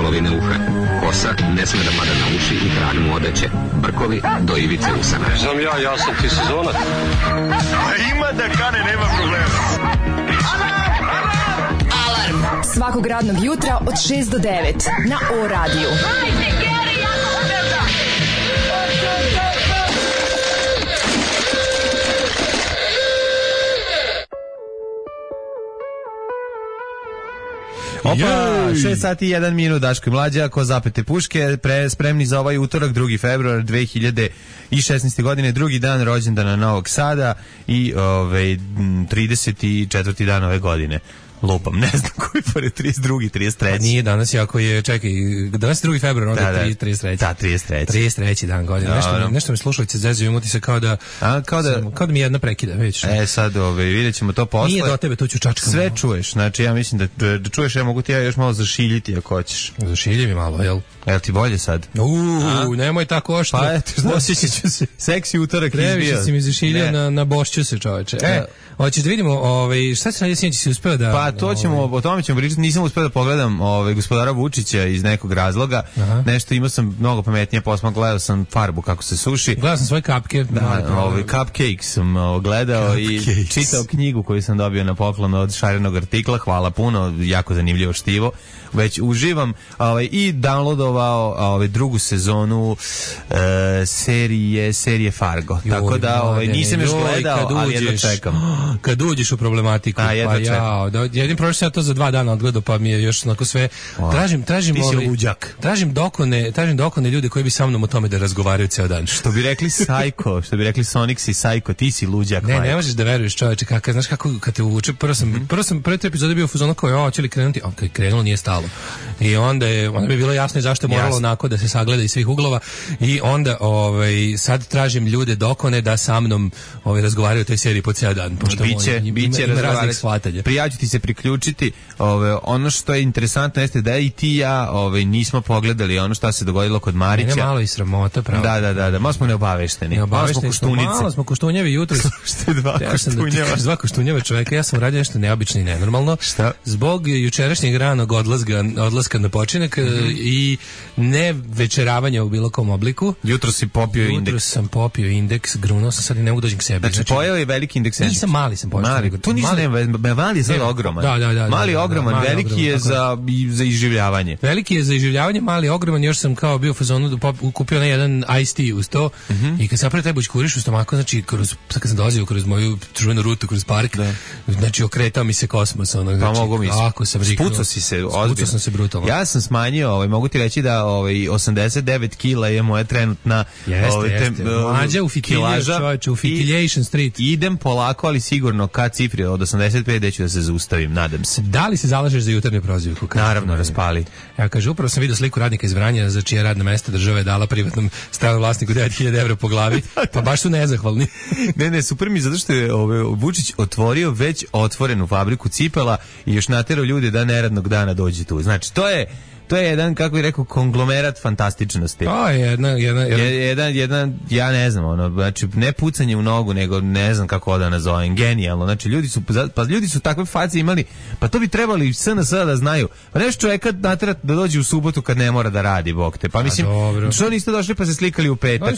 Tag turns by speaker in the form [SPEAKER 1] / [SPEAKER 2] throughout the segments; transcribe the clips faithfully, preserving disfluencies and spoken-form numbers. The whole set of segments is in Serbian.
[SPEAKER 1] polovine uha. Kosa ne sme da pada na uši i krag mu odeće. Brkovi do ivice usana.
[SPEAKER 2] Znam ja, ja sam ti sezonac.
[SPEAKER 3] Ima da kane, nema problema.
[SPEAKER 4] Alarm svakog radnog jutra od šest do devet na O radiju.
[SPEAKER 5] Opa, šest sati i jedan minut, Daško i Mlađa, ko zapete puške, pre, spremni za ovaj utorak, drugi februar dve hiljade šesnaeste. godine, drugi dan rođendana Novog Sada i ove, trideset četvrti dan ove godine. Lupam, ne znam koji pored trideset drugi, trideset treći.
[SPEAKER 6] A nije danas, jako je, čekaj, danas je drugi februar, onda
[SPEAKER 5] da,
[SPEAKER 6] je trideset treći.
[SPEAKER 5] Da, trideset treći.
[SPEAKER 6] trideset treći dan godine. Nešto, no. nešto mi slušalice zezuju, imati se kao da,
[SPEAKER 5] A, kao da,
[SPEAKER 6] sam, kao da mi jedna prekida, vidiš.
[SPEAKER 5] E, sad, ove, vidjet ćemo to posle.
[SPEAKER 6] Nije do tebe, tu ću čačkam.
[SPEAKER 5] Sve čuješ, znači ja mislim da, da čuješ, ja mogu ti ja još malo zašiljiti ako hoćeš.
[SPEAKER 6] Zašilji mi malo, jel?
[SPEAKER 5] Jel ti bolje sad?
[SPEAKER 6] Uuu, nemoj tako oštro.
[SPEAKER 5] Pa eto,
[SPEAKER 6] osjećat ću se.
[SPEAKER 5] Seksi utorak izbio.
[SPEAKER 6] Previše si mi zašiljio na, na bošću se, čoveče. E, hoćeš da vidimo, ovaj, šta se radije sinoć si uspeo da...
[SPEAKER 5] Pa to ćemo, ovaj, o tome ćemo pričati, nisam uspeo da pogledam ovaj, gospodara Vučića iz nekog razloga. Aha. Nešto imao sam mnogo pametnije posma, gledao sam farbu kako se suši.
[SPEAKER 6] Gledao sam svoje kapke.
[SPEAKER 5] Da, ovaj, cupcake sam ovaj, gledao Cupcakes. I čitao knjigu koju sam dobio na poklon od šarenog artikla, hvala puno, jako zanimljivo štivo. Već uživam ovaj, i downloadovao ovaj, drugu sezonu e, serije serije Fargo. Joj, tako da ovaj, nisam još gledao, ali jedno čekam.
[SPEAKER 6] Kad uđeš u problematiku,
[SPEAKER 5] A,
[SPEAKER 6] pa ja, da, jedin prošao sam ja to za dva dana odgledao, pa mi je još onako sve... Tražim, tražim, ovaj, tražim dokone, tražim dokone ljudi koji bi sa mnom o tome da razgovaraju ceo dan.
[SPEAKER 5] Što bi rekli Psycho, što bi rekli Sonics i Psycho, ti si luđak.
[SPEAKER 6] Ne, ne možeš da veruješ, čoveče, kako, znaš kako kad te uvuče, prvo sam, mm-hmm. prvo sam, prvi tri epizode bio u fazonu kao, ja, će li krenuti, a kad je krenulo nije stalo. I onda je, onda bi bilo jasno i zašto je moralo jasno. Onako da se sagleda iz svih uglova i onda ovaj, sad tražim ljude dokone da sa mnom ovaj, razgovaraju o toj seriji po ceo dan. Pošto
[SPEAKER 5] biće,
[SPEAKER 6] moj,
[SPEAKER 5] biće
[SPEAKER 6] ima, ima raznih shvatanja.
[SPEAKER 5] Prijaću ti se priključiti. Ove, ono što je interesantno jeste da i ti ja ovaj, nismo pogledali ono što se dogodilo kod Marića.
[SPEAKER 6] Mene malo i sramota, pravo.
[SPEAKER 5] Da, da, da, da. Malo smo neobavešteni.
[SPEAKER 6] Neobavešteni smo, malo smo koštunjevi jutro.
[SPEAKER 5] Što je dva koštunjeva?
[SPEAKER 6] Da dva koštunjeva čoveka. Ja sam radio nešto neobično i nenormalno.
[SPEAKER 5] Šta?
[SPEAKER 6] Zbog jučerašnjeg ranog odlaska, odlaska na počinak mm-hmm. i ne večeravanja u bilo kom obliku.
[SPEAKER 5] Jutro si popio
[SPEAKER 6] jutro
[SPEAKER 5] indeks.
[SPEAKER 6] Jutro sam popio indeks, grunuo sam sad i ne mogu dođem k sebi.
[SPEAKER 5] Znači, znači pojeo je veliki indeks.
[SPEAKER 6] Nisam mali sam pojeo.
[SPEAKER 5] Mali, to nisam, mali, ne, mali je sad ogroman.
[SPEAKER 6] Da, da, da.
[SPEAKER 5] Mali je ogroman,
[SPEAKER 6] da,
[SPEAKER 5] veliki
[SPEAKER 6] ogroman,
[SPEAKER 5] je za, za iživljavanje.
[SPEAKER 6] Veliki je za iživljavanje, mali je ogroman, još sam kao bio u fazonu, kupio na jedan iced tea uz to mm-hmm. i kad sam prvo taj bućkuriš u stomaku, znači, kroz, sad kad sam dolazio kroz moju čuvenu rutu, kroz park, da. Znači, okretao mi se kosmos. Ono, znači,
[SPEAKER 5] pa mogu mi
[SPEAKER 6] se.
[SPEAKER 5] Spucao si se, ozbiljno.
[SPEAKER 6] sam se brutalno.
[SPEAKER 5] Ja sam smanjio, ovaj, mogu ti reći da ovaj, osamdeset devet kila je moja trenutna
[SPEAKER 6] jeste, ovaj, jeste. Mlađa u fitiljaž, čovječe, u Fitiljation Street.
[SPEAKER 5] Idem polako, ali sigurno ka cifri od osamdeset pet gde ću da se zaustavim, nadam se.
[SPEAKER 6] Da li se zalažeš za jutarnju prozivku?
[SPEAKER 5] Naravno, raspali.
[SPEAKER 6] Ja kaže, upravo sam vidio sliku radnika iz Vranja za čije radno mesto država je dala privatnom stranom vlasniku devet hiljada evra po glavi, pa baš su nezahvalni.
[SPEAKER 5] ne, ne, super mi zato što je ovaj, Vučić otvorio već otvorenu fabriku cipela i još naterao ljude da neradnog dana dođe tu. Znači, to je to je jedan, kako bih rekao, konglomerat fantastičnosti.
[SPEAKER 6] To je jedna, jedna, jedna.
[SPEAKER 5] jedan, jedan, ja ne znam, ono, znači, ne pucanje u nogu, nego ne znam kako da nazovem, genijalno. Znači, ljudi su, pa ljudi su takve face imali, pa to bi trebali S N S da znaju. Pa nešto čovjeka naterati da dođe u subotu kad ne mora da radi, bog te. Pa mislim, što niste došli pa se slikali u petak?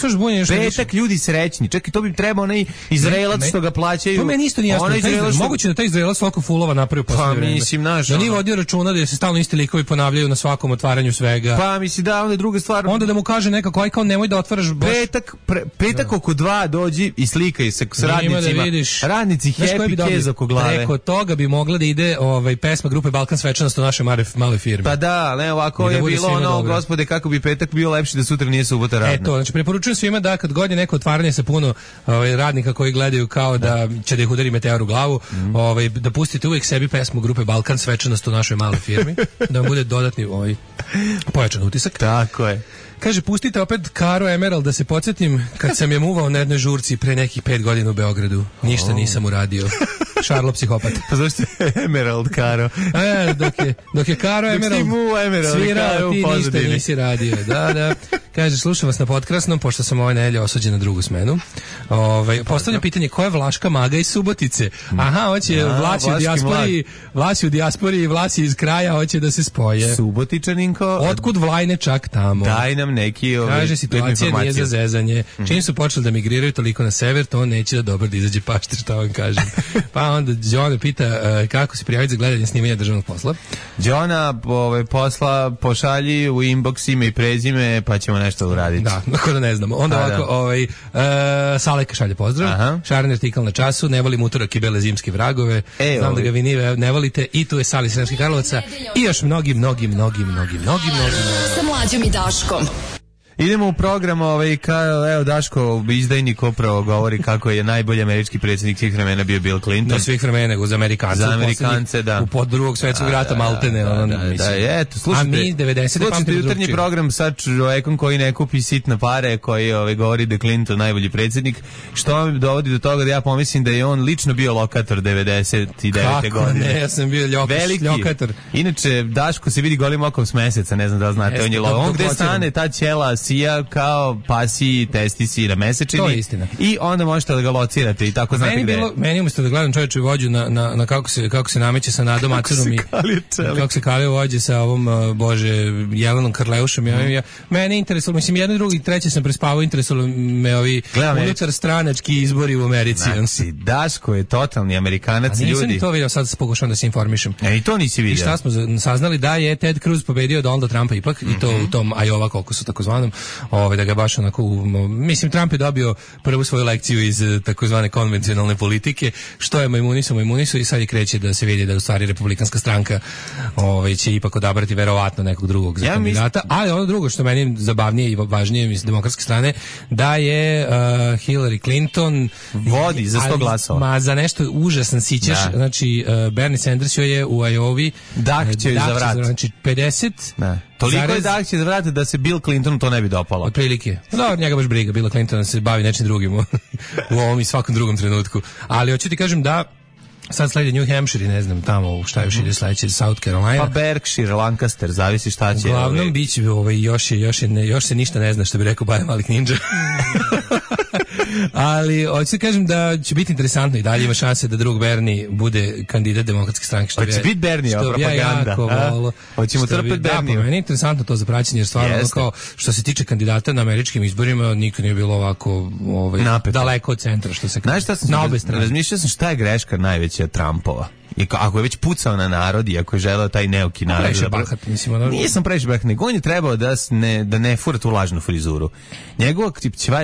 [SPEAKER 5] Petak ljudi srećni. Čekaj, to bi trebao onaj Izraelac što ga plaćaju.
[SPEAKER 6] To meni isto nije jasno. Izraelac, što... Moguće da taj Izraelac svako fulova napravio posle
[SPEAKER 5] pa,
[SPEAKER 6] vremena.
[SPEAKER 5] Mislim, naš,
[SPEAKER 6] da nije vodio računa da se stalno isti likovi ponavljaju na svakom otvaranju svega.
[SPEAKER 5] Pa misli da, onda je druga stvar.
[SPEAKER 6] Onda da mu kaže nekako, aj kao nemoj da otvaraš baš.
[SPEAKER 5] Petak, pre, petak oko dva dođi i slikaj se s radnicima. Da radnici happy kez oko glave.
[SPEAKER 6] Preko toga bi mogla da ide ovaj, pesma grupe Balkan svečanost u našoj maloj firmi.
[SPEAKER 5] Pa da, ne, ovako je bilo ono, dobro. Gospode, kako bi petak bio lepši da sutra nije subota radna.
[SPEAKER 6] Eto, znači preporučujem svima da kad god je neko otvaranje sa puno ovaj, radnika koji gledaju kao da će da ih udari meteor u glavu, mm. ovaj, da pustite uvijek sebi pesmu grupe Balkan svečanost u našoj maloj firmi, da vam bude dodatni ovaj, pojačan utisak.
[SPEAKER 5] Tako je.
[SPEAKER 6] Kaže, pustite opet Karo Emerald da se podsjetim kad sam je muvao na jednoj žurci pre nekih pet godina u Beogradu. Ništa oh. nisam uradio. Šarlo psihopat.
[SPEAKER 5] Pa zašto je Emerald Karo?
[SPEAKER 6] E, dok je, dok je Karo Emerald,
[SPEAKER 5] mu Emerald
[SPEAKER 6] svirao, ti ništa nisi radio. Da, da. Kaže, slušam vas na potkrasnom, pošto sam ove nedelje osuđen na drugu smenu. Ove, postavljam pitanje, ko je Vlaška maga iz Subotice? Aha, hoće Vlasi u dijaspori, Vlasi u dijaspori i Vlasi iz kraja, hoće da se spoje.
[SPEAKER 5] Subotičaninko.
[SPEAKER 6] Otkud Vlajne čak tamo?
[SPEAKER 5] Daj nam neki ove,
[SPEAKER 6] kaže, situacija nije za zezanje. Mm. Čim su počeli da migriraju toliko na sever, to on neće da dobro da izađe pašter, šta vam kažem. Pa onda Đona pita uh, kako se prijaviti za gledanje snimanja državnog posla.
[SPEAKER 5] Đona ove, posla pošalji u inbox ime i prezime, pa ćemo nešto uraditi.
[SPEAKER 6] Da, ako da ne znamo. Onda ovako, ovaj, uh, Saleka šalje pozdrav. Aha. Šarni artikal na času, ne volim utorak i bele zimske vragove. E, znam ovaj. Da ga vi ne, ne volite. I tu je Sali Sremski Karlovaca. I još mnogi, mnogi, mnogi, mnogi, mnogi, mnogi.
[SPEAKER 4] Sa Mlađom i Daškom.
[SPEAKER 5] Idemo u program, ovaj, ka, evo Daško, izdajnik upravo govori kako je najbolji američki predsjednik svih vremena bio Bill Clinton.
[SPEAKER 6] Ne svih vremena, nego za Amerikance.
[SPEAKER 5] Za Amerikance, da.
[SPEAKER 6] U pod drugog svjetskog rata, da, maltene.
[SPEAKER 5] Da,
[SPEAKER 6] on,
[SPEAKER 5] da,
[SPEAKER 6] mislim.
[SPEAKER 5] da, eto, slušajte.
[SPEAKER 6] A mi devedesete
[SPEAKER 5] slušajte jutarnji program sa čovjekom koji ne kupi sitna pare, koji ovaj, govori da je Clinton najbolji predsjednik, što mi dovodi do toga da ja pomislim da je on lično bio lokator devedeset devete
[SPEAKER 6] Kako
[SPEAKER 5] godine.
[SPEAKER 6] ne, ja sam bio ljokaš,
[SPEAKER 5] veliki
[SPEAKER 6] ljokator.
[SPEAKER 5] Inače, Daško se vidi golim okom s meseca, ne znam da li znate, Jeste, on je lo... On gde stane, ta ćela sija kao pasi, testisi na mesečini.
[SPEAKER 6] To je istina.
[SPEAKER 5] I onda možete da ga locirate i tako znate gde.
[SPEAKER 6] Bilo, meni umjesto da gledam čovječu vođu na, na, na kako, se, kako se nameće sa Nadom Acerom i kako se kalio vođe sa ovom, uh, bože, Jelenom Karleušom. Mm. Ja, ja, mene interesalo, mislim, jedno i drugi, treće sam prespavao, interesalo me ovi unutar stranački izbori u Americi.
[SPEAKER 5] Znači, Daško je totalni Amerikanac, ljudi. A nisam
[SPEAKER 6] ljudi. To vidio, sad pokušavam da se informišem.
[SPEAKER 5] E, i to nisi vidio.
[SPEAKER 6] I šta smo saznali, da je Ted Cruz pobedio Donalda Trumpa ipak, mm-hmm. i to u tom Iowa kokusu takozvanom, ovaj, da ga baš onako, mislim, Trump je dobio prvu svoju lekciju iz takozvane konvencionalne politike, što je majmunisu, majmunisu i sad je kreće da se vidi da u stvari republikanska stranka ovaj, će ipak odabrati verovatno nekog drugog za ja kandidata, mislim... ali ono drugo što meni zabavnije i važnije iz demokratske strane, da je uh, Hillary Clinton
[SPEAKER 5] vodi za sto glasova.
[SPEAKER 6] Ma za nešto užasan sićeš, da. Znači uh, Bernie Sanders joj je u Iowa
[SPEAKER 5] dah će joj za vrat.
[SPEAKER 6] Znači pedeset
[SPEAKER 5] Da. Toliko zarez... je dah će za vrat da se Bill Clinton to ne bi dopalo.
[SPEAKER 6] Otprilike. Da, njega baš briga. Bill Clinton se bavi nečim drugim u, u ovom i svakom drugom trenutku. Ali hoću ti kažem da sad sledi New Hampshire, ne znam tamo šta još ide sledeće, South Carolina.
[SPEAKER 5] Pa Berkshire, Lancaster, zavisi šta će.
[SPEAKER 6] Uglavnom ovaj... biće ovaj, još, je, još, je, ne, još se ništa ne zna, što bi rekao Baja Malik Ninja. Ali hoću ti kažem da će biti interesantno i dalje ima šanse da drug Bernie bude kandidat demokratske stranke. Što
[SPEAKER 5] hoće biti Bernie, ova propaganda.
[SPEAKER 6] Ja
[SPEAKER 5] hoćemo trpeti Bernie.
[SPEAKER 6] Da, meni je interesantno to za praćenje, jer stvarno ono kao što se tiče kandidata na američkim izborima nikad nije bilo ovako ovaj, daleko od centra, što se kaže. Na obe strane.
[SPEAKER 5] Razmišljao sam šta je greška najveća Trumpova. I ako je već pucao na narod i ako je želeo taj neuki narod
[SPEAKER 6] previše da bahat, mislim, ono...
[SPEAKER 5] nisam previše bahat, nego on je trebao da ne, da ne fura tu lažnu frizuru. Njegova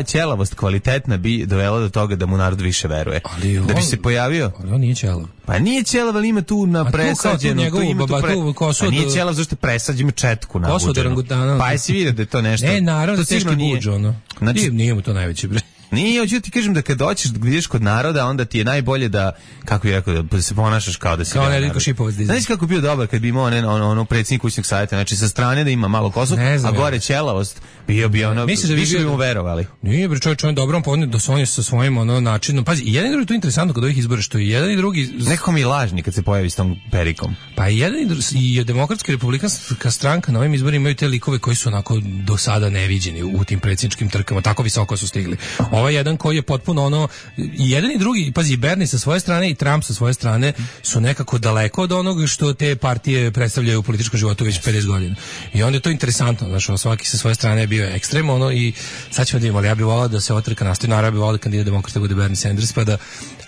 [SPEAKER 5] ćelavost kvalitetna bi dovela do toga da mu narod više veruje.
[SPEAKER 6] Ali
[SPEAKER 5] da
[SPEAKER 6] on,
[SPEAKER 5] bi se pojavio.
[SPEAKER 6] Ali on nije ćelav.
[SPEAKER 5] Pa nije ćelav, ali ima tu na presađenu. Tu ima tu pre... Pa nije ćelav zašto presađe, ima četku nabuđenu. Pa jesi vidio da je to nešto?
[SPEAKER 6] Ne, naravno da teški buđ, ono. Znači, nije mu to najveći bre.
[SPEAKER 5] Nije, hoću ti kažem da kad dođeš da ideš kod naroda, onda ti je najbolje da, kako je rekao, da se ponašaš kao da si
[SPEAKER 6] kao Nedeljko Šipovac.
[SPEAKER 5] Znaš kako bi bio dobar kad bi imao ono, ono, ono predsjednik kućnog savjeta, znači sa strane da ima malo kosu, a gore ćelavost, bio bi ono,
[SPEAKER 6] misliš da bi
[SPEAKER 5] više bi mu verovali.
[SPEAKER 6] Nije, bre, čovjek, čovjek dobro, on da se on je sa svojim ono načinom. Pazi, jedan i drugi, to je interesantno kod ovih izbora, što i jedan i drugi...
[SPEAKER 5] Nekako mi je lažni kad se pojavi s tom perikom.
[SPEAKER 6] Pa i jedan i drugi, i demokratska i republikanska stranka na ovim izborima imaju te likove koji su onako do sada neviđeni u tim predsjedničkim trkama, tako visoko su stigli. Ovaj jedan koji je potpuno ono, i jedan i drugi, pazi, Bernie sa svoje strane i Trump sa svoje strane su nekako daleko od onog što te partije predstavljaju u političkom životu već pedeset godina. I onda je to interesantno, znaš, svaki sa svoje strane je bio ekstrem, ono, i sad ćemo da imamo, ali ja bih volao da se otrka nastavi, naravno ja bih volao da kandidat demokrata bude Bernie Sanders, pa da,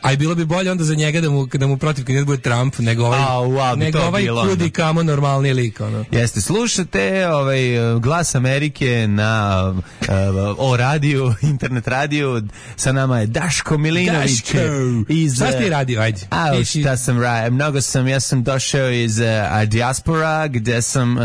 [SPEAKER 6] a i bilo bi bolje onda za njega da mu, da mu protiv kandidat bude Trump, nego ovaj,
[SPEAKER 5] a, wow,
[SPEAKER 6] nego ovaj kudi kamo normalni lik, ono.
[SPEAKER 5] Jeste, slušate ovaj Glas Amerike na uh, o radiju, internet radiju, sa nama je Daško Milinović.
[SPEAKER 6] Daško! Iz, šta ti radio, ajde?
[SPEAKER 5] A, šta sam radio? Mnogo sam, ja sam došao iz uh, dijaspora, gde sam uh,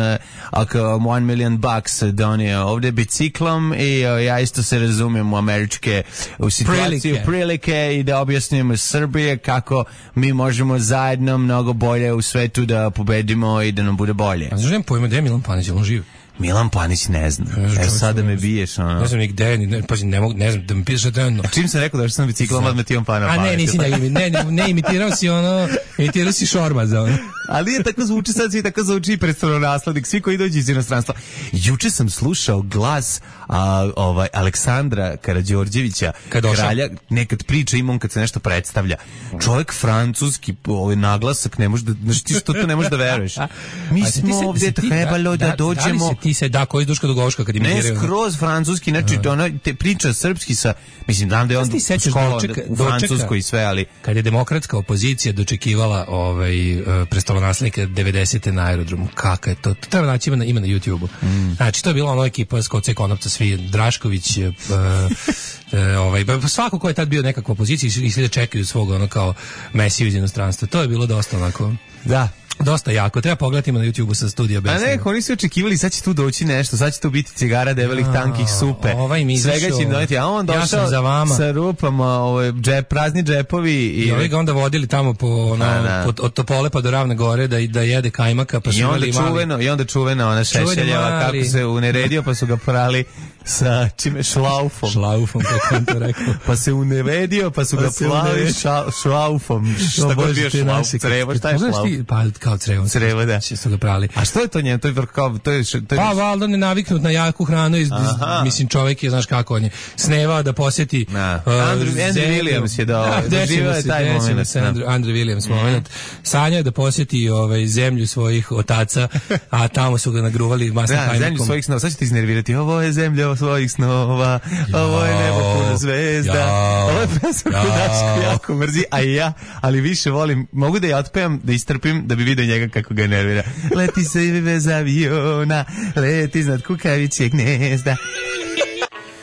[SPEAKER 5] oko one million bucks donio ovde biciklom i uh, ja isto se razumijem u američke u situaciju, prilike, prilike i da objasnimo Srbije kako mi možemo zajedno mnogo bolje u svetu da pobedimo i da nam bude bolje.
[SPEAKER 6] A znaš, nemam pojma, gde je Milan Panić, on živ?
[SPEAKER 5] Milan Panić ne zna. E sad da me biješ, ono.
[SPEAKER 6] Ne znam ni gde, ni, ne, pazi, ne mogu, ne znam, da mi pišeš trenutno.
[SPEAKER 5] Čim sam rekao da što sam biciklom, odmah ti on pa na pamet.
[SPEAKER 6] A ne, nisi ne, ne, ne, imitirao si ono, imitirao si Šormaza, ono.
[SPEAKER 5] Ali je tako zvuči, sad svi tako zvuči predstavonaslednik, svi koji dođu iz inostranstva. Juče sam slušao glas a, ovaj, Aleksandra Karađorđevića, kralja, nekad priča ima on kad se nešto predstavlja. Čovjek francuski, ovaj naglasak, ne može da, znači ti što to ne možeš da veruješ. Mi smo ovdje trebalo da, da dođemo. Da
[SPEAKER 6] li se ti se, da, koji Duško Dugovška kad imitiraju?
[SPEAKER 5] Ne, skroz francuski, znači uh. ona te priča srpski sa, mislim, znam da je on škola u Francuskoj i sve, ali...
[SPEAKER 6] Kad je demokratska opozicija dočekivala ovaj, uh, prestolonaslednika devedesete na aerodromu, kaka je to? To treba naći, ima na, ima na YouTube-u. Mm. Znači, to je bila ono ekipa Skoce Konopca, svi, Drašković, uh, uh, ovaj, svako ko je tad bio nekakva opozicija i svi da čekaju svog ono kao Mesiju iz inostranstva. To je bilo dosta onako...
[SPEAKER 5] Da.
[SPEAKER 6] Dosta jako, treba pogledati na YouTubeu sa studija Besna.
[SPEAKER 5] A ne, oni su očekivali, sad će tu doći nešto, sad će tu biti cigara debelih, ja, tankih, supe.
[SPEAKER 6] Ovaj mi izašao,
[SPEAKER 5] svega će im doneti, a on došao
[SPEAKER 6] ja za vama.
[SPEAKER 5] Sa rupama, ovaj, džep, prazni džepovi. I,
[SPEAKER 6] I ovi ga onda vodili tamo po, ono,
[SPEAKER 5] a,
[SPEAKER 6] po, od Topole pa do Ravne gore da, da jede kajmaka. Pa
[SPEAKER 5] I, onda čuveno, mali. I onda čuvena ona Šešeljeva, kako se uneredio pa su ga prali sa čime šlaufom.
[SPEAKER 6] Šlaufom, kako on to rekao.
[SPEAKER 5] Pa se uneredio, pa su pa ga prali šlaufom. Šta god bio šlauf, crevo, šta je šlauf?
[SPEAKER 6] Pa kao crevo.
[SPEAKER 5] Crevo, da.
[SPEAKER 6] Su ga prali.
[SPEAKER 5] A što je to njem? To je kao to je, to je...
[SPEAKER 6] Pa valjda ne naviknut na jaku hranu iz, iz mislim čovjek je znaš kako on je sneva da posjeti uh,
[SPEAKER 5] Andrew, Andrew Williams je da doživio je taj moment.
[SPEAKER 6] Andrew, Andrew Williams mm. moment. Sanja je da posjeti ovaj zemlju svojih otaca, a tamo su ga nagruvali masnim
[SPEAKER 5] da,
[SPEAKER 6] hajmakom.
[SPEAKER 5] Zemlju svojih snova. Sad ćete iznervirati. Ovo je zemlja svojih snova. Ovo je nebo puno zvezda. Ovo je pesma koju Daško jako mrzi, a i ja, ali više volim. Mogu da je otpevam, da istrpim, da bi vidio njega kako ga nervira. Leti se i bez aviona, leti iznad kukavičjeg gnezda.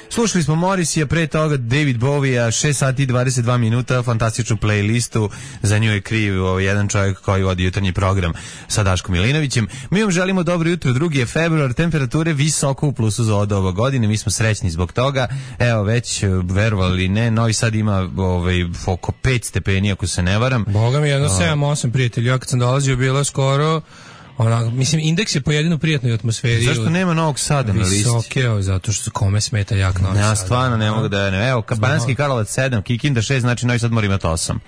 [SPEAKER 5] Slušali smo Morrissey, pre toga David Bowie-a, šest sati i dvadeset dva minuta, fantastičnu playlistu, za nju je kriv ovaj, jedan čovjek koji vodi jutarnji program sa Daškom Milinovićem. Mi vam želimo dobro jutro, drugi je februar, temperature visoko u plusu za od ove godine, mi smo srećni zbog toga, evo već, verovali ne, Novi Sad ima ovaj, oko pet stepeni, ako se ne varam.
[SPEAKER 6] Boga mi, jedno sedam osam prijatelji, ja kad sam dolazio bilo skoro ona, mislim, indeks je po jedinu prijatnoj atmosferi.
[SPEAKER 5] Zašto nema Novog Sada na listi?
[SPEAKER 6] Visoke, zato što se kome smeta jak Novi Sad.
[SPEAKER 5] Ja stvarno ne mogu da ne. Evo, Banjski Karlovac sedam, Kikinda šest, znači Novi Sad mora imati osam.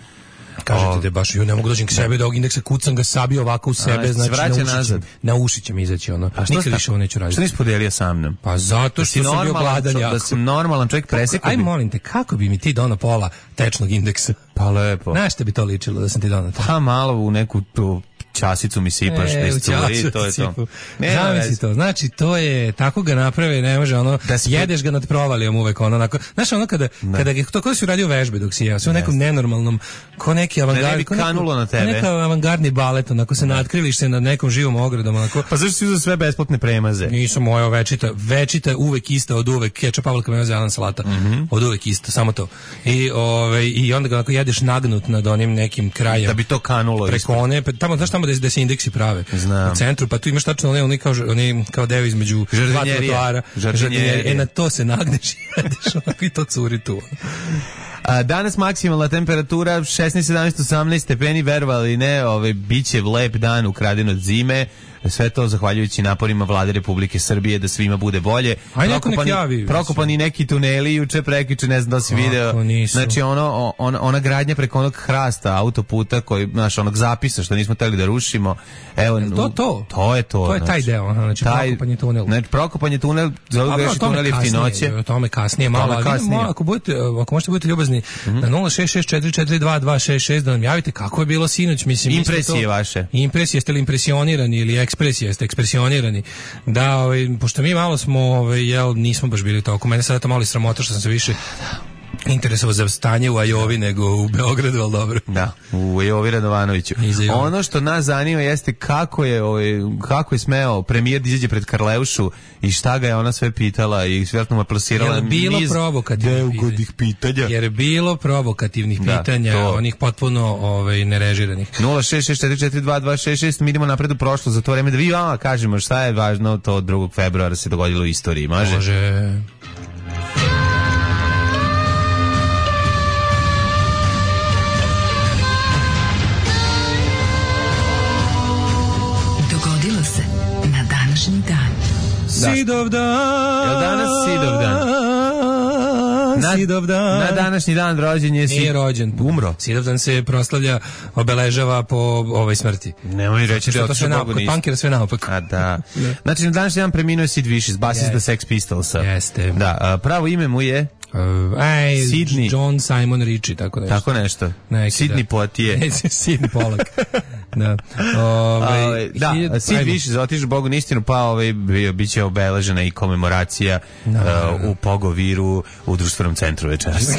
[SPEAKER 6] Kažete da baš, jo ne mogu dođem k sebi, da ovog indeksa kucam ga sabio ovako u sebe,
[SPEAKER 5] a,
[SPEAKER 6] znači na uši,
[SPEAKER 5] nazad.
[SPEAKER 6] Na uši će mi izaći ono. Nikad više ovo neću raditi.
[SPEAKER 5] Što nisi podelio sa mnom?
[SPEAKER 6] Pa zato što sam bio gladan jako.
[SPEAKER 5] Da sam normalan čovjek presekao.
[SPEAKER 6] Aj molim te, kako bi mi ti donao pola tečnog indeksa?
[SPEAKER 5] Pa lepo.
[SPEAKER 6] Znaš šta bi to ličilo da sam ti donao to?
[SPEAKER 5] Pa malo u neku tu časicu mi sipaš,
[SPEAKER 6] e,
[SPEAKER 5] bez curi, to je to.
[SPEAKER 6] Ne, zamisli to, znači to je, tako ga naprave, ne može ono, da spre... jedeš ga nad provalijom uvek, ono, onako, znaš ono kada, ne. kada ga, to kada si uradio vežbe dok si jeo, sve u nekom nenormalnom, ko neki avangard,
[SPEAKER 5] ne, ne ko kanulo na tebe.
[SPEAKER 6] Neka avangardni balet, onako se natkriviš se nad nekom živom ogradom, onako.
[SPEAKER 5] Pa zašto si uzeo sve besplatne premaze?
[SPEAKER 6] Nisam moja večita, večita uvek ista od uvek, kečap, pavlaka, meo, zelen, salata, mm -hmm. od uvek ista, samo to. I, ove, i onda ga onako jedeš nagnut nad onim nekim krajem.
[SPEAKER 5] Da bi to kanulo.
[SPEAKER 6] Preko one, tamo, znaš tamo da se indeksi prave.
[SPEAKER 5] Znam.
[SPEAKER 6] U centru, pa tu imaš tačno one, oni kao, oni kao devi između dva trotoara. E, na to se nagneš i jedeš, onako i to curi tu.
[SPEAKER 5] A, danas maksimalna temperatura šesnaest, sedamnaest, osamnaest stepeni, verovali ne, ovaj, biće lep dan ukraden od zime. Sve to zahvaljujući naporima Vlade Republike Srbije da svima bude bolje.
[SPEAKER 6] Ajde, neko nek javi.
[SPEAKER 5] Prokopani neki tuneli juče, prekjuče, ne znam da si video.
[SPEAKER 6] Nisu.
[SPEAKER 5] Znači ono, ona, ona gradnja preko onog hrasta autoputa, koji, znaš, onog zapisa što nismo hteli da rušimo. Evo,
[SPEAKER 6] to, to.
[SPEAKER 5] To je to.
[SPEAKER 6] To je taj deo, znači taj, prokopanje tunel.
[SPEAKER 5] Znači, prokopanje tunel, zove ga još tunel jeftinoće.
[SPEAKER 6] O tome kasnije, malo. Tome kasnije. Malo, ako, budete, ako možete budete ljubazni, mm-hmm. na nula šest šest četiri četiri dva dva šest šest da nam javite kako je bilo sinoć. Mislim,
[SPEAKER 5] impresije to, vaše.
[SPEAKER 6] Impresije, jeste li impresionirani ili ekspresije, jeste ekspresionirani. Da, ovaj, pošto mi malo smo, ovaj, jel, nismo baš bili toliko. Mene sada to malo i sramota što sam se više interesovao za stanje u Ajovi nego u Beogradu, ali dobro.
[SPEAKER 5] Da, u Ajovi Radovanoviću. Ono što nas zanima jeste kako je, ovaj, kako je smeo premijer da izađe pred Karleušu i šta ga je ona sve pitala i vjerojatno mu je plasirala
[SPEAKER 6] jer bilo niz
[SPEAKER 5] neugodnih pitanja.
[SPEAKER 6] Jer je bilo provokativnih da, pitanja, to. Onih potpuno ovaj, nerežiranih.
[SPEAKER 5] nula šest šest četiri četiri dva dva šest šest, mi idemo napred u prošlo za to vreme da vi vama kažemo šta je važno to drugog februara se dogodilo u istoriji. Može?
[SPEAKER 6] Može.
[SPEAKER 7] Dan.
[SPEAKER 6] Sidovdan.
[SPEAKER 5] Jel danas Sidovdan? Na,
[SPEAKER 6] Sidovdan.
[SPEAKER 5] Na današnji dan rođen je...
[SPEAKER 6] Nije rođen.
[SPEAKER 5] Umro.
[SPEAKER 6] Sidovdan se proslavlja, obeležava po ovoj smrti.
[SPEAKER 5] Nemoj reći da je otišao Bogu
[SPEAKER 6] nisu. Kod punkera sve naopako.
[SPEAKER 5] A da. Znači, na današnji dan preminuo je Sid Vicious, basista yes. Sex Pistolsa.
[SPEAKER 6] Jeste.
[SPEAKER 5] Da, pravo ime mu je...
[SPEAKER 6] Uh, aj,
[SPEAKER 5] Sidney.
[SPEAKER 6] John Simon Ritchie, tako nešto.
[SPEAKER 5] Tako nešto.
[SPEAKER 6] Neki,
[SPEAKER 5] Sidney Poitier.
[SPEAKER 6] Sidney Pollack. Da. Ove,
[SPEAKER 5] Ove, da,
[SPEAKER 6] hiljad,
[SPEAKER 5] Sid Vicious otišao Bogu na istinu, pa ovaj bit će obeležena i komemoracija no, uh, u Pogoviru u društvenom centru večeras.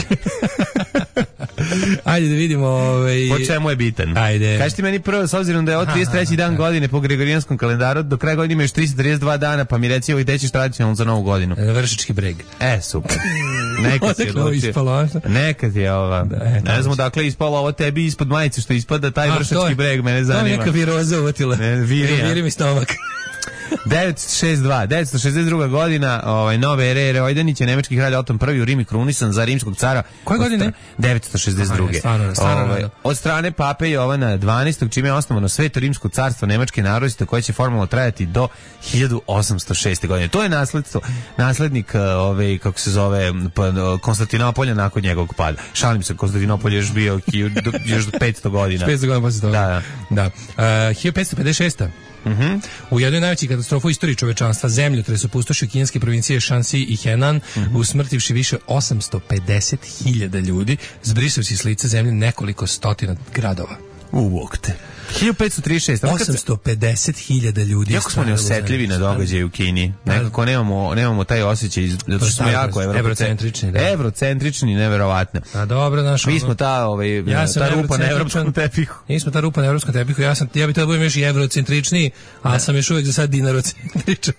[SPEAKER 6] Ajde da vidimo ovaj...
[SPEAKER 5] Po čemu je bitan?
[SPEAKER 6] Ajde.
[SPEAKER 5] Kaži ti meni prvo, s obzirom da je od trideset treći dan godine po gregorijanskom kalendaru, do kraja godine ima još tristo trideset dva dana, pa mi reci ovaj tećiš tradicionalno za novu godinu.
[SPEAKER 6] Vršički breg.
[SPEAKER 5] E, super. Nekad je
[SPEAKER 6] odlučio.
[SPEAKER 5] Nekad je ova. Da, e, ne znam dakle ispalo ovo tebi ispod majice što ispada taj A, vršički breg, mene zanima.
[SPEAKER 6] To je neka viroza uvatila.
[SPEAKER 5] Ne, virija.
[SPEAKER 6] Viri mi stomak.
[SPEAKER 5] devetsto šezdeset dva, devetsto šezdeset druga godina, ovaj nove ere Rojdanić je nemački kralj Oton prvi u Rimi krunisan za rimskog cara.
[SPEAKER 6] Koje godine?
[SPEAKER 5] devetsto šezdeset druge.
[SPEAKER 6] Aha, stvarno, stvarno,
[SPEAKER 5] ovaj, od strane pape Jovana dvanaestog čime je osnovano Sveto rimsko carstvo nemačke narodnosti koje će formalno trajati do hiljadu osamsto šeste. godine. To je nasledstvo, naslednik ove kako se zove Konstantinopolja nakon njegovog pada. Šalim se, Konstantinopolj je još bio još do petsto godina.
[SPEAKER 6] petsto godina posle toga.
[SPEAKER 5] Da,
[SPEAKER 6] da. da. Uh, hiljadu petsto pedeset šeste.
[SPEAKER 5] Mhm. Mm
[SPEAKER 6] u jednoj najvećih katastrofa u istoriji čovečanstva, zemljotres opustošio kineske provincije Shanxi i Henan, mm-hmm. usmrtivši više osamsto pedeset hiljada ljudi, zbrisavši s lica zemlje nekoliko stotina gradova.
[SPEAKER 5] Uvokte. hiljadu petsto trideset šest.
[SPEAKER 6] osamsto pedeset hiljada ljudi.
[SPEAKER 5] Jako smo neosetljivi na događaje u Kini. Nekako nemamo, nemamo taj osjećaj, zato što smo jako
[SPEAKER 6] evrocentrični. Da.
[SPEAKER 5] Evrocentrični, neverovatno.
[SPEAKER 6] A dobro, naš.
[SPEAKER 5] Mi smo ta, ovaj,
[SPEAKER 6] ja
[SPEAKER 5] ta rupa na evropskom tepihu.
[SPEAKER 6] Mi smo ta rupa na evropskom tepihu. Ja sam, ja bih tada budem još i evrocentričniji, a sam još uvek za sad dinarocentričan.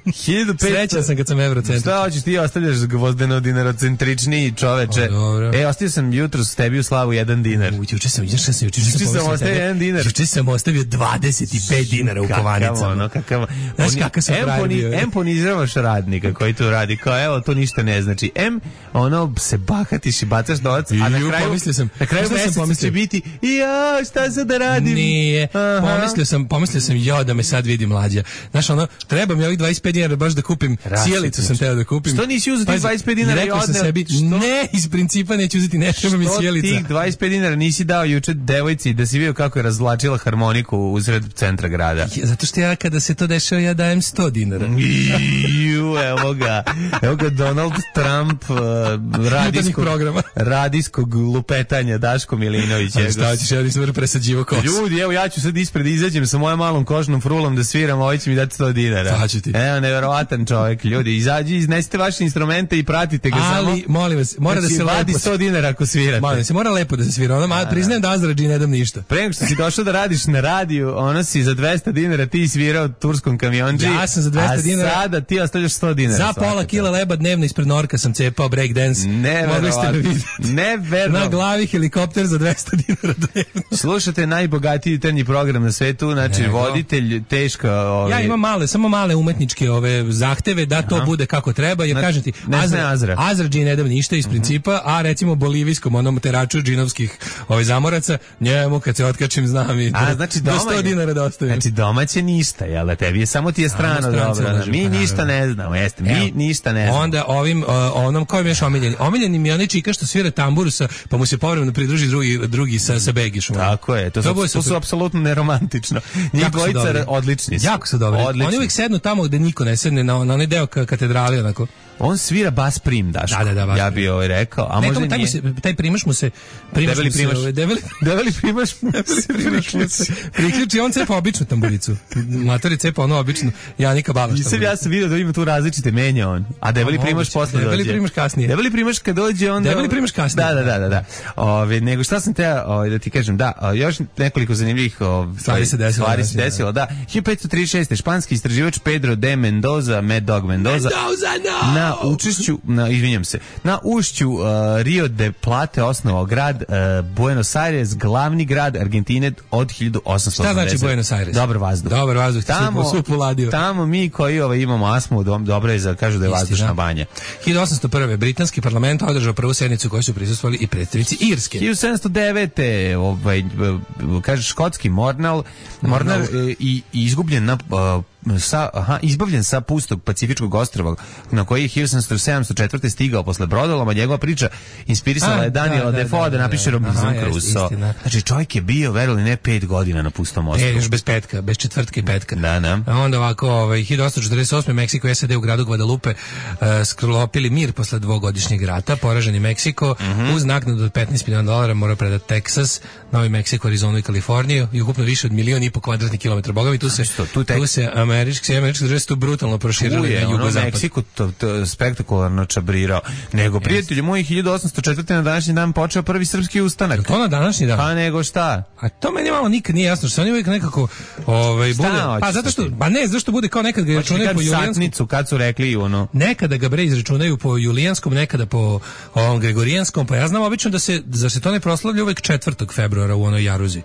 [SPEAKER 6] Srećan sam kad sam evrocentričan.
[SPEAKER 5] Šta hoćeš ti ostavljaš gvozdeno dinarocentričniji čoveče? E, ostavio sam jutro s tebi u slavu jedan dinar.
[SPEAKER 6] Juče sam, juče sam, juče sam
[SPEAKER 5] ostavio jedan dinar.
[SPEAKER 6] Juče sam ostavio dvadeset pet dinara u kovanicama.
[SPEAKER 5] Ono, kakav,
[SPEAKER 6] znaš kakav sam pravio.
[SPEAKER 5] M poniziravaš radnika koji tu radi, kao evo, to ništa ne znači. M, ono, se bahatiš i bacaš novac, a na kraju,
[SPEAKER 6] sam,
[SPEAKER 5] na kraju meseca će biti, ja, šta sad da radim?
[SPEAKER 6] Nije,
[SPEAKER 5] Aha.
[SPEAKER 6] pomislio sam, pomislio sam, jo, da me sad vidi mlađa. Znaš, ono, treba mi ovih dvadeset pet dinara baš da kupim, sjelicu sam teo da kupim.
[SPEAKER 5] Što nisi uzeti dvadeset pet dinara i odneo?
[SPEAKER 6] Sebi, ne, iz principa neću uzeti, ne treba mi sjelica.
[SPEAKER 5] Što tih dvadeset pet dinara nisi dao juče devojci da si vidio kako je razvlačila harmoniku uzred centra grada?
[SPEAKER 6] Zato što ja kada se to dešava ja dajem sto dinara.
[SPEAKER 5] Ju, evo ga. Evo ga Donald Trump uh, radijskog, radijskog lupetanja Daško Milinović.
[SPEAKER 6] Šta ćeš, ja nisam presađivo kosu.
[SPEAKER 5] Ljudi, evo ja ću sad ispred izađem sa mojom malom kožnom frulom da sviram, ovaj će mi dati sto dinara.
[SPEAKER 6] Šta ću ti?
[SPEAKER 5] Evo, neverovatan čovjek. Ljudi, izađi, iznesite vaše instrumente i pratite ga.
[SPEAKER 6] Ali,
[SPEAKER 5] samo.
[SPEAKER 6] molim vas, mora da se
[SPEAKER 5] vadi sto dinara ako svirate.
[SPEAKER 6] Molim se, mora lepo da se svira. Ono, a, priznajem da Azrađi ne dam ništa.
[SPEAKER 5] Pre nego što si došao da radiš na radiju, ono si za dvesto dinara ti svirao turskom kamionđi.
[SPEAKER 6] Ja sam za dvesta dinara.
[SPEAKER 5] A sada ti ostavljaš sto dinara.
[SPEAKER 6] Za pola kila leba dnevno ispred Norka sam cepao breakdance. Mogli ste me vidjeti.
[SPEAKER 5] Neverovatno.
[SPEAKER 6] Na glavi helikopter za dvesta dinara dnevno.
[SPEAKER 5] Slušate najbogatiji jutarnji program na svetu, znači Nego. voditelj, teška... Ove...
[SPEAKER 6] Ja imam male, samo male umetničke ove zahteve da to Aha. bude kako treba, jer kažem ti,
[SPEAKER 5] Azra, Azra.
[SPEAKER 6] Azra dži ne dam ništa iz principa, uh-huh. a recimo bolivijskom onom teraču džinovskih ove zamoraca, njemu kad se otkačim znam i
[SPEAKER 5] a, znači
[SPEAKER 6] do sto dinara da ostavim.
[SPEAKER 5] Znači domaće ništa, jel da tebi je samo ti je strano dobro. Mi ništa ne znamo, jeste, mi Evo, ništa ne znamo.
[SPEAKER 6] Onda ovim, uh, onom kojim još omiljeni. Omiljeni mi je onaj čika što svira tambur sa, pa mu se povremeno pridruži drugi, drugi sa, sa begišom.
[SPEAKER 5] Tako je, to, to, su, to su apsolutno neromantično. Njih dvojica odlični su.
[SPEAKER 6] Jako su dobri. Odlični. Oni uvijek sednu tamo gde niko ne sedne, na, na onaj deo katedrali, onako.
[SPEAKER 5] On svira bas prim, Daško.
[SPEAKER 6] Da, da, da,
[SPEAKER 5] ja bi ovaj rekao, a
[SPEAKER 6] ne,
[SPEAKER 5] možda
[SPEAKER 6] taj,
[SPEAKER 5] nije.
[SPEAKER 6] Se, taj primaš mu se primaš
[SPEAKER 5] debeli
[SPEAKER 6] mu
[SPEAKER 5] primaš.
[SPEAKER 6] Se, debeli,
[SPEAKER 5] debeli primaš mu se,
[SPEAKER 6] primaš mu se. Priključi, on cepa običnu tamburicu. Matori cepa ono običnu Janika Balaš.
[SPEAKER 5] Nisam ja sam vidio da ima tu različite menja on. A debeli a, primaš posle dođe.
[SPEAKER 6] Debeli primaš kasnije.
[SPEAKER 5] Debeli primaš kad dođe onda.
[SPEAKER 6] Debeli primaš kasnije.
[SPEAKER 5] Da, da, da, da, da. Ove, nego šta sam te ove, da ti kažem, da, još nekoliko zanimljivih ove,
[SPEAKER 6] stvari se desilo.
[SPEAKER 5] Stvari se desilo, da. hiljadu petsto trideset šeste španski istraživač Pedro de Mendoza, Mad Dog Mendoza,
[SPEAKER 6] Mendoza no!
[SPEAKER 5] na učešću, na, izvinjam se, na ušću uh, Rio de Plate osnovao grad uh, Buenos Aires, glavni grad Argentine od hiljadu osamsto osamdeset.
[SPEAKER 6] Šta znači Buenos Aires?
[SPEAKER 5] Dobar vazduh.
[SPEAKER 6] Dobar vazduh,
[SPEAKER 5] tamo,
[SPEAKER 6] supu ladio.
[SPEAKER 5] Tamo mi koji ovaj, imamo astmu, dobro je za kažu da je vazdušna banja.
[SPEAKER 6] hiljadu osamsto prve britanski parlament održao prvu sednicu kojoj su prisustvovali i predstavnici Irske.
[SPEAKER 5] hiljadu sedamsto devete ovaj kaže škotski Mornal, Mornar i, i izgubljen na uh, sa, aha, izbavljen sa pustog Pacifičkog ostrva na koji je hiljadu sedamsto četvrte stigao posle brodoloma. Njegova priča inspirisala je Daniela Defoe da napiše Robinson Crusoe. Znači čovjek je bio, verovali ne, pet godina na pustom ostrvu.
[SPEAKER 6] E, još bez petka, bez četvrtke i petka.
[SPEAKER 5] Da, da.
[SPEAKER 6] A onda ovako, ovaj, hiljadu osamsto četrdeset osme. Meksiko i S A D u gradu Guadalupe uh, sklopili mir posle dvogodišnjeg rata. Poraženi Meksiko mm -hmm. uz naknadu od petnaest miliona dolara mora predati Teksas, Novi Meksiko, Arizonu i Kaliforniju i ukupno više od milion i po kvadratnih kilometara. Boga mi tu se, Što, tu, tek... tu se američki, američki države tu brutalno proširili na jugozapad.
[SPEAKER 5] Meksiko to, to spektakularno čabrirao. Nego, yes. Prijatelji moji, hiljadu osamsto četvrte. na današnji dan počeo prvi srpski ustanak.
[SPEAKER 6] Je to na današnji dan?
[SPEAKER 5] Pa nego šta?
[SPEAKER 6] A to meni malo nikad nije jasno, što se oni uvijek nekako ovaj, bude... Pa zato što, ba ne, zašto bude kao nekad ga računaju po julijanskom...
[SPEAKER 5] Satnicu, kad su rekli ono...
[SPEAKER 6] Nekada ga bre izračunaju po julijanskom, nekada po ovom gregorijanskom, pa ja znam obično da se, da se to ne proslavlja uvijek četvrtog februara u onoj Jaruzi.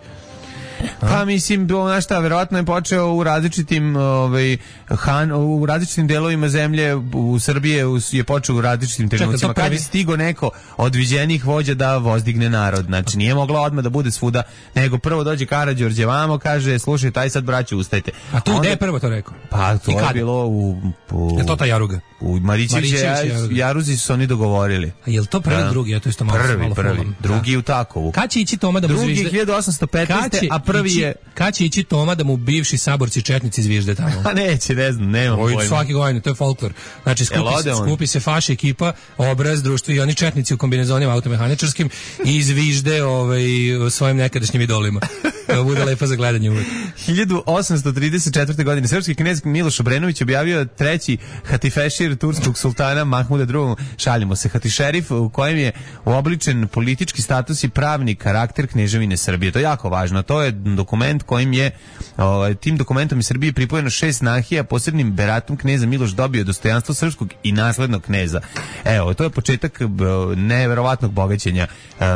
[SPEAKER 5] Pa mislim, znaš šta, verovatno je počeo u različitim ovaj, han, u različitim delovima zemlje u Srbije je počeo u različitim trenucima. Kad je stigo neko od viđenih vođa da vozdigne narod. Znači nije mogla odmah da bude svuda, nego prvo dođe Karađorđe vamo, kaže, slušaj, taj sad braću ustajte.
[SPEAKER 6] A tu gde je prvo to rekao?
[SPEAKER 5] Pa to je bilo u... u
[SPEAKER 6] je to ta Jaruga?
[SPEAKER 5] U Marićeviće Jaruzi su oni dogovorili.
[SPEAKER 6] A je li to prvi, da. drugi? Ja to isto malo
[SPEAKER 5] prvi,
[SPEAKER 6] malo
[SPEAKER 5] prvi,
[SPEAKER 6] folam.
[SPEAKER 5] drugi da. U Takovu.
[SPEAKER 6] Kad će ići Toma da mu
[SPEAKER 5] drugi
[SPEAKER 6] zvižde?
[SPEAKER 5] hiljadu osamsto petnaeste. a prvi
[SPEAKER 6] ići,
[SPEAKER 5] je...
[SPEAKER 6] Kad će ići Toma da mu bivši saborci četnici zvižde tamo?
[SPEAKER 5] A neće, ne znam, nemam
[SPEAKER 6] Oj,
[SPEAKER 5] pojma.
[SPEAKER 6] Svaki godine, to je folklor. Znači, skupi, se, skupi se faš ekipa, obraz, društvo i oni četnici u kombinezonima automehaničarskim i zvižde ovaj, svojim nekadašnjim idolima. Da bude lepo za gledanje uvijek.
[SPEAKER 5] hiljadu osamsto trideset četvrte. godine srpski knez Miloš Obrenović objavio treći hatifešir turskog sultana Mahmuda drugog. Šaljimo se, hatišerif u kojem je uobličen politički status i pravni karakter kneževine Srbije. To je jako važno. To je dokument kojim je ovaj, tim dokumentom iz Srbije pripojeno šest nahija, posebnim beratom kneza Miloš dobio dostojanstvo srpskog i naslednog kneza. Evo, to je početak neverovatnog bogaćenja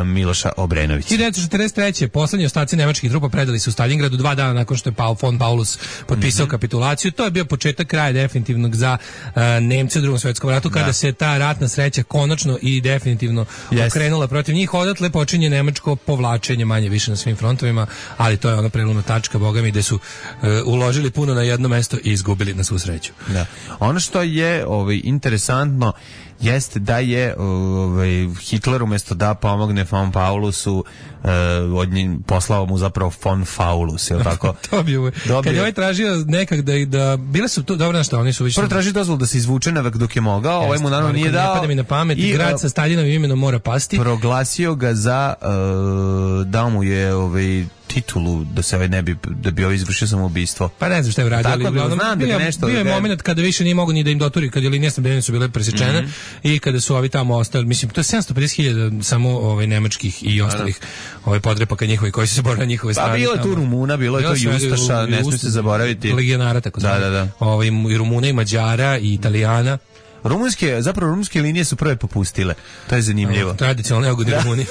[SPEAKER 5] Miloša Obrenovića.
[SPEAKER 6] hiljadu devetsto četrdeset treće. poslednji ostaci nemačkih trupa predali su u Stalingradu dva dana nakon što je Paul von Paulus potpisao mm-hmm. kapitulaciju. To je bio početak kraja definitivnog za uh, Nemce u Drugom svjetskom ratu, kada da. se ta ratna sreća konačno i definitivno yes. okrenula protiv njih. Odatle počinje nemačko povlačenje manje više na svim frontovima, ali to je ona prelomna tačka, boga mi, gde su uh, uložili puno na jedno mesto i izgubili na svu sreću. Da.
[SPEAKER 5] Ono što je ovaj, interesantno jeste da je ovaj, Hitler umjesto da pomogne von Paulusu uh, od njih poslao mu zapravo von Faulus, je li tako?
[SPEAKER 6] Dobio. Kad je ovaj tražio nekak da, da bile su tu, dobro nešto, oni su više...
[SPEAKER 5] Prvo traži dozvol da se izvuče navek dok je mogao, ovaj mu naravno nije dao.
[SPEAKER 6] Ne pada mi na pamet, i grad sa Staljinovim imenom mora pasti.
[SPEAKER 5] Proglasio ga za, uh, dao mu je ovaj, titulu da se ovaj ne bi da bi ovaj izvršio samoubistvo.
[SPEAKER 6] Pa ne znam šta je uradio, ali
[SPEAKER 5] uglavnom znam da bio, nešto
[SPEAKER 6] bio je moment kada više nije mogu ni da im doturi, kad je linije snabdevanja su bile presečene mm-hmm. i kada su ovi tamo ostali, mislim to je sedamsto pedeset hiljada samo ovaj nemačkih i ostalih ovaj podrepaka njihovi koji su se borili na njihove strane.
[SPEAKER 5] Pa bilo je tu Rumuna, bilo je to i Ustaša, ne smije se zaboraviti.
[SPEAKER 6] Legionara tako da, da, da. Ovaj i Rumuna i Mađara i Italijana.
[SPEAKER 5] Rumunske, zapravo rumunske linije su prve popustile. To je zanimljivo.
[SPEAKER 6] Tradicionalno neugodni Rumuni.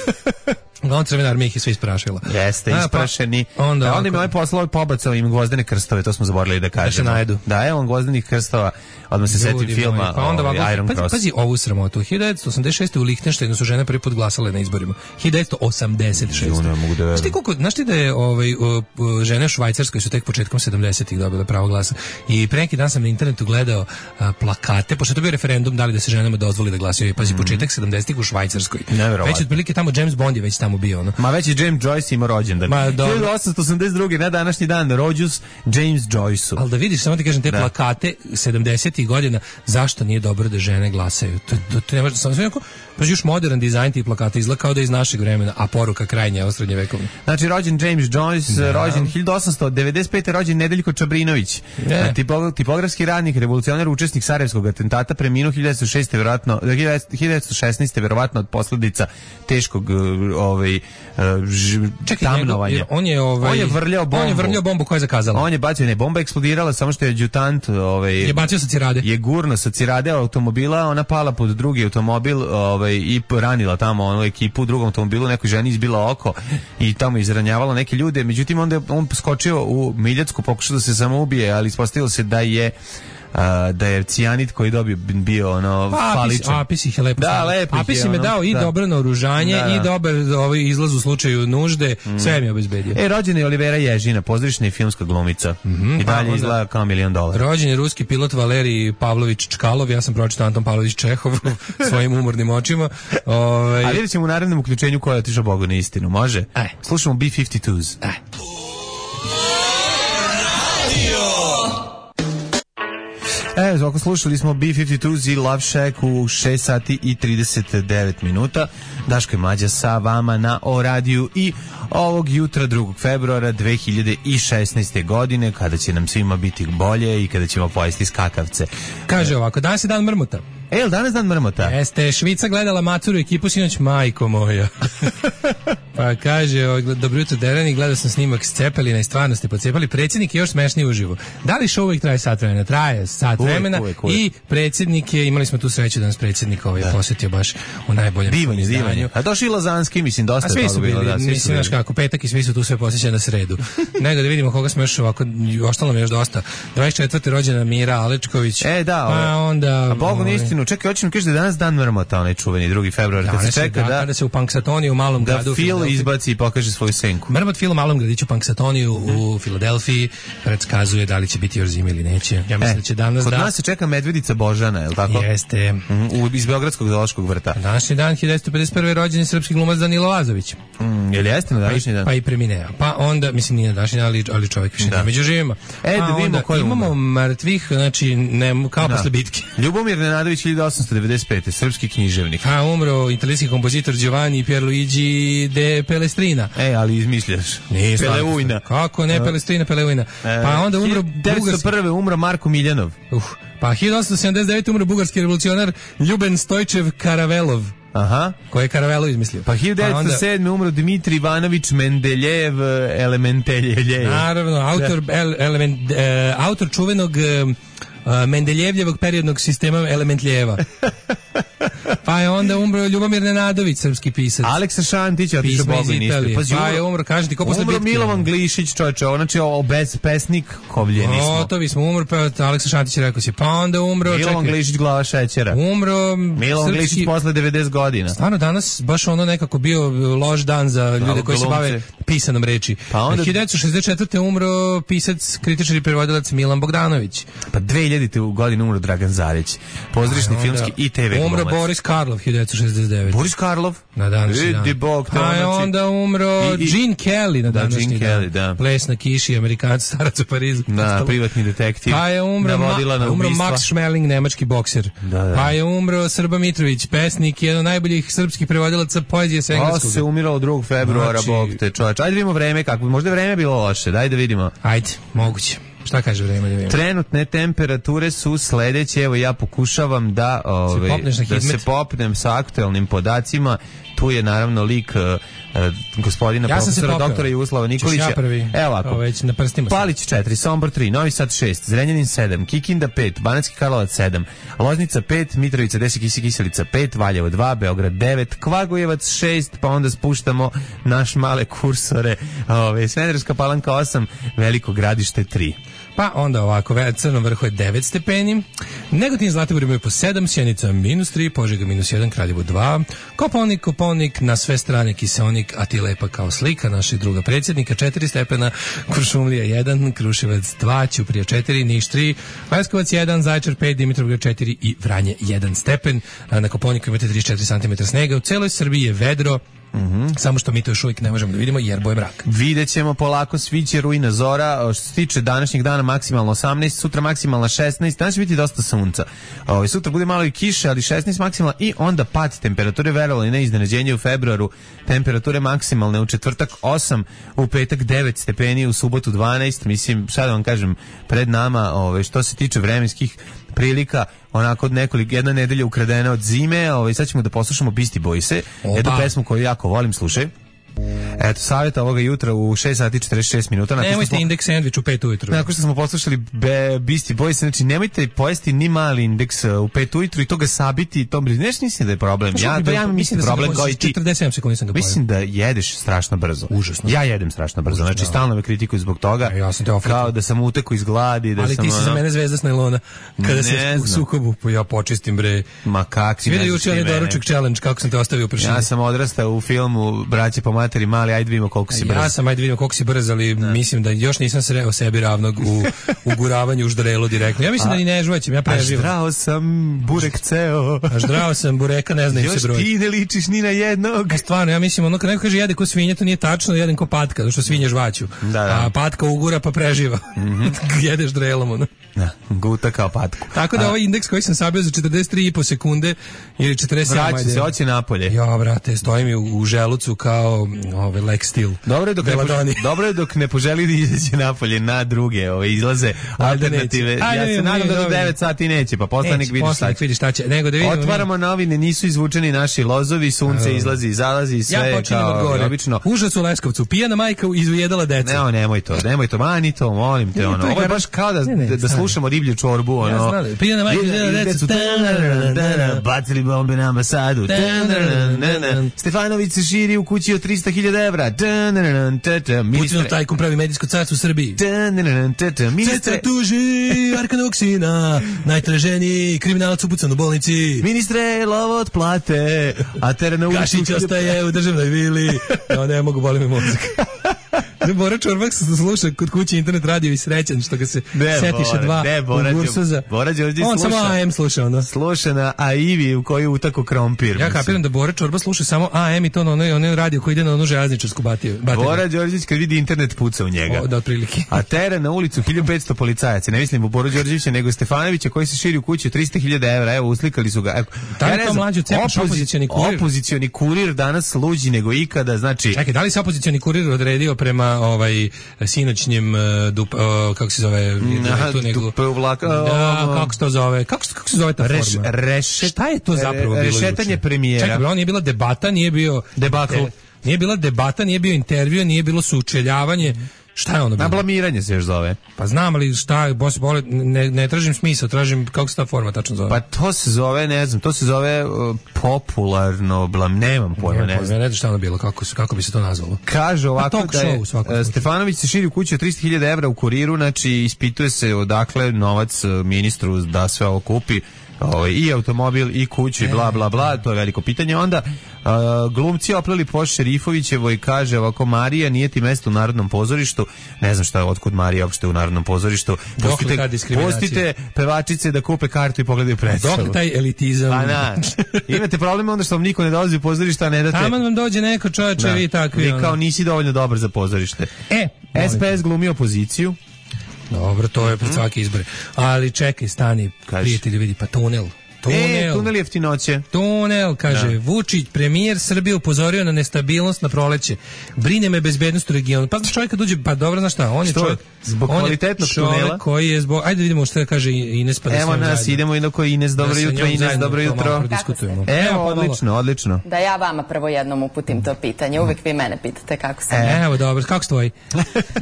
[SPEAKER 6] Uglavnom Crvena armija ih je sve isprašila.
[SPEAKER 5] Jeste, isprašeni. Pa, onda, da, onda im ovaj poslao i pobacao im gvozdene krstove, to smo zaboravili da kažemo. Da se najedu. Da, evo on gvozdenih krstova, odmah se setim filma
[SPEAKER 6] pa onda,
[SPEAKER 5] ovaj, Iron
[SPEAKER 6] pazi,
[SPEAKER 5] Cross.
[SPEAKER 6] Pazi ovu sramotu. hiljadu devetsto osamdeset šeste. u Lihtenštajnu su žene prvi put glasale na izborima. hiljadu devetsto osamdeset šeste.
[SPEAKER 5] Da
[SPEAKER 6] znaš ti koliko, znaš ti da je ovaj, žene u Švajcarskoj su tek početkom sedamdesetih dobile pravo glasa. I pre neki dan sam na internetu gledao a, plakate, pošto je to bio referendum da li da se ženama dozvoli da glasaju. Pazi, mm-hmm. početak sedamdesetih u Švajcarskoj. Već otprilike tamo James Bond je već tamo bio, ono.
[SPEAKER 5] Ma već je James Joyce imao rođendan. hiljadu osamsto osamdeset druge. na današnji dan rođus James Joyce-u.
[SPEAKER 6] Ali da vidiš, samo ti kažem, te da. plakate sedamdesetih godina, zašto nije dobro da žene glasaju? To, to, to ne može, samo sve jako, pa još modern dizajn tih plakata izgleda kao da je iz našeg vremena, a poruka krajnja od srednjevekovne.
[SPEAKER 5] Znači, rođen James Joyce, da. rođen hiljadu osamsto devedeset pete. rođen Nedeljko Čabrinović, yeah. Tipo, tipografski radnik, revolucionar, učesnik Sarajevskog atentata, preminuo hiljadu devetsto šeste. verovatno, hiljadu devetsto šesnaeste. verovatno od posljedica teškog ovaj ž,
[SPEAKER 6] Čekaj,
[SPEAKER 5] tamnovanja.
[SPEAKER 6] Njegov, on je ovaj
[SPEAKER 5] on je vrljao bombu.
[SPEAKER 6] On je vrljao bombu koja je zakazala.
[SPEAKER 5] On je bacio, ne, bomba eksplodirala, samo što je adjutant ovaj
[SPEAKER 6] je bacio sa cirade.
[SPEAKER 5] Je gurno sa cirade automobila, ona pala pod drugi automobil, ovaj i ranila tamo onu ekipu u drugom automobilu, nekoj ženi izbila oko i tamo izranjavala neke ljude. Međutim onda on skočio u Miljacku, pokušao da se samoubije, ali ispostavilo se da je a, da je cijanid koji dobio bio ono faličan.
[SPEAKER 6] Apis ih je lepo.
[SPEAKER 5] Da, lepo.
[SPEAKER 6] Apis im je dao i
[SPEAKER 5] da.
[SPEAKER 6] dobro naoružanje
[SPEAKER 5] Da, da.
[SPEAKER 6] i dobar ovaj izlaz u slučaju nužde, mm. sve mi je obezbedio.
[SPEAKER 5] E, rođen je Olivera Ježina, pozorišna i filmska glumica. Mm-hmm, I dalje pa, izgleda kao milion dolara.
[SPEAKER 6] Rođen je ruski pilot Valerij Pavlović Čkalov, ja sam pročitao Anton Pavlović Čehov svojim umornim očima. Ovaj
[SPEAKER 5] A vidjet ćemo u narednom uključenju ko je otišao Bogu na istinu, može?
[SPEAKER 6] Aj.
[SPEAKER 5] Slušamo B pedeset dva.
[SPEAKER 6] Aj.
[SPEAKER 5] E, ako slušali smo B pedeset dva i Love Shack u šest sati i trideset devet minuta. Daško i Mlađa sa vama na O radiju i ovog jutra drugog februara dve hiljade šesnaeste. godine, kada će nam svima biti bolje i kada ćemo pojesti skakavce.
[SPEAKER 6] Kaže ovako, danas je dan mrmota.
[SPEAKER 5] E, jel danas dan mrmota?
[SPEAKER 6] Jeste, Švica gledala Maturu ekipu sinoć, majko moja. Pa kaže, dobro jutro Derani, gledao sam snimak s Cepelina i stvarno ste pocepali. Predsjednik je još smešniji uživo. Da li show uvijek traje sat vremena? Traje sat
[SPEAKER 5] uvijek,
[SPEAKER 6] vremena
[SPEAKER 5] uvijek, uvijek.
[SPEAKER 6] I predsjednik je, imali smo tu sreću da nas predsjednik ovaj da. posjetio baš u najboljem
[SPEAKER 5] divanje, divanje. A došao i Lazanski, mislim, dosta
[SPEAKER 6] A svi su bili,
[SPEAKER 5] bilo, da, svi
[SPEAKER 6] mislim, znaš kako, petak i svi su tu sve posjećeni na sredu. Nego da vidimo koga smo još ovako, ostalo mi još dosta. dvadeset četvrte rođena Mira Alečković.
[SPEAKER 5] E, da,
[SPEAKER 6] pa
[SPEAKER 5] ove.
[SPEAKER 6] onda...
[SPEAKER 5] A Bogu na istinu, čekaj, hoćeš mi kaži da je danas dan mrmota, onaj čuveni drugi februar,
[SPEAKER 6] da,
[SPEAKER 5] kad se čeka da...
[SPEAKER 6] Kada se u Punxsutawniju u malom
[SPEAKER 5] da
[SPEAKER 6] gradu...
[SPEAKER 5] Da Phil izbaci i pokaže svoju senku.
[SPEAKER 6] Mrmot Phil u malom gradiću Punxsutawniju mm-hmm. u Filadelfiji predskazuje da li će biti još zime ili neće. Ja mislim
[SPEAKER 5] e,
[SPEAKER 6] da će danas
[SPEAKER 5] kod
[SPEAKER 6] da...
[SPEAKER 5] Kod nas se čeka medvedica Božana, je li tako?
[SPEAKER 6] Jeste.
[SPEAKER 5] Mm, u, iz Beogradskog zoološkog vrta.
[SPEAKER 6] Današnji dan, hiljadu devetsto pedeset prve. rođen je srpski glumac Danilo Lazović.
[SPEAKER 5] Mm, je li jeste na današnji dan?
[SPEAKER 6] Pa i premineo. Pa onda, mislim nije na današnji dan, ali, ali čovjek više nije među živima.
[SPEAKER 5] E,
[SPEAKER 6] pa
[SPEAKER 5] da vidimo ko je
[SPEAKER 6] imamo
[SPEAKER 5] umro.
[SPEAKER 6] mrtvih, znači, ne, kao da. posle bitke.
[SPEAKER 5] Ljubomir Nenadović, hiljadu osamsto devedeset pete. Srpski književnik.
[SPEAKER 6] A umro italijanski kompozitor Giovanni Pierluigi de Pelestrina.
[SPEAKER 5] E, ali izmišljaš.
[SPEAKER 6] Nije
[SPEAKER 5] Peleujna.
[SPEAKER 6] Kako ne, Pelestrina, Peleujna. Pa onda umro
[SPEAKER 5] devetsto prve. umro Marko Miljanov.
[SPEAKER 6] Uh, pa hiljadu osamsto sedamdeset devete. umro bugarski revolucionar Ljuben Stojčev Karavelov.
[SPEAKER 5] Aha.
[SPEAKER 6] Koji je Karavelo izmislio.
[SPEAKER 5] Pa hiljadu devetsto sedme. umro Dmitri Ivanović Mendeljev Elementeljev.
[SPEAKER 6] Naravno, autor, el, element, e, autor čuvenog e, Mendeljevljevog periodnog sistema elementljeva. Pa je onda umro Ljubomir Nenadović, srpski pisac.
[SPEAKER 5] Aleksa Šantić, otišao Bogu ništa.
[SPEAKER 6] Pa je umro, kaži ti, ko posle bitke.
[SPEAKER 5] Umro Milovan Glišić, čovječe, znači bez pesnik, kovljeni smo.
[SPEAKER 6] Gotovi smo, umro, pa Aleksa Šantić rekao si. Pa onda umro,
[SPEAKER 5] Milovan
[SPEAKER 6] čekaj.
[SPEAKER 5] Glišić, glava šećera.
[SPEAKER 6] Umro
[SPEAKER 5] Milovan
[SPEAKER 6] srpski...
[SPEAKER 5] Glišić posle devedeset godina.
[SPEAKER 6] Stvarno danas baš ono nekako bio loš dan za ljude da, koji se bave pisanom reči. Pa onda... hiljadu devetsto šezdeset četvrte. umro pisac, kritičar i prevodilac Milan Bogdanović.
[SPEAKER 5] Pa dve hiljadite. godine umro Dragan Zarić, pozorišni, filmski i te ve glumac.
[SPEAKER 6] Umro Boris Karlov, hiljadu devetsto šezdeset devete.
[SPEAKER 5] Boris Karlov?
[SPEAKER 6] Na današnji dan. Pa je onda umro I, i, Gene Kelly na današnji da, dan. Kelly, da. Ples na kiši, Amerikanac, starac u Parizu.
[SPEAKER 5] Da, privatni detektiv.
[SPEAKER 6] Pa je umro, ma,
[SPEAKER 5] na
[SPEAKER 6] umro Max Schmeling, nemački bokser.
[SPEAKER 5] Da, da.
[SPEAKER 6] Pa je umro Srba Mitrović, pesnik, jedan od najboljih srpskih prevodilaca poezije s engleskog.
[SPEAKER 5] Ovo se umiralo drugog februara, znači... bog te čoveč. Ajde vidimo vreme kako, možda je vreme bilo loše, daj da vidimo.
[SPEAKER 6] Ajde, moguće. Šta kaže vreme da vidimo?
[SPEAKER 5] Trenutne temperature su sledeće, evo ja pokušavam da, ove, da se popnem sa aktuelnim podacima. Tu je naravno lik uh, uh, gospodina
[SPEAKER 6] ja
[SPEAKER 5] profesora doktora Jugoslava Nikolića.
[SPEAKER 6] Ja prvi.
[SPEAKER 5] Evo ovako.
[SPEAKER 6] Već na prstima.
[SPEAKER 5] Palić četiri, Sombor tri, Novi Sad šest, Zrenjanin sedam, Kikinda pet, Banatski Karlovac sedam, Loznica pet, Mitrovica deset, Kiselica pet, Valjevo dva, Beograd devet, Kvagojevac šest, pa onda spuštamo naš male kursore, ove, Smederevska Palanka osam, Veliko Gradište tri.
[SPEAKER 6] Pa onda ovako, Crnom vrhu je devet stepeni, Negotin Zlatibor imaju po sedam, Sjenica minus tri, Požega minus jedan, Kraljevo dva, Koponik, Koponik, na sve strane kiseonik, a ti lepa kao slika našeg druga predsjednika, četiri stepena, Kuršumlija jedan, Kruševac dva, Ćuprija četiri, Niš tri, Leskovac jedan, Zaječar pet, Dimitrovgrad četiri i Vranje jedan stepen. Na Koponiku imate trideset četiri santimetra snega, u celoj Srbiji je vedro. Mm-hmm. Samo što mi to još uvijek ne možemo da vidimo jer boje mrak.
[SPEAKER 5] Vidjet ćemo polako, sviće rujna zora. Što se tiče današnjeg dana maksimalno osamnaest, sutra maksimalno šesnaest, danas će biti dosta sunca. Ovaj sutra bude malo i kiše, ali šesnaest maksimalno i onda pad temperature, verovali ili ne, iznenađenje u februaru. Temperature maksimalne u četvrtak osam, u petak devet stepeni, u subotu dvanaest. Mislim, šta da vam kažem, pred nama, ovaj što se tiče vremenskih prilika, onako od nekoliko, jedna nedelja ukradena od zime, ovaj, sad ćemo da poslušamo Beastie Boyse, jednu pesmu koju jako volim, slušaj. Eto, savjeta ovoga jutra u šest sati i četrdeset šest minuta.
[SPEAKER 6] Nemojte indeks sandvič u pet ujutru.
[SPEAKER 5] Nakon što smo poslušali Be, Beastie Boys, znači nemojte pojesti ni mali indeks u pet ujutru i to ga sabiti, to nešto mislim da je problem. Ja, to ja mislim da je problem kao i ti.
[SPEAKER 6] četrdeset sedam sekundi sam ga pojeo.
[SPEAKER 5] Mislim da jedeš strašno brzo.
[SPEAKER 6] Užasno.
[SPEAKER 5] Ja jedem strašno brzo, znači stalno me kritikuju zbog toga.
[SPEAKER 6] Ja sam te
[SPEAKER 5] kao da sam utekao iz gladi. Da
[SPEAKER 6] ali
[SPEAKER 5] sam,
[SPEAKER 6] ti si
[SPEAKER 5] ono,
[SPEAKER 6] za mene zvezda s najlona. Kada se u sukobu, pa ja počistim bre.
[SPEAKER 5] Ma kakvi.
[SPEAKER 6] Svi da juče onaj doručak challenge, kako sam te ostavio u prašini.
[SPEAKER 5] Ja sam odrastao u filmu Braće po materi mali, ajde vidimo koliko si brz.
[SPEAKER 6] Ja sam, ajde vidimo koliko si brz, ali da. Mislim da još nisam sreo sebi ravnog u uguravanju u ždrelu direktno. Ja mislim a, da ni ne žuvaćem, ja preživam.
[SPEAKER 5] A ždrao sam burek ceo.
[SPEAKER 6] A ždrao sam bureka, ne znam im se broj.
[SPEAKER 5] Još ti ne ličiš ni na jednog.
[SPEAKER 6] A stvarno, ja mislim, ono kad neko kaže jede ko svinja, to nije tačno, jedem ko patka, zato što svinje žvaću.
[SPEAKER 5] Da, da.
[SPEAKER 6] A patka ugura pa preživa. Mm-hmm. Jedeš ždrelom, ono.
[SPEAKER 5] Da, guta kao patku.
[SPEAKER 6] Tako da a, ovaj indeks koji sam sabio za četrdeset tri i po sekunde ili četrdeset sedam.
[SPEAKER 5] Vraća se, oći napolje.
[SPEAKER 6] Ja, brate, stoji mi u, u želucu kao ovaj Lex Steel.
[SPEAKER 5] Dobro je dok, ne, poželi, dobro je dok ne poželi da izađe napolje na druge ove izlaze alternative. Ja Ajde, se nadam da do devet sati neće, pa poslanik vidi šta će.
[SPEAKER 6] Vidi šta će. Nego da vidimo.
[SPEAKER 5] Otvaramo mi... novine, nisu izvučeni naši lozovi, sunce izlazi i zalazi, sve
[SPEAKER 6] ja
[SPEAKER 5] kao obično.
[SPEAKER 6] Užas u Leskovcu, pijana majka izujedala deca.
[SPEAKER 5] Ne, nemoj to, nemoj to, mani to, molim te, ono. Ovo je baš kao da, ne, ne, da slušamo riblju čorbu, ono.
[SPEAKER 6] Ja znam, pijana majka izujedala deca.
[SPEAKER 5] Bacili bombe na ambasadu. Stefanović se širi u kući od trista hiljada evra.
[SPEAKER 6] Putinov tajkun pravi medijsko carstvo u Srbiji. Ceca tuži Arkana Sina, najtraženiji kriminalac upucan u bolnici.
[SPEAKER 5] Ministre, lovo od plate, a teren na ulicu...
[SPEAKER 6] Gašić ostaje u državnoj vili. No, ne mogu, boli mi mozak. Bora Čorbak se sluša kod kuće internet radio i srećan što ga se ne, setiše
[SPEAKER 5] Bora,
[SPEAKER 6] dva
[SPEAKER 5] ne, Bora,
[SPEAKER 6] u Gursuza.
[SPEAKER 5] Bora Đorđe
[SPEAKER 6] on
[SPEAKER 5] sluša.
[SPEAKER 6] samo A M sluša ono.
[SPEAKER 5] Sluša na A I V I u koju utako krompir.
[SPEAKER 6] Ja kapiram da Bora Čorba sluša samo A M i to na onaj, onaj radio koji ide na onu železničarsku batiju.
[SPEAKER 5] Bora Đorđević kad vidi internet puca u njega.
[SPEAKER 6] O, da, otprilike.
[SPEAKER 5] A tera na ulicu hiljadu petsto policajaca. Ne mislim u Boru Đorđevića nego Stefanovića koji se širi u kući od trista hiljada evra. Evo, uslikali su ga. Evo,
[SPEAKER 6] ja ne znam, mlađu, opozici, opozicioni kurir.
[SPEAKER 5] Opozicioni kurir danas luđi nego ikada, znači.
[SPEAKER 6] Čekaj, da li se opozicioni kurir odredio prema ovaj sinoćnjem dup, uh, kako se zove
[SPEAKER 5] Aha, tu nego dupe u vlak,
[SPEAKER 6] da, kako se to zove kako, kako se zove ta
[SPEAKER 5] Reš,
[SPEAKER 6] forma
[SPEAKER 5] rešet,
[SPEAKER 6] šta je to zapravo bilo
[SPEAKER 5] rešetanje premijera.
[SPEAKER 6] Čekaj, on nije bila debata, nije bio
[SPEAKER 5] debakl,
[SPEAKER 6] nije bila debata, nije bio intervju, nije bilo sučeljavanje. Šta je ono bilo?
[SPEAKER 5] Na blamiranje se još zove.
[SPEAKER 6] Pa znam, ali šta, boss, bole, ne, ne tražim smisao, tražim kako se ta forma tačno zove.
[SPEAKER 5] Pa to se zove, ne znam, to se zove uh, popularno blam, nemam pojma, ne, ne znam.
[SPEAKER 6] Ne znam šta ono bilo, kako, kako bi se to nazvalo.
[SPEAKER 5] Kaže ovako da je uh, Stefanović se širi u kući od trista hiljada evra u Kuriru, znači ispituje se odakle novac ministru da sve ovo kupi. O, i automobil i kuću i bla bla bla, to je veliko pitanje. Onda uh, glumci opleli po Šerifovićevo i kaže ovako: Marija, nije ti mesto u Narodnom pozorištu. Ne znam šta je, otkud Marija uopšte u Narodnom pozorištu. Pustite, pustite pevačice da kupe kartu i pogledaju predstavu.
[SPEAKER 6] Dok taj elitizam.
[SPEAKER 5] Pa na, imate problem onda što vam niko ne dolazi u pozorište, a ne date.
[SPEAKER 6] Taman vam dođe neko čoveče, da, vi takvi.
[SPEAKER 5] Vi kao nisi dovoljno dobar za pozorište.
[SPEAKER 6] E,
[SPEAKER 5] S P S glumi opoziciju.
[SPEAKER 6] Dobro, to je pred svake izbore. Ali čekaj, stani, Kaži. Prijatelji, vidi, pa tunel.
[SPEAKER 5] Tunel. E, tunel jeftinoće.
[SPEAKER 6] Tunel, kaže, da. Vučić, premijer Srbije upozorio na nestabilnost na proleće. Brine me bezbednost u regionu. Pa znaš čovjek kad uđe, pa dobro, znaš šta, on je čovjek...
[SPEAKER 5] Zbog kvalitetnog tunela.
[SPEAKER 6] Koji je zbog... Ajde vidimo što kaže Ines, pa da
[SPEAKER 5] Evo nas, zajedno. Idemo inako Ines, dobro
[SPEAKER 6] da
[SPEAKER 5] jutro, Ines, dobro jutro. Evo, odlično, odlično.
[SPEAKER 7] Da ja vama prvo jednom uputim to pitanje. Uvijek vi mene pitate kako sam.
[SPEAKER 6] E, evo, dobro, kako stoji?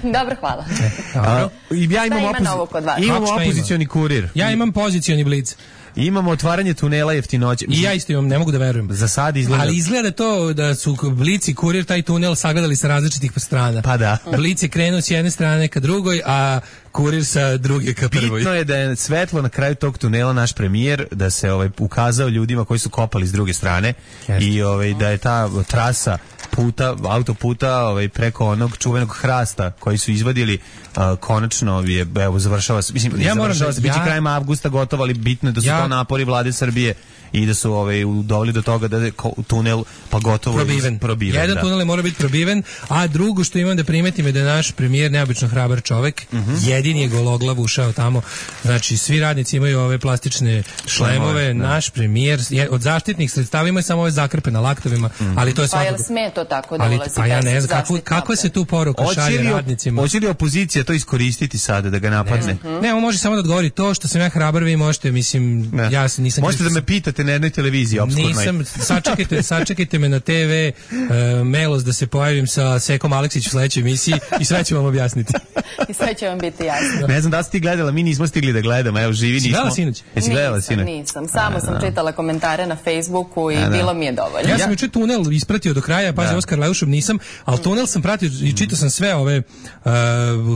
[SPEAKER 7] Dobro, hvala.
[SPEAKER 6] E, dobro.
[SPEAKER 5] Ja imam, opozi... imam opozicioni kurir.
[SPEAKER 6] Ja imam pozicioni blic.
[SPEAKER 5] Imamo otvaranje tunela jeftinoće.
[SPEAKER 6] I ja isto imam, ne mogu da verujem.
[SPEAKER 5] Za sad izgleda.
[SPEAKER 6] Ali izgleda to da su Blic i Kurir taj tunel sagledali sa različitih strana.
[SPEAKER 5] Pa da.
[SPEAKER 6] Blic je krenuo s jedne strane ka drugoj, a Kurir sa druge ka prvoj.
[SPEAKER 5] Bitno je da je svetlo na kraju tog tunela naš premijer, da se ovaj ukazao ljudima koji su kopali s druge strane. Jeste. I ovaj da je ta trasa puta, autoputa ovaj, preko onog čuvenog hrasta koji su izvadili, uh, konačno je, evo, završava se, mislim, ja završava se, da, biće ja, krajem avgusta gotovo, ali bitno je da su ja, to napori vlade Srbije i da su ovaj, doveli do toga da je tunel pa gotovo
[SPEAKER 6] probiven.
[SPEAKER 5] probiven
[SPEAKER 6] Jedan
[SPEAKER 5] da.
[SPEAKER 6] tunel mora biti probiven, a drugo što imam da primetim je da je naš premijer neobično hrabar čovek, uh-huh. jedini je gologlav ušao tamo, znači svi radnici imaju ove plastične šlemove, da. Naš premijer je, od zaštitnih sredstava ima samo ove zakrpe na laktovima, uh-huh. ali to je svakako...
[SPEAKER 7] Pa jel sme to tako da
[SPEAKER 6] ali,
[SPEAKER 7] ulazi?
[SPEAKER 6] Pa ja ne znam, kako, kako se tu poruka šalje radnicima?
[SPEAKER 5] Hoće li opozicija to iskoristiti sada da ga napadne?
[SPEAKER 6] Ne, uh-huh. ne, on može samo da odgovori to što sam ja hrabar, vi možete, mislim, ne. ja se nisam...
[SPEAKER 5] Možete da me pitate kažete na jednoj televiziji opskurnoj.
[SPEAKER 6] Nisam, sačekajte, sačekajte me na te ve uh, Melos da se pojavim sa Sekom Aleksić u sledećoj emisiji i sve ću vam objasniti.
[SPEAKER 7] I sve će vam biti jasno.
[SPEAKER 5] Ne znam da si ti gledala, mi nismo stigli da gledamo, evo živi nismo.
[SPEAKER 6] Gledala sinoć?
[SPEAKER 5] Jesi gledala sinoć?
[SPEAKER 7] Nisam, samo sam čitala komentare na Facebooku i
[SPEAKER 5] A, da.
[SPEAKER 7] bilo mi je dovoljno.
[SPEAKER 6] Ja sam juče tunel ispratio do kraja, pazi, Oskar Leušov nisam, ali tunel sam pratio i čitao sam sve ove uh,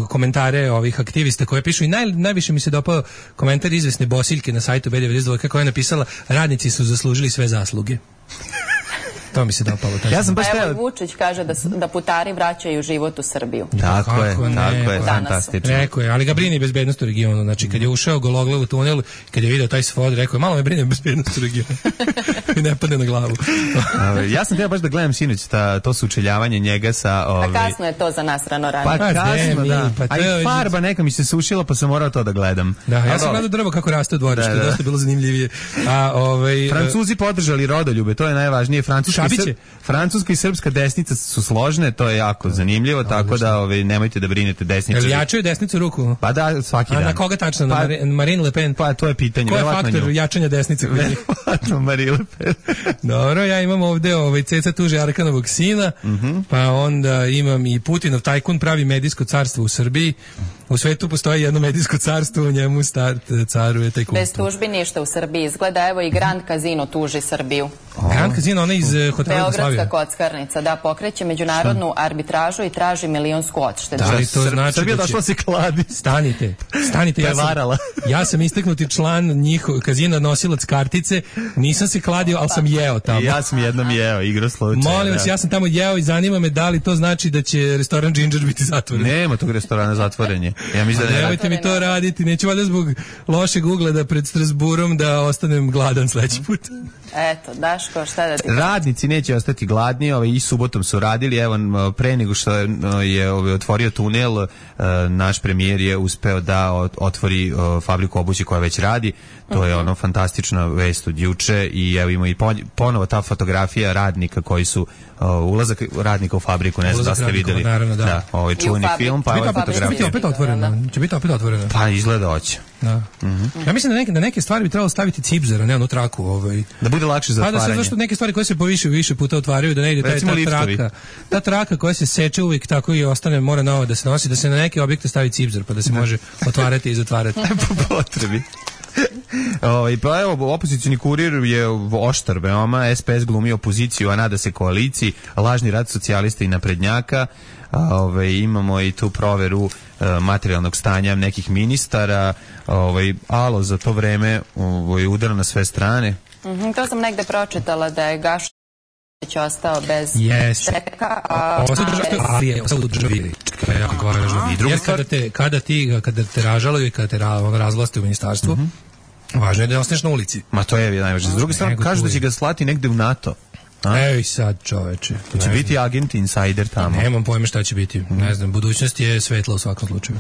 [SPEAKER 6] komentare ovih aktivista koje pišu i naj, najviše mi se dopao komentar izvesne Bosiljke na sajtu B devedeset dva koja je napisala radnici su zaslužili sve zasluge. To mi se dopalo.
[SPEAKER 5] Ja sam baš
[SPEAKER 7] Pa evo
[SPEAKER 5] teo...
[SPEAKER 7] i Vučić kaže da, da putari vraćaju život u Srbiju.
[SPEAKER 5] Tako je,
[SPEAKER 6] Kako ne,
[SPEAKER 5] tako je,
[SPEAKER 6] pa
[SPEAKER 5] fantastično.
[SPEAKER 6] Rekao je, ali ga brine bezbednost u regionu. Znači, kad je ušao gologlav u tunel, kad je video taj svod, rekao je, malo me brine bezbednost u regionu. I ne padne na glavu.
[SPEAKER 5] Ja sam teo baš da gledam sinoć ta, to sučeljavanje njega sa... Ovaj...
[SPEAKER 7] A kasno je to za nas rano
[SPEAKER 5] Pa
[SPEAKER 7] ranije.
[SPEAKER 6] Pa,
[SPEAKER 5] kasno,
[SPEAKER 6] mi,
[SPEAKER 5] da.
[SPEAKER 6] pa
[SPEAKER 5] A
[SPEAKER 6] to je-
[SPEAKER 5] i farba neka mi se sušila, pa sam morao to da gledam.
[SPEAKER 6] Da, ja
[SPEAKER 5] Ali
[SPEAKER 6] sam
[SPEAKER 5] dobro.
[SPEAKER 6] gledao drvo kako raste u dvorištu,
[SPEAKER 5] Da, da.
[SPEAKER 6] dosta je bilo zanimljivije. A, ovaj,
[SPEAKER 5] Francuzi podržali rodoljube, to je najvažnije. Francuska i,
[SPEAKER 6] Šabiće.
[SPEAKER 5] Sr... Francuska i srpska desnica su složne, to je jako zanimljivo, tako da ovaj, nemojte da brinete
[SPEAKER 6] Jel
[SPEAKER 5] desničari.
[SPEAKER 6] jačaju desnicu ruku?
[SPEAKER 5] Pa da, svaki
[SPEAKER 6] A
[SPEAKER 5] dan.
[SPEAKER 6] na koga tačno? Na
[SPEAKER 5] Pa-
[SPEAKER 6] Mari- Marine Le Pen?
[SPEAKER 5] Pa to je pitanje.
[SPEAKER 6] Ko je
[SPEAKER 5] verovatno
[SPEAKER 6] faktor
[SPEAKER 5] nju.
[SPEAKER 6] jačanja desnice? kod njih?
[SPEAKER 5] Verovatno Marie Le Pen.
[SPEAKER 6] Dobro, ja imam ovde ovaj Ceca tuži Arkanovog sina, pa onda imam i Putinov tajkun pravi medijsko carstvo u Srbiji. U svetu postoji jedno medijsko carstvo, u njemu start caruje tajkunstvo.
[SPEAKER 7] Bez tužbi ništa u Srbiji izgleda. Evo i Grand Casino tuži Srbiju.
[SPEAKER 6] Grand Casino, ona iz uh, hotela
[SPEAKER 7] Beogradska
[SPEAKER 6] Jugoslavije.
[SPEAKER 7] kockarnica, da, pokreće međunarodnu arbitražu i traži milionsku odštetu.
[SPEAKER 6] Da li to
[SPEAKER 5] Sr-
[SPEAKER 6] znači
[SPEAKER 5] Srbija
[SPEAKER 6] da će-
[SPEAKER 5] došla se kladi.
[SPEAKER 6] Stanite, stanite, ja sam,
[SPEAKER 5] Prevarala.
[SPEAKER 6] ja sam istaknuti član njihov kazina nosilac kartice, nisam se kladio, ali sam jeo tamo.
[SPEAKER 5] I ja sam jednom jeo, igrao slučaj.
[SPEAKER 6] Molim vas, ja sam tamo jeo i zanima me da li to znači da će restoran Ginger biti zatvoren.
[SPEAKER 5] Nema tog restorana zatvorenje. Ja mislim da ne radi.
[SPEAKER 6] Nemojte mi to raditi, neću valjda zbog lošeg ugleda pred Strasburom da ostanem gladan sledeći put.
[SPEAKER 7] Eto, Daško, šta da ti...
[SPEAKER 5] Radnici neće ostati gladni, ovaj, i subotom su radili, evo pre nego što je ovaj, otvorio tunel, naš premijer je uspeo da otvori fabriku obuće koja već radi, to je ono fantastična vest od juče i evo ima i ponovo ta fotografija radnika koji su ulazak radnika u fabriku, ne znam da ste
[SPEAKER 6] radnikova,
[SPEAKER 5] videli.
[SPEAKER 6] naravno, da.
[SPEAKER 5] Da, ovaj čuveni
[SPEAKER 7] fabriku.
[SPEAKER 5] film, pa
[SPEAKER 7] Će
[SPEAKER 5] ova
[SPEAKER 7] biti opet-
[SPEAKER 6] Će biti
[SPEAKER 5] fotografija.
[SPEAKER 6] opet otvoreno. Će biti opet otvoreno.
[SPEAKER 5] Pa izgleda hoće.
[SPEAKER 6] Da. Ja mislim da neke, da neke stvari bi trebalo staviti cipzera, ne onu traku. Ovaj.
[SPEAKER 5] Da bude lakše za
[SPEAKER 6] Pa da se
[SPEAKER 5] otvaranje.
[SPEAKER 6] zašto neke stvari koje se poviše više puta otvaraju, da ne ide taj,
[SPEAKER 5] Recimo
[SPEAKER 6] ta
[SPEAKER 5] liftovi.
[SPEAKER 6] traka. Ta traka koja se seče uvijek tako i ostane, mora novo da se nosi, da se na neke objekte stavi cipzer, pa da se može otvarati i zatvarati.
[SPEAKER 5] Po potrebi. Ovaj pa evo opozicioni kurir je oštar veoma, es pe es glumi opoziciju, a nada se koaliciji, lažni rad socijalista i naprednjaka. Ovaj imamo i tu proveru e, materijalnog stanja nekih ministara, ovaj alo za to vreme ovaj udara na sve strane.
[SPEAKER 7] Mhm, to sam negde pročitala da je Gašić ostao bez
[SPEAKER 6] Yes.
[SPEAKER 7] čeka, a...
[SPEAKER 6] Ovo su državi, ali je ostalo u državi. To je jako važno.
[SPEAKER 5] I druga
[SPEAKER 6] Jer
[SPEAKER 5] stvar-
[SPEAKER 6] kada te, kada ti, kada te ražalaju i kada te ra, ono, razvlaste u ministarstvu, važno je da ostaneš na ulici.
[SPEAKER 5] Ma to je najvažnije. S druge strane
[SPEAKER 6] Nego
[SPEAKER 5] kažu da
[SPEAKER 6] tu
[SPEAKER 5] će
[SPEAKER 6] je.
[SPEAKER 5] ga slati negde u NATO. A?
[SPEAKER 6] Ej sad, čoveče.
[SPEAKER 5] To će
[SPEAKER 6] Ne
[SPEAKER 5] biti agent insider tamo.
[SPEAKER 6] Nemam pojma šta će biti. Ne znam, budućnost je svetla u svakom slučaju.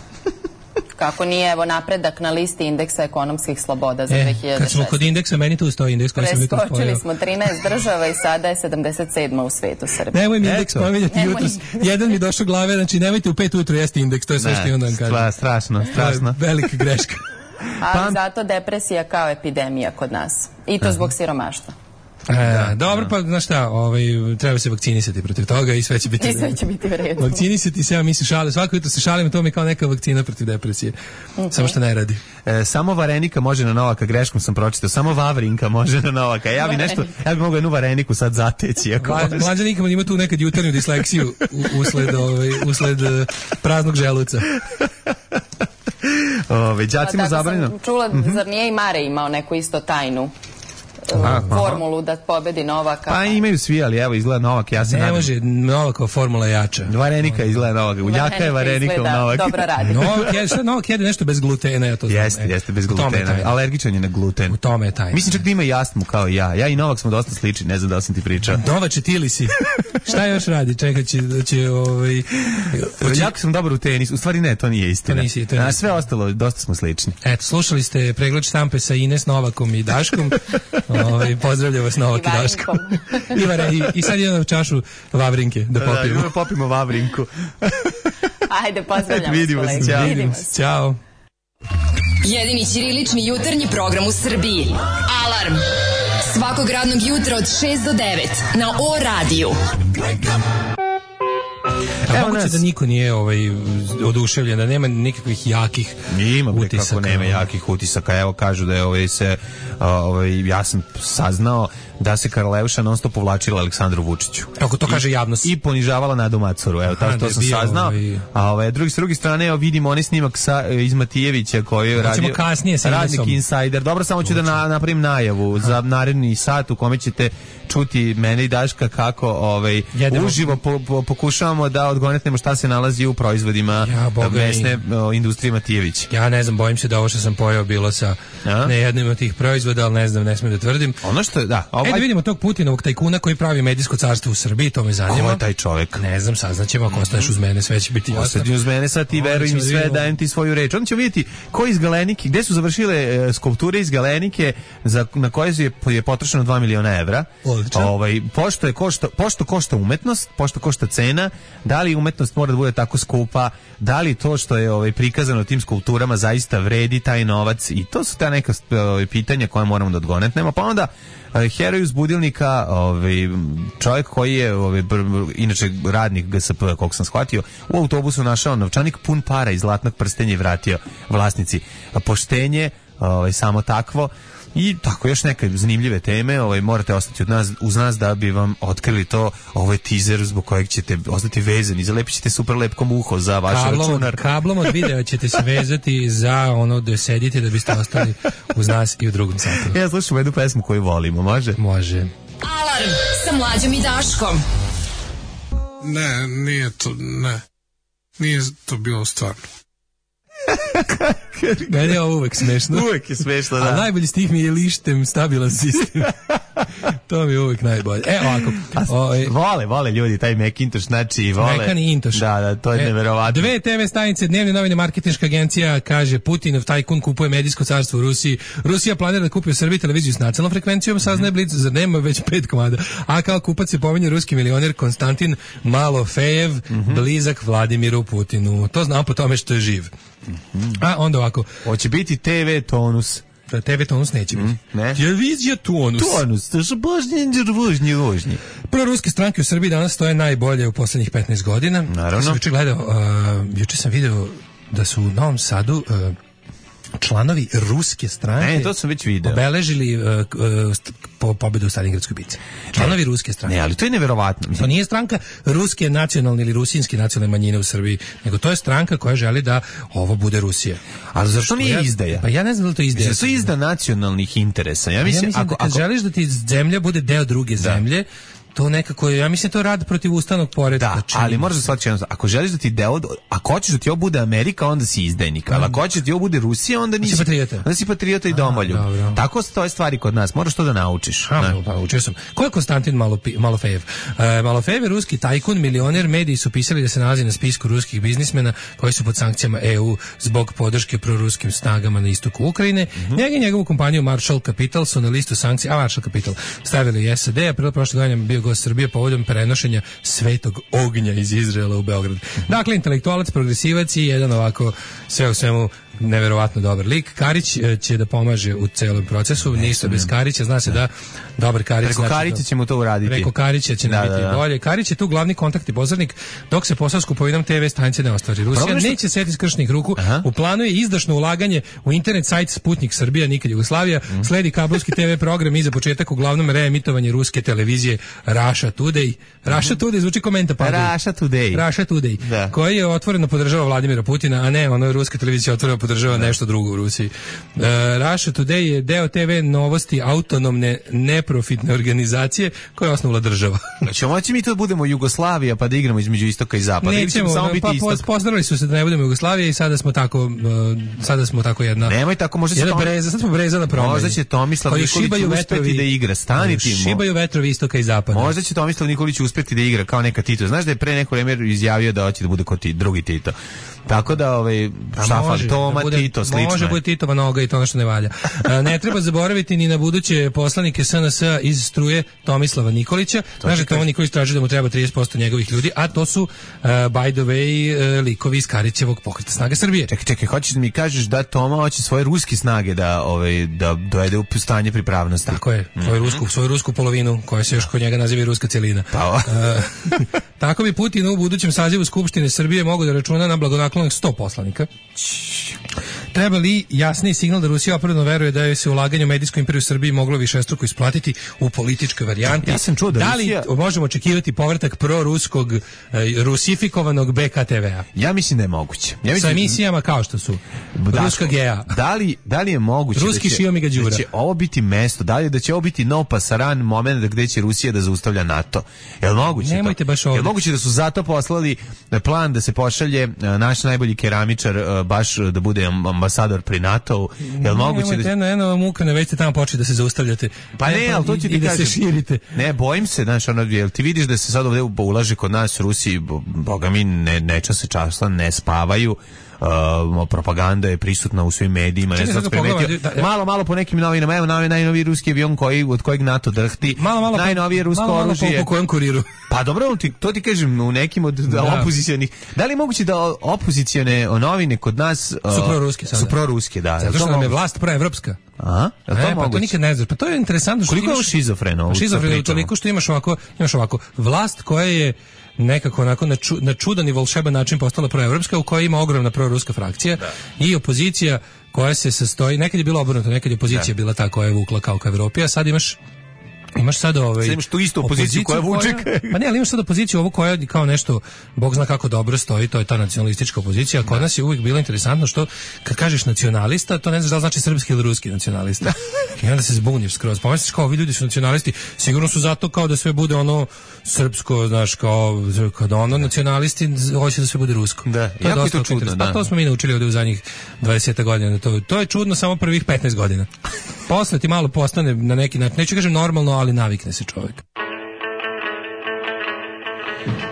[SPEAKER 7] Kako nije, evo, napredak na listi indeksa ekonomskih sloboda za
[SPEAKER 6] E,
[SPEAKER 7] dve hiljade
[SPEAKER 6] kad smo
[SPEAKER 7] šeste.
[SPEAKER 6] kod indeksa, meni tu stoji indeks koji sam jutro
[SPEAKER 7] Preskočili
[SPEAKER 6] spojio.
[SPEAKER 7] smo trinaest država i sada je sedamdeset sedma u svetu Srbije.
[SPEAKER 6] Nemoj mi indeks
[SPEAKER 5] Eto.
[SPEAKER 6] pominjati
[SPEAKER 7] Nemoj.
[SPEAKER 6] jutros. Jedan mi došao glave, znači nemojte u pet ujutro jesti indeks, to je sve što imam da vam kažem.
[SPEAKER 5] Stra- strašno, strašno.
[SPEAKER 6] To je velika greška.
[SPEAKER 7] Ali zato depresija kao epidemija kod nas. I to zbog siromaštva.
[SPEAKER 6] E, dobro, pa znaš šta, ovaj, treba se vakcinisati protiv toga i sve će biti
[SPEAKER 7] I sve će biti u redu.
[SPEAKER 6] Vakcinisati se, ja mislim šale, svako jutro se šalim, to mi je kao neka vakcina protiv depresije. Samo što ne radi.
[SPEAKER 5] E, samo Varenika može na Novaka, greškom sam pročitao. Samo Vavrinka može na Novaka. Ja bi nešto, ja bi mogao jednu Vareniku sad zateći. Ako može.
[SPEAKER 6] Mlađa nikamo ima tu nekad jutarnju disleksiju u- usled, ovaj, usled eh, praznog želuca.
[SPEAKER 5] Ove, đacima
[SPEAKER 7] Tako
[SPEAKER 5] zabranjeno.
[SPEAKER 7] sam čula, zar nije i Mare imao neku isto tajnu
[SPEAKER 5] Aha.
[SPEAKER 7] formulu da pobedi Novaka?
[SPEAKER 5] Pa imaju svi, ali evo izgleda Novak, ja se
[SPEAKER 6] Ne
[SPEAKER 5] nadam.
[SPEAKER 6] može, Novakova formula je jača.
[SPEAKER 5] Varenika izgleda Novak. Jaka je Varenika u
[SPEAKER 7] izgleda
[SPEAKER 5] Novak.
[SPEAKER 7] dobro radi.
[SPEAKER 6] Novak jede, šta Novak jede nešto bez glutena, ja to znam.
[SPEAKER 5] Jeste,
[SPEAKER 6] E,
[SPEAKER 5] jeste, bez
[SPEAKER 6] u tome je
[SPEAKER 5] glutena.
[SPEAKER 6] tajna.
[SPEAKER 5] Alergičan je na gluten.
[SPEAKER 6] U tome je tajna.
[SPEAKER 5] Mislim čak da ima i astmu kao i ja. Ja i Novak smo dosta slični, ne znam da li sam ti pričao.
[SPEAKER 6] Novače, ti li si? Šta još radi? Čekaj, će, da će, ovaj... hoće-
[SPEAKER 5] Jako sam dobar u tenis. U stvari ne, to nije istina.
[SPEAKER 6] To nisi, to nisi.
[SPEAKER 5] A sve ostalo, dosta smo slični.
[SPEAKER 6] Eto, slušali ste pregled štampe sa Ines Novakom i Daškom. Ovaj pozdravljam vas Novak i,
[SPEAKER 7] I
[SPEAKER 6] Daško.
[SPEAKER 7] Varinkom.
[SPEAKER 6] I, vare, i, I sad idemo čašu Vavrinke da
[SPEAKER 5] Da,
[SPEAKER 6] popijemo.
[SPEAKER 5] idemo popimo Vavrinku.
[SPEAKER 7] Ajde, pozdravljamo
[SPEAKER 5] Vidimo
[SPEAKER 7] vas,
[SPEAKER 5] se,
[SPEAKER 7] kolege.
[SPEAKER 5] ćao.
[SPEAKER 7] Vidimo
[SPEAKER 6] se.
[SPEAKER 7] se.
[SPEAKER 6] Ćao.
[SPEAKER 4] Jedini ćirilični jutarnji program u Srbiji. Alarm! Svakog radnog jutra od šest do devet na O radiju.
[SPEAKER 6] Evo moguće da niko nije ovaj, oduševljen, da nema nikakvih jakih
[SPEAKER 5] Ima
[SPEAKER 6] utisaka.
[SPEAKER 5] Kako nema jakih utisaka. Evo kažu da je ovaj se, ovaj, ja sam saznao da se Karleuša non stop povlačila Aleksandru Vučiću.
[SPEAKER 6] Kako to kaže javnost.
[SPEAKER 5] I ponižavala Nadu Macoru. Evo, to, to sam saznao. Ovaj... A ovaj, drugi, s druge strane, evo, vidimo onaj snimak sa, iz Matijevića koji je radio
[SPEAKER 6] kasnije sa
[SPEAKER 5] radnik Insider. Dobro, samo ću da na, napravim najavu za naredni sat u kome ćete čuti mene i Daška kako ovaj, uživo po, po, pokušavamo da odgonetnemo šta se nalazi u proizvodima ja, mesne o, industrije Matijević.
[SPEAKER 6] Ja ne znam, bojim se da ovo što sam pojao bilo sa a? ne jednim od tih proizvoda, ali ne znam, ne smijem da tvrdim.
[SPEAKER 5] Ono što je, da.
[SPEAKER 6] Ovaj... E, da vidimo tog Putinovog tajkuna koji pravi medijsko carstvo u Srbiji, to me zanima.
[SPEAKER 5] Ko je taj čovjek?
[SPEAKER 6] Ne znam, saznaćemo, ako ostaješ uz mene, sve će biti jasno.
[SPEAKER 5] Ostati uz mene, sad ti veruj mi sve, dajem ti svoju reč. Onda ćemo vidjeti ko iz Galenike, gde su završile e, skulpture iz Galenike za, na koje je, je potrošeno dva miliona evra. Ovaj, pošto, je košta, pošto košta umetnost, pošto košta cena, da li umetnost mora da bude tako skupa, da li to što je ovaj, prikazano tim skulpturama zaista vredi taj novac, i to su ta neka ovaj, pitanja koja moramo da odgonetnemo. Pa onda heroj uz budilnika, ovaj, čovjek koji je ovaj, br, br, inače radnik G S P, koliko sam shvatio, u autobusu našao novčanik pun para iz zlatnog prstenja i vratio vlasnici. Poštenje, ovaj, samo takvo. I tako još neke zanimljive teme, ovaj, morate ostati od nas, uz nas da bi vam otkrili to. Ovo je teaser zbog kojeg ćete ostati vezani, zalepit ćete super lepkom uho za vaš
[SPEAKER 6] kablom,
[SPEAKER 5] računar.
[SPEAKER 6] Kablom od videa ćete se vezati za ono da sedite da biste ostali uz nas i u drugom satu.
[SPEAKER 5] Ja slušam jednu pesmu koju volimo, može?
[SPEAKER 6] Može.
[SPEAKER 4] Alarm sa Mlađom i Daškom.
[SPEAKER 8] Ne, nije to, ne. Nije to bilo stvarno.
[SPEAKER 6] Meni je ovo uvek smešno.
[SPEAKER 5] Uvek je smešno, da.
[SPEAKER 6] A najbolji stih mi je lištem stabilan sistem. To mi je uvek najbolje. E, ovako.
[SPEAKER 5] O, vole, vole ljudi taj Macintosh, znači vole.
[SPEAKER 6] Mekan i Intosh.
[SPEAKER 5] Da, da, to je
[SPEAKER 6] e,
[SPEAKER 5] neverovatno.
[SPEAKER 6] Dve te ve stanice, Dnevne novine, marketinška agencija kaže Putinov tajkun kupuje medijsko carstvo u Rusiji. Rusija planira da kupi u Srbiji televiziju s nacionalnom frekvencijom, saznaje mm. Blic, zar nema već pet komada. A kao kupac se pominje ruski milioner Konstantin Malofejev, mm-hmm. blizak Vladimiru Putinu. To znam po tome što je živ. Mm-hmm. A onda ovako.
[SPEAKER 5] Hoće biti te ve Tonus.
[SPEAKER 6] te ve Tonus neće biti. Mm,
[SPEAKER 5] ne.
[SPEAKER 6] Televizija Tonus.
[SPEAKER 5] Tonus, to su božnji, vožnji, vožnji.
[SPEAKER 6] Proruske stranke u Srbiji danas stoje najbolje u poslednjih petnaest godina.
[SPEAKER 5] Naravno.
[SPEAKER 6] Ja sam juče gledao, uh, juče sam video da su u Novom Sadu uh, članovi ruske stranke
[SPEAKER 5] ne, to sam već video.
[SPEAKER 6] obeležili uh, uh, po pobedu u Stalingradskoj bici. Članovi ne, ruske stranke.
[SPEAKER 5] Ne, ali to je neverovatno.
[SPEAKER 6] To nije stranka ruske nacionalne ili rusinske nacionalne manjine u Srbiji, nego to je stranka koja želi da ovo bude Rusija.
[SPEAKER 5] Ali zašto nije izdaja?
[SPEAKER 6] Pa ja ne znam da li to izdaja.
[SPEAKER 5] Mislim, to je izda nacionalnih interesa. Ja mislim,
[SPEAKER 6] ja mislim
[SPEAKER 5] ako,
[SPEAKER 6] da kad
[SPEAKER 5] ako...
[SPEAKER 6] želiš da ti zemlja bude deo druge da. zemlje, to nekako, ja mislim to rad protiv ustavnog poretka.
[SPEAKER 5] Da, ali možeš da shvatiš jedno, ako želiš da ti deo, ako hoćeš da ti ovo bude Amerika, onda si izdajnik, ali ako hoćeš da ti ovo bude Rusija, onda nisi
[SPEAKER 6] patriota.
[SPEAKER 5] Onda si patriota i domoljub. Tako stoje stvari kod nas, moraš to da naučiš.
[SPEAKER 6] A, pa, učio sam. Ko je Konstantin Malofejev? E, Malofejev je ruski tajkun, milioner, mediji su pisali da se nalazi na spisku ruskih biznismena koji su pod sankcijama E U zbog podrške proruskim snagama na istoku Ukrajine. Mm-hmm. Njega i njegovu kompaniju Marshall Capital su na listu sankcija, a Marshall Capital stavili i S A D, a prilo prošle godine bio gost Srbije povodom prenošenja svetog ognja iz Izraela u Beograd. Dakle, intelektualac, progresivac i jedan ovako sve u svemu neverovatno dobar lik. Karić će da pomaže u celom procesu, ništa bez Karića, zna se da dobar Karić.
[SPEAKER 5] Preko
[SPEAKER 6] znači
[SPEAKER 5] Karića
[SPEAKER 6] da,
[SPEAKER 5] ćemo to uraditi.
[SPEAKER 6] Preko Karića će nam
[SPEAKER 5] da,
[SPEAKER 6] biti
[SPEAKER 5] da, da.
[SPEAKER 6] bolje. Karić je tu glavni kontakt i posrednik dok se posao s kupovinom te ve stanice ne ostvari. Rusija što... neće seti skršnih ruku. Aha. U planu je izdašno ulaganje u internet sajt Sputnik Srbija, nikad Jugoslavija, mm. sledi kablovski te ve program i za početak uglavnom reemitovanje ruske televizije Russia Today. Russia Today zvuči komenta pa.
[SPEAKER 5] Russia Today.
[SPEAKER 6] Russia Today. Da. Koji je otvoreno podržava Vladimira Putina, a ne ono ruska televizija otvoreno podržava da. nešto drugo u Rusiji. Uh, Russia Today je deo te ve novosti autonomne neprofitne organizacije koje je osnovala država.
[SPEAKER 5] Znači, moći mi to budemo Jugoslavija pa da igramo između istoka i zapada.
[SPEAKER 6] Nećemo, samo
[SPEAKER 5] biti
[SPEAKER 6] pa
[SPEAKER 5] istok.
[SPEAKER 6] Pozdravili su se da ne budemo Jugoslavija i sada smo tako, uh, sada smo tako jedna.
[SPEAKER 5] Nemoj tako, možda će
[SPEAKER 6] Tom... breza, sad smo breza na promeni.
[SPEAKER 5] Možda će Tomislav Nikolić uspeti da igra, stani ti.
[SPEAKER 6] Šibaju vetrovi istoka i zapada.
[SPEAKER 5] Možda će Tomislav Nikolić uspeti da igra kao neka Tito. Znaš da je pre neko vreme izjavio da hoće da bude kao ti, drugi Tito. Tako da ovaj šta fantomac
[SPEAKER 6] bude,
[SPEAKER 5] Tito, slično
[SPEAKER 6] može
[SPEAKER 5] je.
[SPEAKER 6] bude Titova noga i to ono što ne valja. A, ne treba zaboraviti ni na buduće poslanike S N S iz struje Tomislava Nikolića. Kaže, Tomo Nikolić traži da mu treba trideset posto njegovih ljudi, a to su, uh, by the way, uh, likovi iz Karićevog pokreta Snage Srbije.
[SPEAKER 5] Čekaj, čekaj, hoćeš da mi kažeš da Toma hoće svoje ruske snage da, ovaj, da dovede u stanje pripravnosti?
[SPEAKER 6] Tako je, svoju, mm-hmm. rusku, svoju rusku polovinu, koja se još kod njega naziva ruska celina.
[SPEAKER 5] Pa,
[SPEAKER 6] uh, tako bi Putin u budućem sazivu Skupštine Srbije mogao da računa na blagonaklonih sto poslanika. Treba li jasniji signal da Rusija opravdano veruje da je se ulaganje u medijsku imperiju Srbiji moglo višestruko isplatiti u političkoj varijanti?
[SPEAKER 5] Ja sam čuo da,
[SPEAKER 6] da li
[SPEAKER 5] Rusija...
[SPEAKER 6] možemo očekivati povratak proruskog, eh, rusifikovanog B K T V-a?
[SPEAKER 5] Ja mislim da je moguće. Ja mislim...
[SPEAKER 6] Sa emisijama kao što su
[SPEAKER 5] Daško,
[SPEAKER 6] Ruska G A.
[SPEAKER 5] Da li, da li je moguće
[SPEAKER 6] Ruski
[SPEAKER 5] da, će,
[SPEAKER 6] Šio Miga Đura.
[SPEAKER 5] da će ovo biti mesto, da li da će ovo biti nov pasaran moment gde će Rusija da zaustavlja NATO? Je li moguće
[SPEAKER 6] Nemojte
[SPEAKER 5] to?
[SPEAKER 6] baš ovdje.
[SPEAKER 5] Je li moguće da su zato poslali plan da se pošalje naš najbolji keramičar baš da bude ambasador pri NATO-u? Je li moguće da...
[SPEAKER 6] Eno, eno vam ukane, već ste tamo počeli da se zaustavljate.
[SPEAKER 5] Pa ne, ali to ću ti
[SPEAKER 6] i da
[SPEAKER 5] kažem.
[SPEAKER 6] se širite.
[SPEAKER 5] Ne, bojim se, znaš, ono, jel ti vidiš da se sad ovdje ulaže kod nas Rusiji, boga mi, ne, neča se časla, ne spavaju, Uh, propaganda je prisutna u svim medijima. Ne znam, primetio. Da, ja. Malo, malo po nekim novinama, evo naj, najnoviji ruski avion koji, od kojeg NATO drhti,
[SPEAKER 6] malo, malo
[SPEAKER 5] najnovije rusko
[SPEAKER 6] malo, malo
[SPEAKER 5] oružje.
[SPEAKER 6] Po, po kojem kuriru?
[SPEAKER 5] Pa dobro, ti, to ti kažem, u nekim od da. opozicijonih. Da li je moguće da opozicione novine kod nas uh,
[SPEAKER 6] su proruske sada?
[SPEAKER 5] Su proruske, da.
[SPEAKER 6] Zato što nam je vlast proevropska.
[SPEAKER 5] Aha, je to
[SPEAKER 6] e,
[SPEAKER 5] moguće?
[SPEAKER 6] Pa to nikad ne znaš. Pa to je interesantno što
[SPEAKER 5] koliko
[SPEAKER 6] imaš...
[SPEAKER 5] je šizofreno?
[SPEAKER 6] Šizofreno toliko što imaš ovako, imaš ovako, vlast koja je nekako onako na, ču, na čudan i volšeban način postala proevropska, u kojoj ima ogromna proruska frakcija da. I opozicija koja se sastoji, nekad je bilo obrnuto, nekad je opozicija da. Bila ta koja je vukla kao ka Evropi, a sad imaš imaš sad ovaj
[SPEAKER 5] sad imaš tu istu opoziciju, opoziciju koja vuče.
[SPEAKER 6] Pa ne, ali imaš sad opoziciju ovu koja kao nešto bog zna kako dobro stoji, to je ta nacionalistička opozicija, a kod da. Nas je uvijek bilo interesantno što kad kažeš nacionalista, to ne znaš da li znači srpski ili ruski nacionalista. I onda se zbuniš skroz. Pomisliš kao ovi ljudi su nacionalisti, sigurno su zato kao da sve bude ono srpsko, znaš, kao kad ono nacionalisti hoće da sve bude rusko.
[SPEAKER 5] Da,
[SPEAKER 6] to je
[SPEAKER 5] jako
[SPEAKER 6] dosta
[SPEAKER 5] je to čudno, da.
[SPEAKER 6] Pa to smo mi naučili ovdje u zadnjih dvadeset godina. To, to je čudno samo prvih petnaest godina. Posle ti malo postane na neki način, neću kažem normalno, ali navikne se čovjek.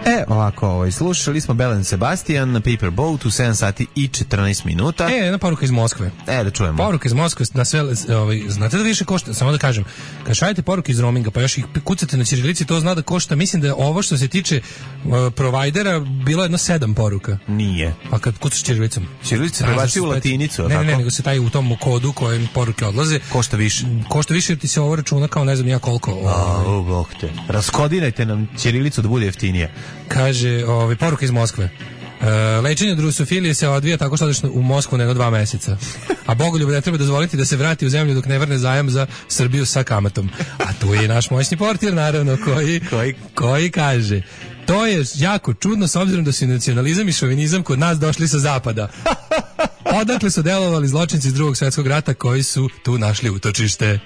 [SPEAKER 5] E, ovako, ovaj, slušali smo Belen Sebastian na Paper Boat u sedam sati i četrnaest minuta.
[SPEAKER 6] E, jedna poruka iz Moskve.
[SPEAKER 5] E, da čujemo.
[SPEAKER 6] Poruka iz Moskve, na sve, ovaj, znate da više košta, samo da kažem, kad šaljete poruke iz roaminga, pa još ih kucate na ćirilici, to zna da košta, mislim da je ovo što se tiče uh, provajdera bilo jedno sedam poruka.
[SPEAKER 5] Nije.
[SPEAKER 6] Pa kad kucaš ćirilicom.
[SPEAKER 5] Ćirilica prebaci u latinicu,
[SPEAKER 6] ne,
[SPEAKER 5] tako?
[SPEAKER 6] Ne, ne, nego se taj u tom kodu kojem poruke odlaze.
[SPEAKER 5] Košta više.
[SPEAKER 6] Košta više jer ti se ovo računa kao ne znam ja koliko.
[SPEAKER 5] Ovaj. A, bog te. Raskodirajte nam ćirilicu da bude jeftinije.
[SPEAKER 6] Kaže, ovaj, poruka iz Moskve. E, lečenje od rusofilije se odvija tako što odeš u Moskvu nego dva meseca. A Bogoljub ne treba dozvoliti da se vrati u zemlju dok ne vrne zajam za Srbiju sa kamatom. A tu je naš moćni portir, naravno, koji, koji? koji kaže... To je jako čudno s obzirom da su nacionalizam i šovinizam kod nas došli sa zapada. Odakle su delovali zločinci iz Drugog svjetskog rata koji su tu našli utočište.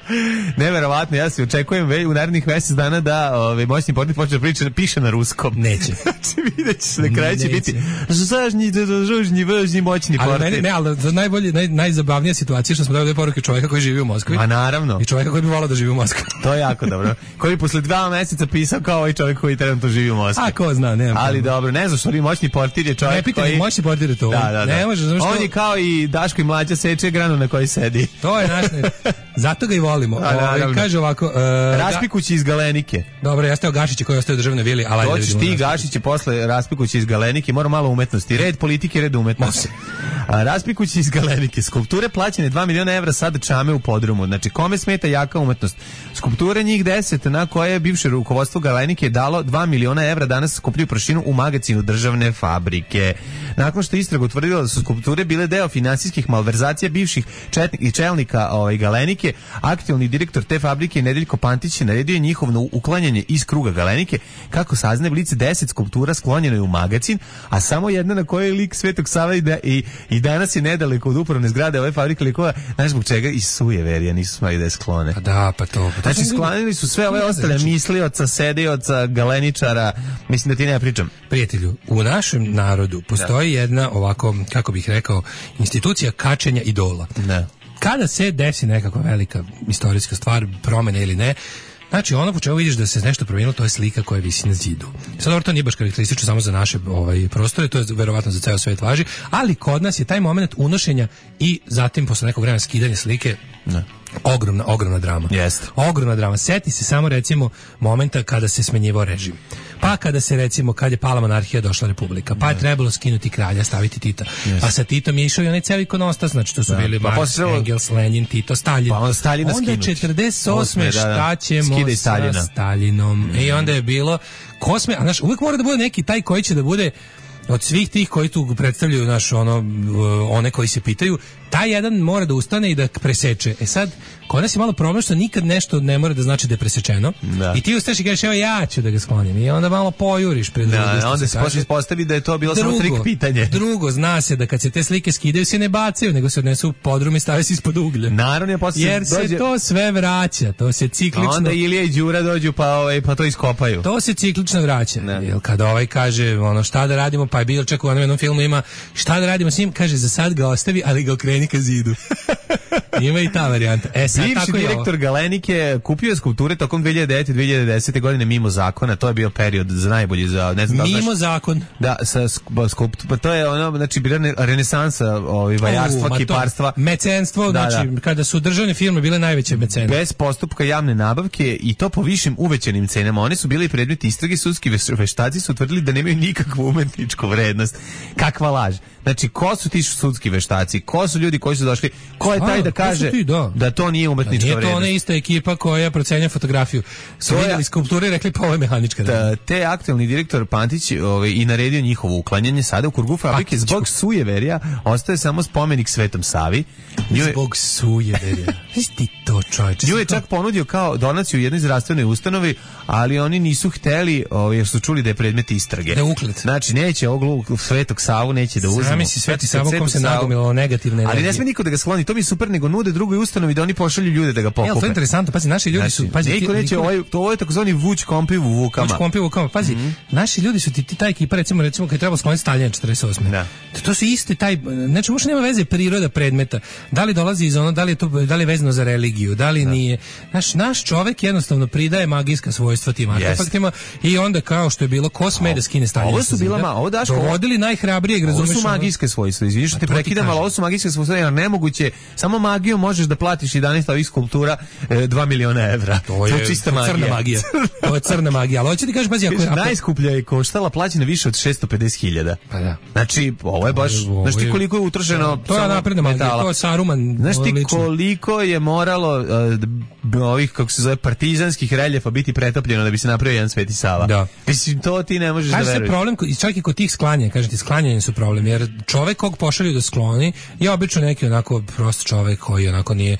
[SPEAKER 5] Neverovatno, ja se očekujem već u narednih mjesec dana da ovaj moćni portir počne da priča, piše na ruskom.
[SPEAKER 6] Neće.
[SPEAKER 5] Znači vidjet ćeš, na kraju će biti zažnji, žužnji, vržnji, moćni portir.
[SPEAKER 6] Ali ne, ali za najbolje, naj, najzabavnija situacija što smo dobili poruke čovjeka koji živi u Moskvi.
[SPEAKER 5] A naravno.
[SPEAKER 6] I čovjeka koji bi volao da živi u Moskvi.
[SPEAKER 5] To je jako dobro. Koji posle dva mjeseca pisao kao ovaj čovjek koji trenutno živi u Moskvi.
[SPEAKER 6] A ko zna, ne.
[SPEAKER 5] Ali dobro, ne znam što li moćni portir je čovjek
[SPEAKER 6] ne, pitanje,
[SPEAKER 5] koji...
[SPEAKER 6] moćni portir je to.
[SPEAKER 5] Da, da, da.
[SPEAKER 6] Ne može, znači što...
[SPEAKER 5] On je kao i Daško i Mlađa seče granu na kojoj sedi.
[SPEAKER 6] To je naš... Zato ga i volimo. O, kaže ovako... Uh,
[SPEAKER 5] Raspikući iz Galenike.
[SPEAKER 6] Dobro, ja steo Gašići koji ostaje u državnoj vili, ali...
[SPEAKER 5] Doćiš ti Gašići posle Raspikući iz Galenike, mora malo umetnosti. Red politike, red umetnosti. A, Raspikući iz Galenike. Skulpture plaćene dva miliona evra sad čame u podrumu. Znači, kome smeta jaka umetnost? Skulpture njih deset na koje je bivše rukovodstvo Galenike dalo dva miliona evra danas skupljuju prašinu u magazinu državne fabrike. Nakon što je istraga utvrdila da su skulpture bile deo finansijskih malverzacija bivših četnik i čelnika ovaj, Galenike, aktualni direktor te fabrike Nedeljko Pantić je naredio njihovo uklanjanje iz kruga Galenike. Kako saznaje lice, deset skulptura sklonjeno je u magazin, a samo jedna na kojoj je lik Svetog Save da i, i danas je nedaleko od upravne zgrade ove fabrike likova, znaš zbog čega i sujeverija nisu smali da je sklone.
[SPEAKER 6] Pa da, pa to. Pa
[SPEAKER 5] znači sklonili su sve ove ostale mislioca, sedioca, galeničara, mislim da ti ne pričam.
[SPEAKER 6] Prijatelju, u našem narodu postoji da. Jedna ovako, kako bih rekao, institucija kačenja idola.
[SPEAKER 5] Da.
[SPEAKER 6] Kada se desi nekakva velika istorijska stvar, promjena ili ne, Znači, ono po čemu vidiš da se nešto promijenilo, to je slika koja visi na zidu. Sad, dobro, to nije baš karakteristično samo za naše ovaj, prostore, to je verovatno za ceo svet važi, ali kod nas je taj moment unošenja i zatim posle nekog vremena skidanja slike ne. ogromna, ogromna drama.
[SPEAKER 5] Jeste.
[SPEAKER 6] Ogromna drama. Seti se samo, recimo, momenta kada se smenjivao režim. Pa kada se, recimo, kad je pala monarhija, došla republika, pa je trebalo skinuti kralja, staviti Tita. Yes. Pa sa Titom je išao i onaj ceo ikonostas, znači to su da. bili pa Marx, posle... Engels, Lenin, Tito, Stalin. Pa onda Staljina skinuti. Onda četrdeset osme šta da, da. ćemo sa Stalinom. Mm. I onda je bilo, ko sme, a znaš, uvijek mora da bude neki taj koji će da bude od svih tih koji tu predstavljaju naš ono one koji se pitaju, taj jedan mora da ustane i da preseče. E sad, kod nas je malo problem što nikad nešto ne mora da znači da je presečeno. Da. I ti ustaješ i kažeš, evo ja ću da ga sklonim. I onda malo pojuriš pred drugim. Da, onda se počne ispostavi da je to bilo drugo, samo trik pitanje. Drugo, zna se da kad se te slike skidaju se ne bacaju, nego se odnesu u podrum i stave se ispod uglja. Naravno, ja posle jer se dođe... to sve vraća, to se ciklično... A onda Ilija i Đura dođu pa, ovaj, pa to iskopaju. To se ciklično vraća. Jer kada ovaj kaže ono šta da radimo, pa je bilo čak u onom jednom filmu ima šta da radimo s njim, kaže za sad ga ostavi, ali ga okreni ka zidu. Ima i ta varijanta. E, sad, bivši tako direktor Galenike kupio je skulpture tokom dve hiljade devete do dve hiljade desete godine mimo zakona, to je bio period za najbolji za ne znam mimo da zakon. Da, sa skulptura, to je ono, znači bila renesansa, ovaj vajarstva, uh, kiparstva, mecenstvo, da, znači da. Kada su državne firme bile najveće mecene. Bez postupka javne nabavke i to po višim uvećanim cenama. Oni su bili predmet istrage, sudski veštaci su utvrdili da nemaju nikakvu umetničku vrednost. Kakva laž. Znači, ko su ti sudski veštaci? Ko su ljudi koji su došli? Ko je taj da kaže ti, da. da to nije umetnička vrednost? Nije to ona ista ekipa koja procenja fotografiju. Su vidjeli skulpture i rekli pa ovo je mehanička vrednost. Te aktualni direktor Pantić ovaj, i naredio njihovo uklanjanje. Sada u krugu fabrike zbog sujeverija ostaje samo spomenik Svetom Savi. Nju je, zbog sujeverija. Ti to čovječe. Nju je čak ponudio kao donaciju u jednoj zdravstvenoj ustanovi, ali oni nisu hteli, ovaj, jer su čuli da je predmet istrage. Da uklet. Znači, neće ovog Svetog Savu, neće da uzme. Zamisli Sveti Savo kom se nagomilo negativne energije. Ali ne sme niko da ga skloni, to mi je super, nego nude drugoj ustanovi da oni pošalju ljude da ga pokupe. Evo, to je interesantno, pazi, naši ljudi znači, su... Pazi, niko ti, neće, niko... Ovaj, to ovo je takozvani vuč kompi u vukama. Vuč kompi u vukama, pazi, mm-hmm. naši ljudi su ti, ti ta ekipa, recimo, recimo kad je trebalo skloniti Staljina četrdeset osme. Da. To, to su isti taj, znači, uopšte nema veze priroda predmeta. Da li dolazi iz ono, da li je to, da li je vezano za religiju, da li da. nije. Naš, naš čovek jednostavno pridaje magijska svojstva tim artefaktima i onda kao što je bilo, ko sme da skine Staljina. Ovo su bila, ma, ovo Daško, dovodili najhrabrijeg, razumeš? Ovo su magijske svojstva, izviniš što te prekidam, ali ovo su magijske svojstva, jer nemoguće, samo magijom možeš da platiš jedanaest ovih skulptura e, dva miliona evra. To je, to je čista to je magija. Crna magija. To je crna magija, ali hoće ti kažeš, pazi, ako je... Najskuplja je koštala plaćena više od šesto pedeset hiljada. Pa da. Znači, ovo je baš, znaš ti koliko je utrošeno to je napredna magija, to je Saruman. Znaš ti koliko je moralo uh, ovih, kako se zove, partizanskih reljefa biti pretopljeno da bi se napravio jedan Sveti Sava. Da. Mislim, to ti ne možeš Kaži da veruješ. Problem, čak i kod tih sklanja, kažem ti, sklanjanje su problem, jer čovek kog pošalju da skloni je obično neki onako prost čovek koji onako nije,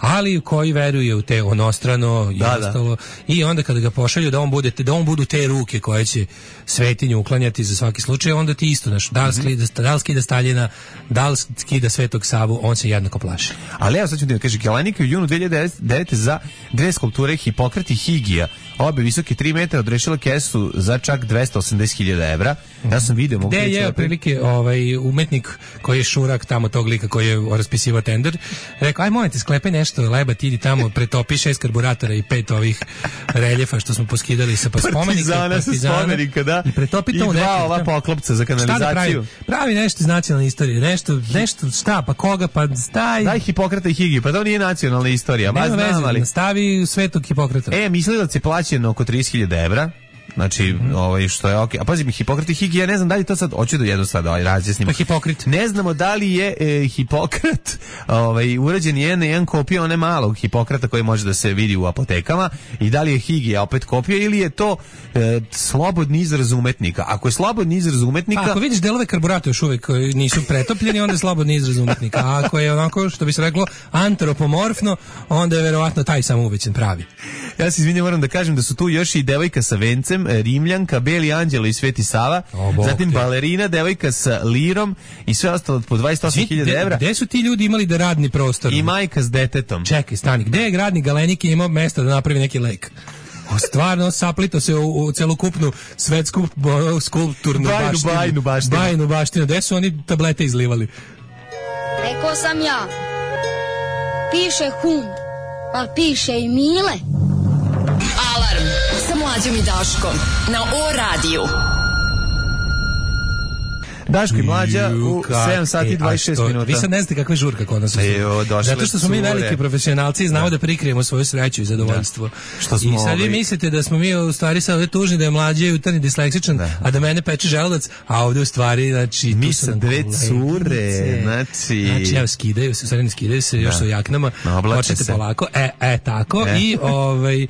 [SPEAKER 6] ali koji veruje u te onostrano i da, ostalo. Da. I onda kada ga pošalju da on bude, da on budu te ruke koje će svetinju uklanjati za svaki slučaj, onda ti isto, znaš, da li skida, da li skida Staljina, da li skida Svetog Savu, on se jednako plaši. Ali evo sad ću ti da kaže, Galenika u junu dve hiljade devete za dve skulpture Hipokrat i Higija, obe visoke tri metra, odrešila kesu za čak dvesta osamdeset hiljada evra. Ja sam video... Gde je prilike ovaj, umetnik koji je šurak tamo tog lika koji je raspisivao tender, rekao, aj molim te, sklepaj nešto, leba, ti idi tamo, pretopi šest karburatora i pet ovih reljefa što smo poskidali sa pa spomenika. Partizana sa spomenika, da. I pretopi to u neki. I dva ova poklopca za kanalizaciju. Šta da pravi? Pravi nešto iz nacionalne istorije, nešto, nešto, šta, pa koga, pa staj... Daj Hipokrata i Higiju, pa to nije nacionalna istorija. Nema veze, ali... stavi Svetog Hipokrata. E, mislilac je plaćen oko trideset hiljada evra. Znači, mm-hmm. ovaj, što je okej. Okay. A pazi mi, Hipokrat i Higija, ne znam da li to sad, hoću da jedno sad ovaj, razjasnimo. Pa Hipokrit. Ne znamo da li je e, Hipokrat ovaj, urađen jedan, jedan kopija one malog Hipokrata koji može da se vidi u apotekama i da li je Higija opet kopija ili je to e, slobodni izraz umetnika. Ako je slobodni izraz umetnika... Pa, ako vidiš delove karburata još uvek koji nisu pretopljeni, onda je slobodni izraz umetnika. A ako je onako, što bi se reklo, antropomorfno, onda je verovatno taj samo uvećen pravi. Ja se izvinjam, moram da kažem da su tu još i devojka sa vencem, Rimljanka, Beli Anđelo i Sveti Sava, o, zatim balerina, devojka sa lirom i sve ostalo po dvadeset osam hiljada evra. Gde su ti ljudi imali da radni prostor? I majka s detetom. Čekaj, stani, gde je gradni Galenike imao mesta da napravi neki lek? O, stvarno saplito se u, u celokupnu svetsku o, skulpturnu bajnu, baštinu. Bajnu baštinu. Bajnu baštinu. Gde su oni tablete izlivali?
[SPEAKER 9] Rekao sam ja. Piše hum, pa piše i Mile.
[SPEAKER 4] Alarm sa Mlađom i Daškom na O radiju.
[SPEAKER 5] Daško i Mlađa u sedam sati i dvadeset šest minuta.
[SPEAKER 6] Vi sad ne znate kakva je žurka kod nas.
[SPEAKER 5] Ejo,
[SPEAKER 6] zato što smo mi veliki profesionalci i znamo da, da prikrijemo svoju sreću i zadovoljstvo.
[SPEAKER 5] Što smo
[SPEAKER 6] I sad vi mislite da smo mi u stvari sad ovdje tužni, da je Mlađa jutarnji disleksičan, da. a da mene peče želudac, a ovdje u stvari, znači,
[SPEAKER 5] mi sa dve cure, znači...
[SPEAKER 6] Znači, evo, skidaju se, u stvari ne skidaju se, da. još su u jaknama, počete polako, e, e, tako, e. i ovaj...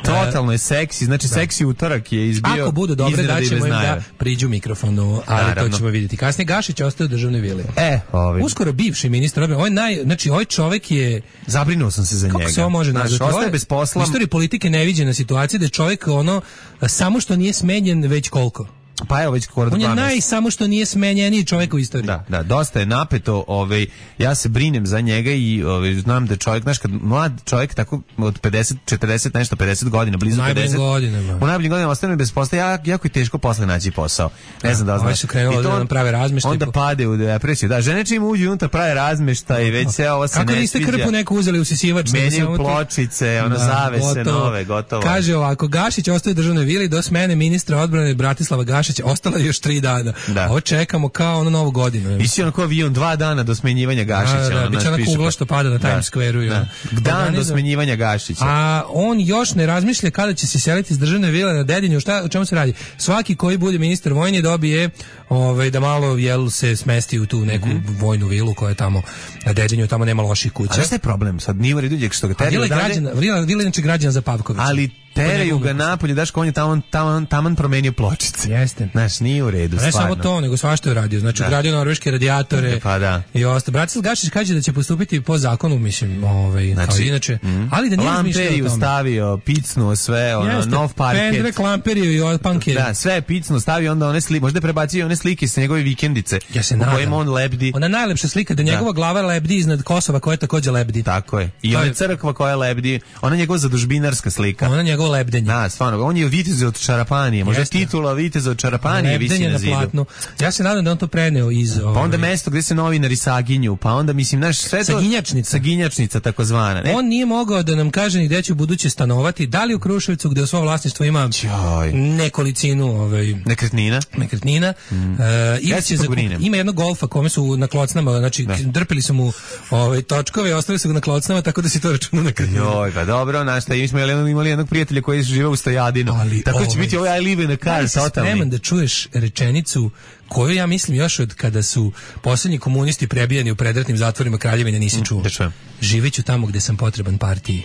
[SPEAKER 5] Totalno je seksi, znači, da. seksi utorak je izbio...
[SPEAKER 6] Ako budu dobre, daćemo im da priđu mikrofonu, ali Naravno. to ćemo vidjeti. Kasnije Gašić ostaje u državnoj vili.
[SPEAKER 5] E, ovi.
[SPEAKER 6] Uskoro bivši ministar, ovaj naj, znači ovaj čovjek je
[SPEAKER 5] zabrinuo sam se za
[SPEAKER 6] kako
[SPEAKER 5] njega.
[SPEAKER 6] Kako se ovo može nazvati?
[SPEAKER 5] Ostaje bez posla.
[SPEAKER 6] U istoriji politike neviđena situacija da je čovjek ono samo što nije smenjen već koliko.
[SPEAKER 5] Pa evo već skoro
[SPEAKER 6] on je
[SPEAKER 5] dvanaest.
[SPEAKER 6] naj samo što nije smenjeniji čovjek u istoriji.
[SPEAKER 5] Da, da, dosta je napeto, ovaj ja se brinem za njega i ovaj znam da čovjek, znaš, kad mlad čovjek tako od pedeset, četrdeset nešto pedeset godina, blizu pedeset.
[SPEAKER 6] Godinama.
[SPEAKER 5] U najboljim godinama ostane bez posla, ja, jako je teško posle naći posao. Ne znam da li znaš.
[SPEAKER 6] I to on prave razmeštaj.
[SPEAKER 5] Onda pade u depresiju. Da, žene čim uđu unutra prave razmeštaj i već se ovo se ne sviđa.
[SPEAKER 6] Kako niste krpu neku uzeli usisivač?
[SPEAKER 5] Menjaju pločice, ono zavese nove, gotovo.
[SPEAKER 6] Kaže ovako, Gašić ostaje u državnoj vili do smene ministra odbrane Bratislava Gašića. Ostala još tri dana. Da. Ovo čekamo kao ono novu godinu.
[SPEAKER 5] Visi ono kao avion dva dana do smenjivanja Gašića.
[SPEAKER 6] Da, da,
[SPEAKER 5] ono,
[SPEAKER 6] biće ona kugla što pada na Times Square-u.
[SPEAKER 5] Da. Dan do smenjivanja Gašića.
[SPEAKER 6] A on još ne razmišlja kada će se seliti iz državne vile na Dedinju. Šta, o čemu se radi? Svaki koji bude ministar vojni dobije ovaj, da malo jel, se smesti u tu neku mm-hmm. vojnu vilu koja je tamo na Dedinju, tamo nema loših kuća.
[SPEAKER 5] A šta je problem? Sad nije u redu što ga teraju
[SPEAKER 6] dalje. Vila je inače građana za Pavkovića.
[SPEAKER 5] Ali teraju ga napolje, daš ko on je taman, taman, taman promenio pločice.
[SPEAKER 6] Jeste.
[SPEAKER 5] Znaš, nije u redu,
[SPEAKER 6] ne
[SPEAKER 5] stvarno.
[SPEAKER 6] Ne samo to, nego svašta je radio. Znači, da. ugradio norveške radijatore
[SPEAKER 5] pa da.
[SPEAKER 6] i ostalo. Bratislav Gašić kaže da će postupiti po zakonu, mislim, ovaj, znači, kao inače. Mm. Ali da nije razmišljao o tome.
[SPEAKER 5] Lamperiju stavio, picnuo sve, ono,
[SPEAKER 6] Jeste.
[SPEAKER 5] nov parket.
[SPEAKER 6] Pendrek, lamperiju i opanke.
[SPEAKER 5] Da, sve je picnuo, stavio onda one slike, možda je prebacio one slike sa njegove vikendice.
[SPEAKER 6] Ja se
[SPEAKER 5] nadam. U kojima on lebdi.
[SPEAKER 6] Ona najlepša slika da njegova da. glava lebdi iznad Kosova koja takođe lebdi.
[SPEAKER 5] Tako je. I ona crkva koja lebdi, ona njegova zadužbinarska slika.
[SPEAKER 6] Ona njegova lebdenje.
[SPEAKER 5] Da, stvarno, on je vitez od Čarapanije, možda Jeste. titula vitez od Čarapanije visi na zidu. Platnu.
[SPEAKER 6] Ja se nadam da on to preneo iz...
[SPEAKER 5] Pa onda mesto gdje se novinari saginju, pa onda, mislim, naš sve to...
[SPEAKER 6] Saginjačnica.
[SPEAKER 5] Saginjačnica, takozvana. Ne?
[SPEAKER 6] On nije mogao da nam kaže ni gde će u buduće stanovati, da li u Kruševcu, gde u svom vlasništvu ima Čoj. nekolicinu... Ovaj,
[SPEAKER 5] nekretnina.
[SPEAKER 6] Nekretnina. Mm. Uh, ja će za, ima jedno golfa kome su na klocnama, znači da. drpili su mu ovaj, točkove, ostali su ga na klocnama, tako da si to računa nekretnina.
[SPEAKER 5] Joj, pa dobro, znaš šta, mi smo imali jednog prijatelja koji žive u Stojadinu. Ali tako ovaj, će biti ovaj I live in a car,
[SPEAKER 6] da
[SPEAKER 5] totalni.
[SPEAKER 6] Spreman da čuješ rečenicu koju ja mislim još od kada su posljednji komunisti prebijani u predratnim zatvorima Kraljevine nisi čuo.
[SPEAKER 5] Mm,
[SPEAKER 6] Živeću tamo gde sam potreban partiji.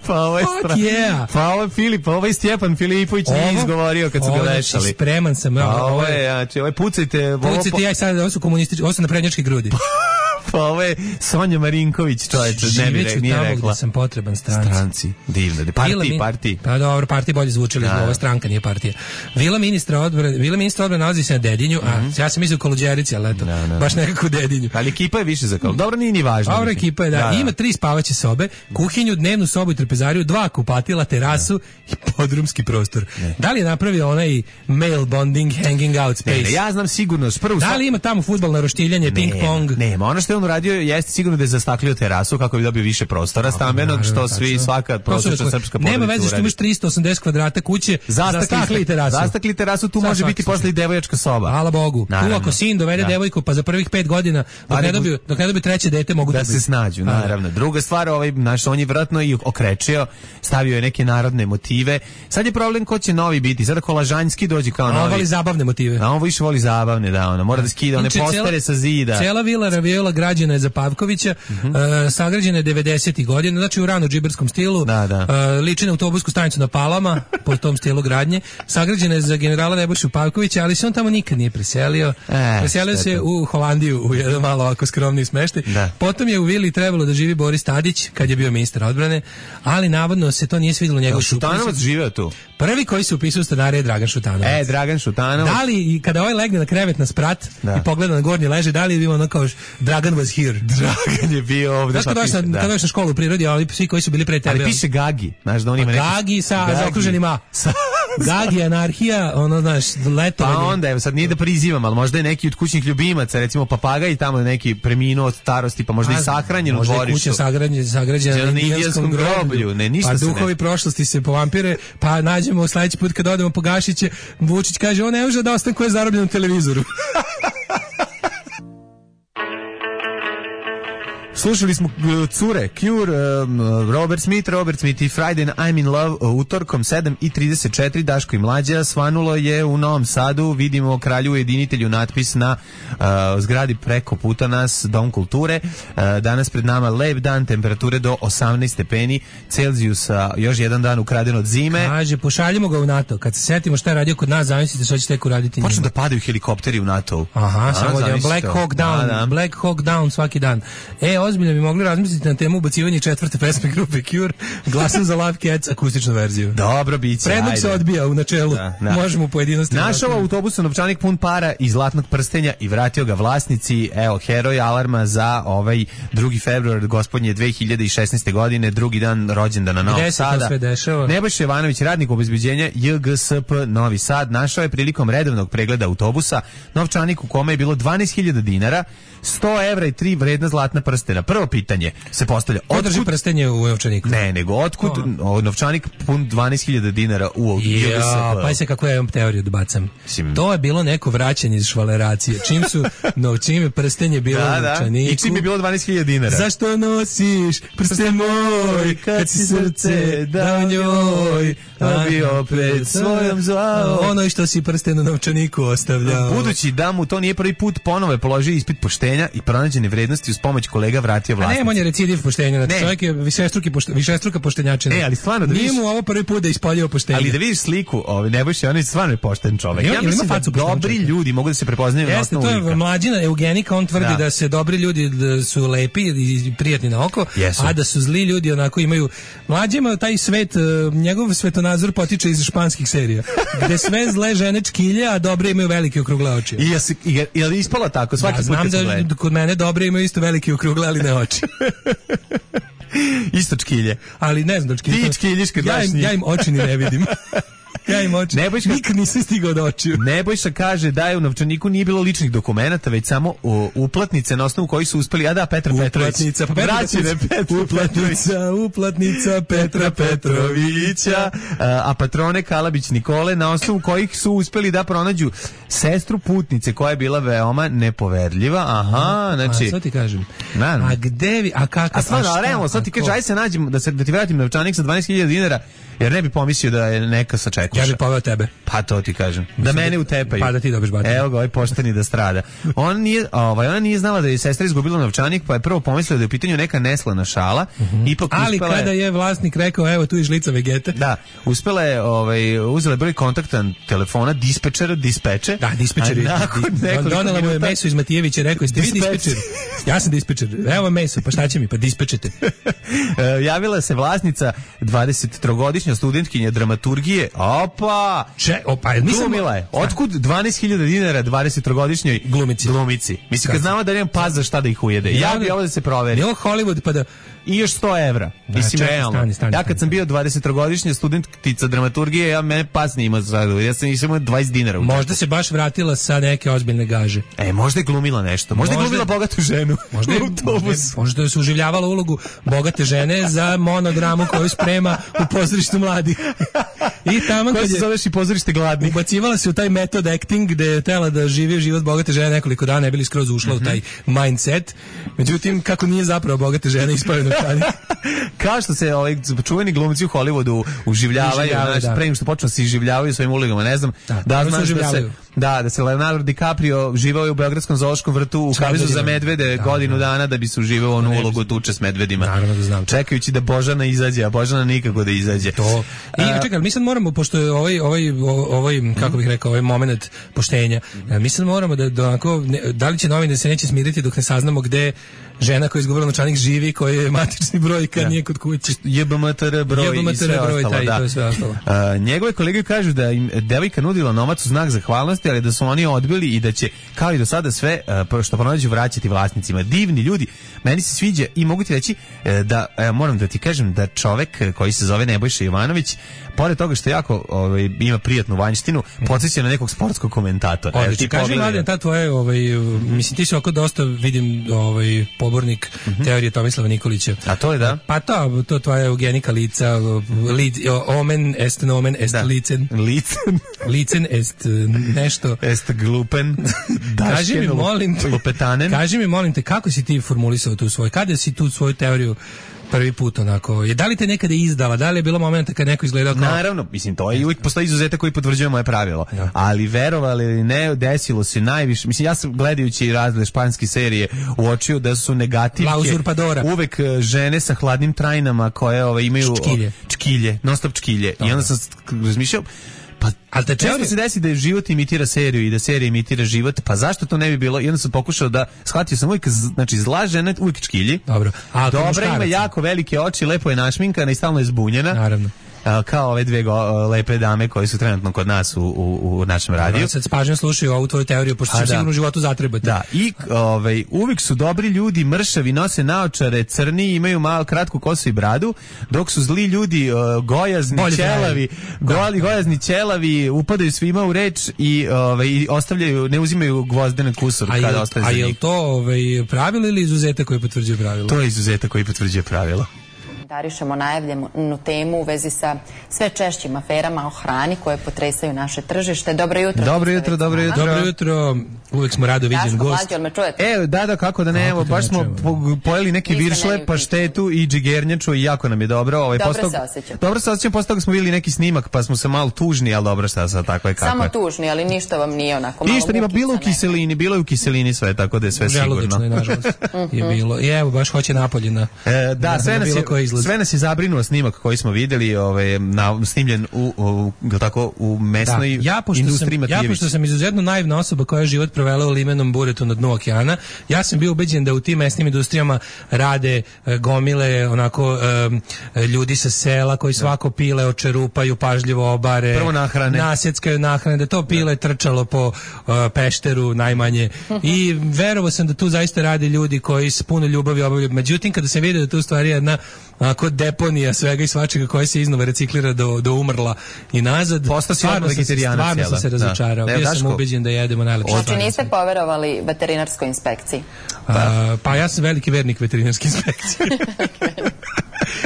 [SPEAKER 5] Pa ovo je
[SPEAKER 6] stra... yeah.
[SPEAKER 5] Pa ovo je Filip, pa ovo je Stjepan Filipović nije izgovorio kad su ga vešali.
[SPEAKER 6] Znači, spreman sam.
[SPEAKER 5] Pa ovo je, znači, ovo je pucajte.
[SPEAKER 6] Pucajte, ja sad, ovo su komunistički, ovo su naprednjačke grudi.
[SPEAKER 5] Pa ovo je Sonja Marinković, čovječe, ne bi rekla, nije rekla.
[SPEAKER 6] Gde sam potreban stranci.
[SPEAKER 5] Stranci, divno. Partiji,
[SPEAKER 6] min...
[SPEAKER 5] partiji.
[SPEAKER 6] Pa dobro, partiji bolje zvučili, ovo stranka, nije partija. Vila ministra odbrane, Vila ministra odbrane nalazi se na Dedinju, a mm-hmm. ja sam mislio u Koluđerici, ali eto, no, no. baš nekako u Dedinju.
[SPEAKER 5] Ali ekipa je više za Koluđericu. Dobro, nije ni važno.
[SPEAKER 6] Dobro, ekipa je, da. da, da. Ima tri spavaće sobe, kuhinju, dnevnu sobu i trpezariju, dva kupatila, terasu da. i podrumski prostor. Ne. Da li je napravio onaj male bonding, hanging out space?
[SPEAKER 5] Ne, ne, ja znam sigurno. Prvu
[SPEAKER 6] da li ima tamo fudbalno roštiljanje, ping-pong?
[SPEAKER 5] Nema, ono što je on uradio jeste sigurno da je zastaklio terasu kako bi dobio više prostora stambenog, što svi svaka prosječna srpska porodica.
[SPEAKER 6] Nema veze što imaš tristo osamdeset kvadrata kuće, zastakli terasu.
[SPEAKER 5] Zastakli terasu, tu može biti posle i devojačka soba.
[SPEAKER 6] Hvala Bogu.
[SPEAKER 5] Naravno.
[SPEAKER 6] Tu ako sin dovede da. devojku, pa za prvih pet godina dok ne dobiju, dok ne dobiju treće dete mogu
[SPEAKER 5] da se snađu, naravno. Druga stvar, ovaj naš on je vratno i okrečio, stavio je neke narodne motive. Sad je problem ko će novi biti. Sada Kolažanjski dođe kao novi.
[SPEAKER 6] On voli zabavne motive.
[SPEAKER 5] A on više voli zabavne, da, ona mora da skida one postere sa zida.
[SPEAKER 6] Cela vila Raviola građena je za Pavkovića. Uh, sagrađena je devedesetih godina, znači u rano džiberskom stilu,
[SPEAKER 5] da, da.
[SPEAKER 6] Uh, liči na autobusku stanicu na Palama, po tom stilu gradnje. Sagrađena je za generala Nebojšu Pavkovića, ali se on tamo nikad nije preselio. E, preselio se u Holandiju, u jedan malo ovako skromni smeštaj. Da. Potom je u vili trebalo da živi Boris Tadić, kad je bio ministar odbrane, ali navodno se to nije svidjelo njegov supruzi.
[SPEAKER 5] Šutanovac živeo tu.
[SPEAKER 6] Prvi koji se upisao u stanare je Dragan Šutanovac.
[SPEAKER 5] E, Dragan Šutanovac.
[SPEAKER 6] Da li, i kada ovaj legne na krevet na sprat da. i pogleda na gornji leže, da li je bilo ono kao Dragan was here?
[SPEAKER 5] Dragan je bio ovdje.
[SPEAKER 6] Znaš kada došla na, da. na školu u prirodi, ali svi koji su bili pre tebe.
[SPEAKER 5] Ali piše Gagi, znaš da on ima neki...
[SPEAKER 6] Gagi sa zaokruženim A.
[SPEAKER 5] Sa,
[SPEAKER 6] Gagi, anarhija, ono, znaš, letovanje.
[SPEAKER 5] Pa onda, evo, sad nije da prizivam, ali možda je neki od kućnih ljubimaca, recimo papagaj, tamo neki preminuo od starosti, pa možda i sahranjen u dvorištu.
[SPEAKER 6] Možda je kuća sagrađena, sagrađena na indijanskom groblju.
[SPEAKER 5] Ne, ništa
[SPEAKER 6] pa
[SPEAKER 5] se
[SPEAKER 6] duhovi
[SPEAKER 5] ne...
[SPEAKER 6] prošlosti se povampire, pa nađemo sledeći put kad odemo po Gašiće, Vučić kaže, on ne može da ostane ko je zarobljen u televizoru.
[SPEAKER 5] Slušali smo uh, Cure, Cure, um, Robert Smith, Robert Smith i Friday I'm in Love uh, utorkom sedam i trideset četiri, Daško i Mlađa, svanulo je u Novom Sadu, vidimo kralju ujedinitelju natpis na uh, zgradi preko puta nas, Dom kulture, uh, danas pred nama lep dan, temperature do osamnaest stepeni Celzijusa, još jedan dan ukraden od zime.
[SPEAKER 6] Kaže, pošaljimo ga u NATO, kad se setimo šta je radio kod nas, zamislite što će tek uraditi njima.
[SPEAKER 5] Počnu da padaju helikopteri u NATO.
[SPEAKER 6] Aha, samo da Black Hawk Down, da, da. Black Hawk Down svaki dan. E, ozbiljno bi mogli razmisliti na temu ubacivanja četvrte pesme grupe Cure, Glasam za Love Cats, akustičnu verziju.
[SPEAKER 5] Dobro, biće.
[SPEAKER 6] Predlog se odbija u načelu. Da, da. Možemo u pojedinosti.
[SPEAKER 5] Našao autobusu novčanik pun para i zlatnog prstenja i vratio ga vlasnici. Evo, heroj alarma za ovaj drugi februar gospodnje dve hiljade šesnaeste. godine, drugi dan rođendana Novog Sada. Nebojša Jovanović, radnik obezbeđenja J G S P Novi Sad, našao je prilikom redovnog pregleda autobusa novčanik u kome je bilo dvanaest hiljada dinara, sto evra i tri vredna zlatna prstena. Prvo pitanje se postavlja,
[SPEAKER 6] otkud drži prstenje u novčaniku?
[SPEAKER 5] Ne, nego otkud oh. novčanik pun dvanaest hiljada dinara u J G S P?
[SPEAKER 6] Pa se kako ja imam teoriju da bacam. Sim. To je bilo neko vraćanje iz švaleracije. Čim su novčime prstenje bilo da, u novčaniku.
[SPEAKER 5] I čim je bilo dvanaest hiljada dinara.
[SPEAKER 6] Zašto nosiš prsten moj kad si srce dao njoj, a bi opet svojom zvao ono što si prsten u novčaniku ostavljao.
[SPEAKER 5] Budući da mu to nije prvi put, ponovo je položio ispit poštenja i pronađene vrednosti uz pomoć kolega vratio vlasnici.
[SPEAKER 6] A ne, on je recidiv poštenja, znači čovjek je višestruki pošte, višestruka poštenjačina.
[SPEAKER 5] E, ali stvarno da
[SPEAKER 6] vidiš, nije mu ovo prvi put da ispoljio poštenje.
[SPEAKER 5] Ali da vidiš sliku, ovaj Nebojša, on je stvarno je pošten čovjek. Ja mislim da dobri ljudi mogu da se prepoznaju na osnovu lika.
[SPEAKER 6] To je Mlađina eugenika, on tvrdi da. da se dobri ljudi da su lepi i prijatni na oko, Jesu. a da su zli ljudi onako imaju. Mlađi ima taj svet, njegov svetonazor potiče iz španskih serija, gde sve zle žene čkilje, a dobre imaju velike okrugle oči.
[SPEAKER 5] I je li ispalo tako? Svaki
[SPEAKER 6] ja, znam da kod mene dobre imaju isto velike okrugle, ali ne oči.
[SPEAKER 5] Isto čkilje.
[SPEAKER 6] Ali ne znam da čkilje.
[SPEAKER 5] Ti čkiljiš kad
[SPEAKER 6] ja, im, ja im oči ni ne vidim. Ja im oči.
[SPEAKER 5] Nebojša,
[SPEAKER 6] nikad nisam stigao do očiju.
[SPEAKER 5] Nebojša kaže da je u novčaniku nije bilo ličnih dokumenata, već samo u, uplatnice na osnovu koji su uspeli, a da, Petra
[SPEAKER 6] uplatnica,
[SPEAKER 5] Petrović.
[SPEAKER 6] Uplatnica, Petra uplatnica, uplatnica Petra Petrovića.
[SPEAKER 5] A, a patrone Kalabić Nikole, na osnovu kojih su uspeli da pronađu sestru putnice koja je bila veoma nepoverljiva. Aha, znači.
[SPEAKER 6] A sad ti kažem.
[SPEAKER 5] Man.
[SPEAKER 6] A gde vi, a kako?
[SPEAKER 5] A stvarno, a realno, sad ti kaže, aj se nađemo da se da ti vratim novčanik sa dvanaest hiljada dinara. Jer ne bi pomislio da je neka sačekuša.
[SPEAKER 6] Ja bih poveo tebe.
[SPEAKER 5] Pa to ti kažem. Da mene utepaju.
[SPEAKER 6] Pa da ti dobiš batinu.
[SPEAKER 5] Evo ga, ovaj pošteni da strada. On nije, ovaj, ona nije znala da je sestra izgubila novčanik, pa je prvo pomislila da je u pitanju neka neslana šala.
[SPEAKER 6] Uh-huh.
[SPEAKER 5] Ipak
[SPEAKER 6] ali
[SPEAKER 5] uspela
[SPEAKER 6] kada je vlasnik rekao, evo tu je žlica Vegete.
[SPEAKER 5] Da, uspela je, ovaj, uzela je broj kontaktan telefona, dispečera, dispeče.
[SPEAKER 6] Da, dispečer. Donela mu je Meso iz Matijevića, rekao, jeste vi dispečer? Ja sam dispečer. Evo Meso, pa šta će mi, pa dispečete.
[SPEAKER 5] Javila se vlasnica dvadesettrogodišnja studentkinja dramaturgije. Opa!
[SPEAKER 6] Če, opa,
[SPEAKER 5] glumila je. Otkud dvanaest hiljada dinara dvadesettrogodišnjoj
[SPEAKER 6] glumici?
[SPEAKER 5] Glumici. Mislim, kad znamo da nemam pas za šta da ih ujede. Ja, ja bi ovo da se proveri.
[SPEAKER 6] Je ovo Hollywood, pa da...
[SPEAKER 5] I još sto evra. Da, mislim, čekaj, realno. Stani, stani, ja kad sam bio dvadesettrogodišnja studentica dramaturgije, ja mene pas nije imao za ja sam imao dvadeset dinara.
[SPEAKER 6] Možda se baš vratila sa neke ozbiljne gaže.
[SPEAKER 5] E, možda je glumila nešto. Možda, možda je glumila bogatu ženu.
[SPEAKER 6] Možda je, možda, možda je suživljavala ulogu bogate žene za monodramu koju sprema u pozorištu mladih. I tamo
[SPEAKER 5] koja se zoveš i pozorište gladnih.
[SPEAKER 6] Ubacivala se u taj metod acting gde je tela da živi život bogate žene nekoliko dana, ne bili skroz ušla mm-hmm. u taj mindset. Međutim, kako nije zapravo bogate žene ispravljeno
[SPEAKER 5] kao što se ovaj čuveni glumci u Hollywoodu uživljavaju, znači da. Pre nego što počnu se iživljavaju svojim ulogama, ne znam,
[SPEAKER 6] da,
[SPEAKER 5] da znaš da se da da se Leonardo DiCaprio živao u beogradskom zoološkom vrtu u kavezu za medvede da, godinu da. dana da bi se uživao onu ulogu tuče s medvedima.
[SPEAKER 6] Naravno da znam.
[SPEAKER 5] Čekajući da Božana izađe, a Božana nikako da izađe.
[SPEAKER 6] To. I a, čekaj, mi sad moramo, pošto je ovaj ovaj ovaj kako bih rekao, ovaj momenat poštenja, mi sad moramo da, da onako, ne, da li će novine se neće smiriti dok ne saznamo gde žena koja je izgovorila novčanik živi, koji je matični broj kad ja. nije kod kuće.
[SPEAKER 5] J B M T R broj i sve
[SPEAKER 6] broj,
[SPEAKER 5] ostalo.
[SPEAKER 6] Taj,
[SPEAKER 5] da.
[SPEAKER 6] to je sve ostalo.
[SPEAKER 5] A, njegove kolege kažu da im devojka nudila novac u znak zahvalnosti, postojali, da su oni odbili i da će, kao i do sada, sve uh, što pronađu vraćati vlasnicima. Divni ljudi, meni se sviđa i mogu ti reći uh, da, uh, moram da ti kažem da čovek koji se zove Nebojša Jovanović, pored toga što jako ovaj, ima prijatnu vanjštinu, podsjeća na nekog sportskog komentatora.
[SPEAKER 6] Odlično, kaži Mladen, ta tvoje, ovaj, mislim, ti se oko dosta vidim ovaj, pobornik mm-hmm. teorije Tomislava Nikolića.
[SPEAKER 5] A to je da?
[SPEAKER 6] Pa to, to tvoja eugenika lica, li, omen est nomen est da. licen.
[SPEAKER 5] Licen.
[SPEAKER 6] Licen est nešto.
[SPEAKER 5] Est glupen.
[SPEAKER 6] Kaži mi, molim te,
[SPEAKER 5] lupetanen.
[SPEAKER 6] Kaži mi, molim te, kako si ti formulisao tu svoj, kada si tu svoju teoriju prvi put onako, je da li te nekada izdala, da li je bilo momenta kad neko izgledao kao...
[SPEAKER 5] Naravno, mislim, to je i uvijek postoji izuzetak koji potvrđuje moje pravilo, ja. Ali verovali ili ne, desilo se najviše, mislim, ja sam gledajući razne španske serije uočio da su negativke uvek žene sa hladnim trajnama koje ove, imaju
[SPEAKER 6] čkilje,
[SPEAKER 5] čkilje non stop čkilje. Dobro. I onda sam razmišljao, pa ali te često se desi da život imitira seriju i da serija imitira život, pa zašto to ne bi bilo? I onda sam pokušao da, shvatio sam uvijek, znači zla žena uvijek čkilji.
[SPEAKER 6] Dobro. A
[SPEAKER 5] dobra, ima jako velike oči, lepo je našminkana i stalno je zbunjena.
[SPEAKER 6] Naravno.
[SPEAKER 5] Kao ove dve go, lepe dame koje su trenutno kod nas u, u, u našem radiju.
[SPEAKER 6] Ja sad s pažnjom slušaju ovu tvoju teoriju, pošto će sigurno u životu zatrebati.
[SPEAKER 5] Da, i ovaj, uvijek su dobri ljudi, mršavi, nose naočare, crni, imaju malo kratku kosu i bradu, dok su zli ljudi uh, gojazni, bolje ćelavi, goli, gojazni ćelavi, upadaju svima u reč i, ovaj, i ostavljaju, ne uzimaju gvozdene kusur
[SPEAKER 6] a
[SPEAKER 5] kada ostaje za njih.
[SPEAKER 6] A je li to ovaj, pravilo ili izuzetak koji potvrđuje pravilo?
[SPEAKER 5] To je izuzetak koji potvrđuje pravilo.
[SPEAKER 7] Komentarišemo najavljenu temu u vezi sa sve češćim aferama o hrani koje potresaju naše tržište. Dobro jutro.
[SPEAKER 5] Dobro jutro, dobro jutro.
[SPEAKER 6] Dobro jutro. Uvijek smo rado viđen gost.
[SPEAKER 7] Daško, me čujete?
[SPEAKER 5] E, da, da, kako da ne, evo, baš smo po, pojeli neke viršle, paštetu i džigerniču i jako nam je dobro. Ovaj,
[SPEAKER 7] dobro
[SPEAKER 5] postog,
[SPEAKER 7] se osjećam.
[SPEAKER 5] Dobro se osjećam, posle toga smo vidjeli neki snimak, pa smo se malo tužni, ali dobro, šta sad, tako je kako
[SPEAKER 7] Samo
[SPEAKER 5] je.
[SPEAKER 7] tužni, ali ništa vam nije onako malo
[SPEAKER 5] ništa, nima bilo u kiselini, bilo je u kiselini sve, tako da je sve sigurno.
[SPEAKER 6] Želudačno je, nažalost, je bilo. I evo, baš hoće Napoljina.
[SPEAKER 5] E, da, sve nas, je, sve nas je zabrinuo snimak koji smo vidjeli, ovaj, na, snimljen u, u, tako, u mesnoj
[SPEAKER 6] da. ja,
[SPEAKER 5] industriji
[SPEAKER 6] Matijević. Ja, pošto sam izuzetno naivna osoba koja je život provela u limenom buretu na dnu okeana, ja sam bio ubeđen da u tim mesnim industrijama rade e, gomile, onako, e, ljudi sa sela koji svako pile očerupaju, pažljivo obare,
[SPEAKER 5] prvo nahrane,
[SPEAKER 6] nasjeckaju nahrane, da to pile trčalo po e, pešteru najmanje. I verovao sam da tu zaista rade ljudi koji s puno ljubavi obavljaju. Međutim, kada sam vidio da tu stvari jedna onako deponija svega i svačega koja se iznova reciklira do, do umrla i nazad.
[SPEAKER 5] Stvarno,
[SPEAKER 6] stvarno sam se razočarao. Bio sam ubeđen da jedemo najlepše stvari.
[SPEAKER 7] Znači niste poverovali veterinarskoj inspekciji?
[SPEAKER 6] Pa, pa ja sam veliki vernik veterinarske inspekcije.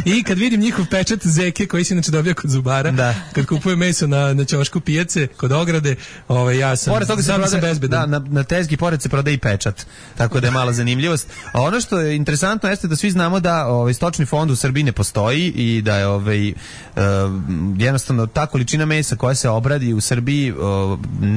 [SPEAKER 6] I kad vidim njihov pečat zeke koji se inače dobija kod zubara, da. Kad kupuje meso na, na ćošku pijace kod ograde, ovaj, ja sam,
[SPEAKER 5] pored toga se
[SPEAKER 6] sam,
[SPEAKER 5] prodaje,
[SPEAKER 6] sam bezbedan.
[SPEAKER 5] Da, na, na tezgi pored se prodaje i pečat, tako da je mala zanimljivost. A ono što je interesantno jeste da svi znamo da ovaj, stočni fond u Srbiji ne postoji i da je ovaj, uh, jednostavno ta količina mesa koja se obradi u Srbiji uh,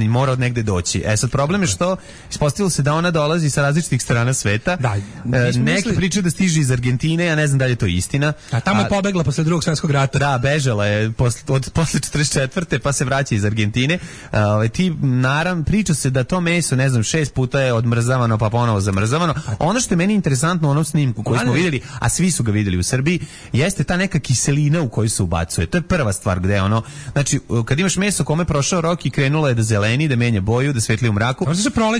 [SPEAKER 5] mora od negde doći. E sad problem je što ispostavilo se da ona dolazi sa različitih strana sveta.
[SPEAKER 6] Da,
[SPEAKER 5] uh, neki misli... pričaju da stiže iz Argentine, ja ne znam da li je to istina.
[SPEAKER 6] A tamo je pobegla posle drugog svjetskog rata.
[SPEAKER 5] Da, bežala je posle, od, posle četrdeset četvrte pa se vraća iz Argentine. Uh, ti, naravno, priča se da to meso, ne znam, šest puta je odmrzavano pa ponovo zamrzavano. Ono što je meni interesantno u onom snimku koji smo vidjeli, a svi su ga vidjeli u Srbiji, jeste ta neka kiselina u koju se ubacuje. To je prva stvar gde ono, znači, kad imaš meso kome prošao rok i krenulo je da zeleni, da menja boju, da svetli u mraku,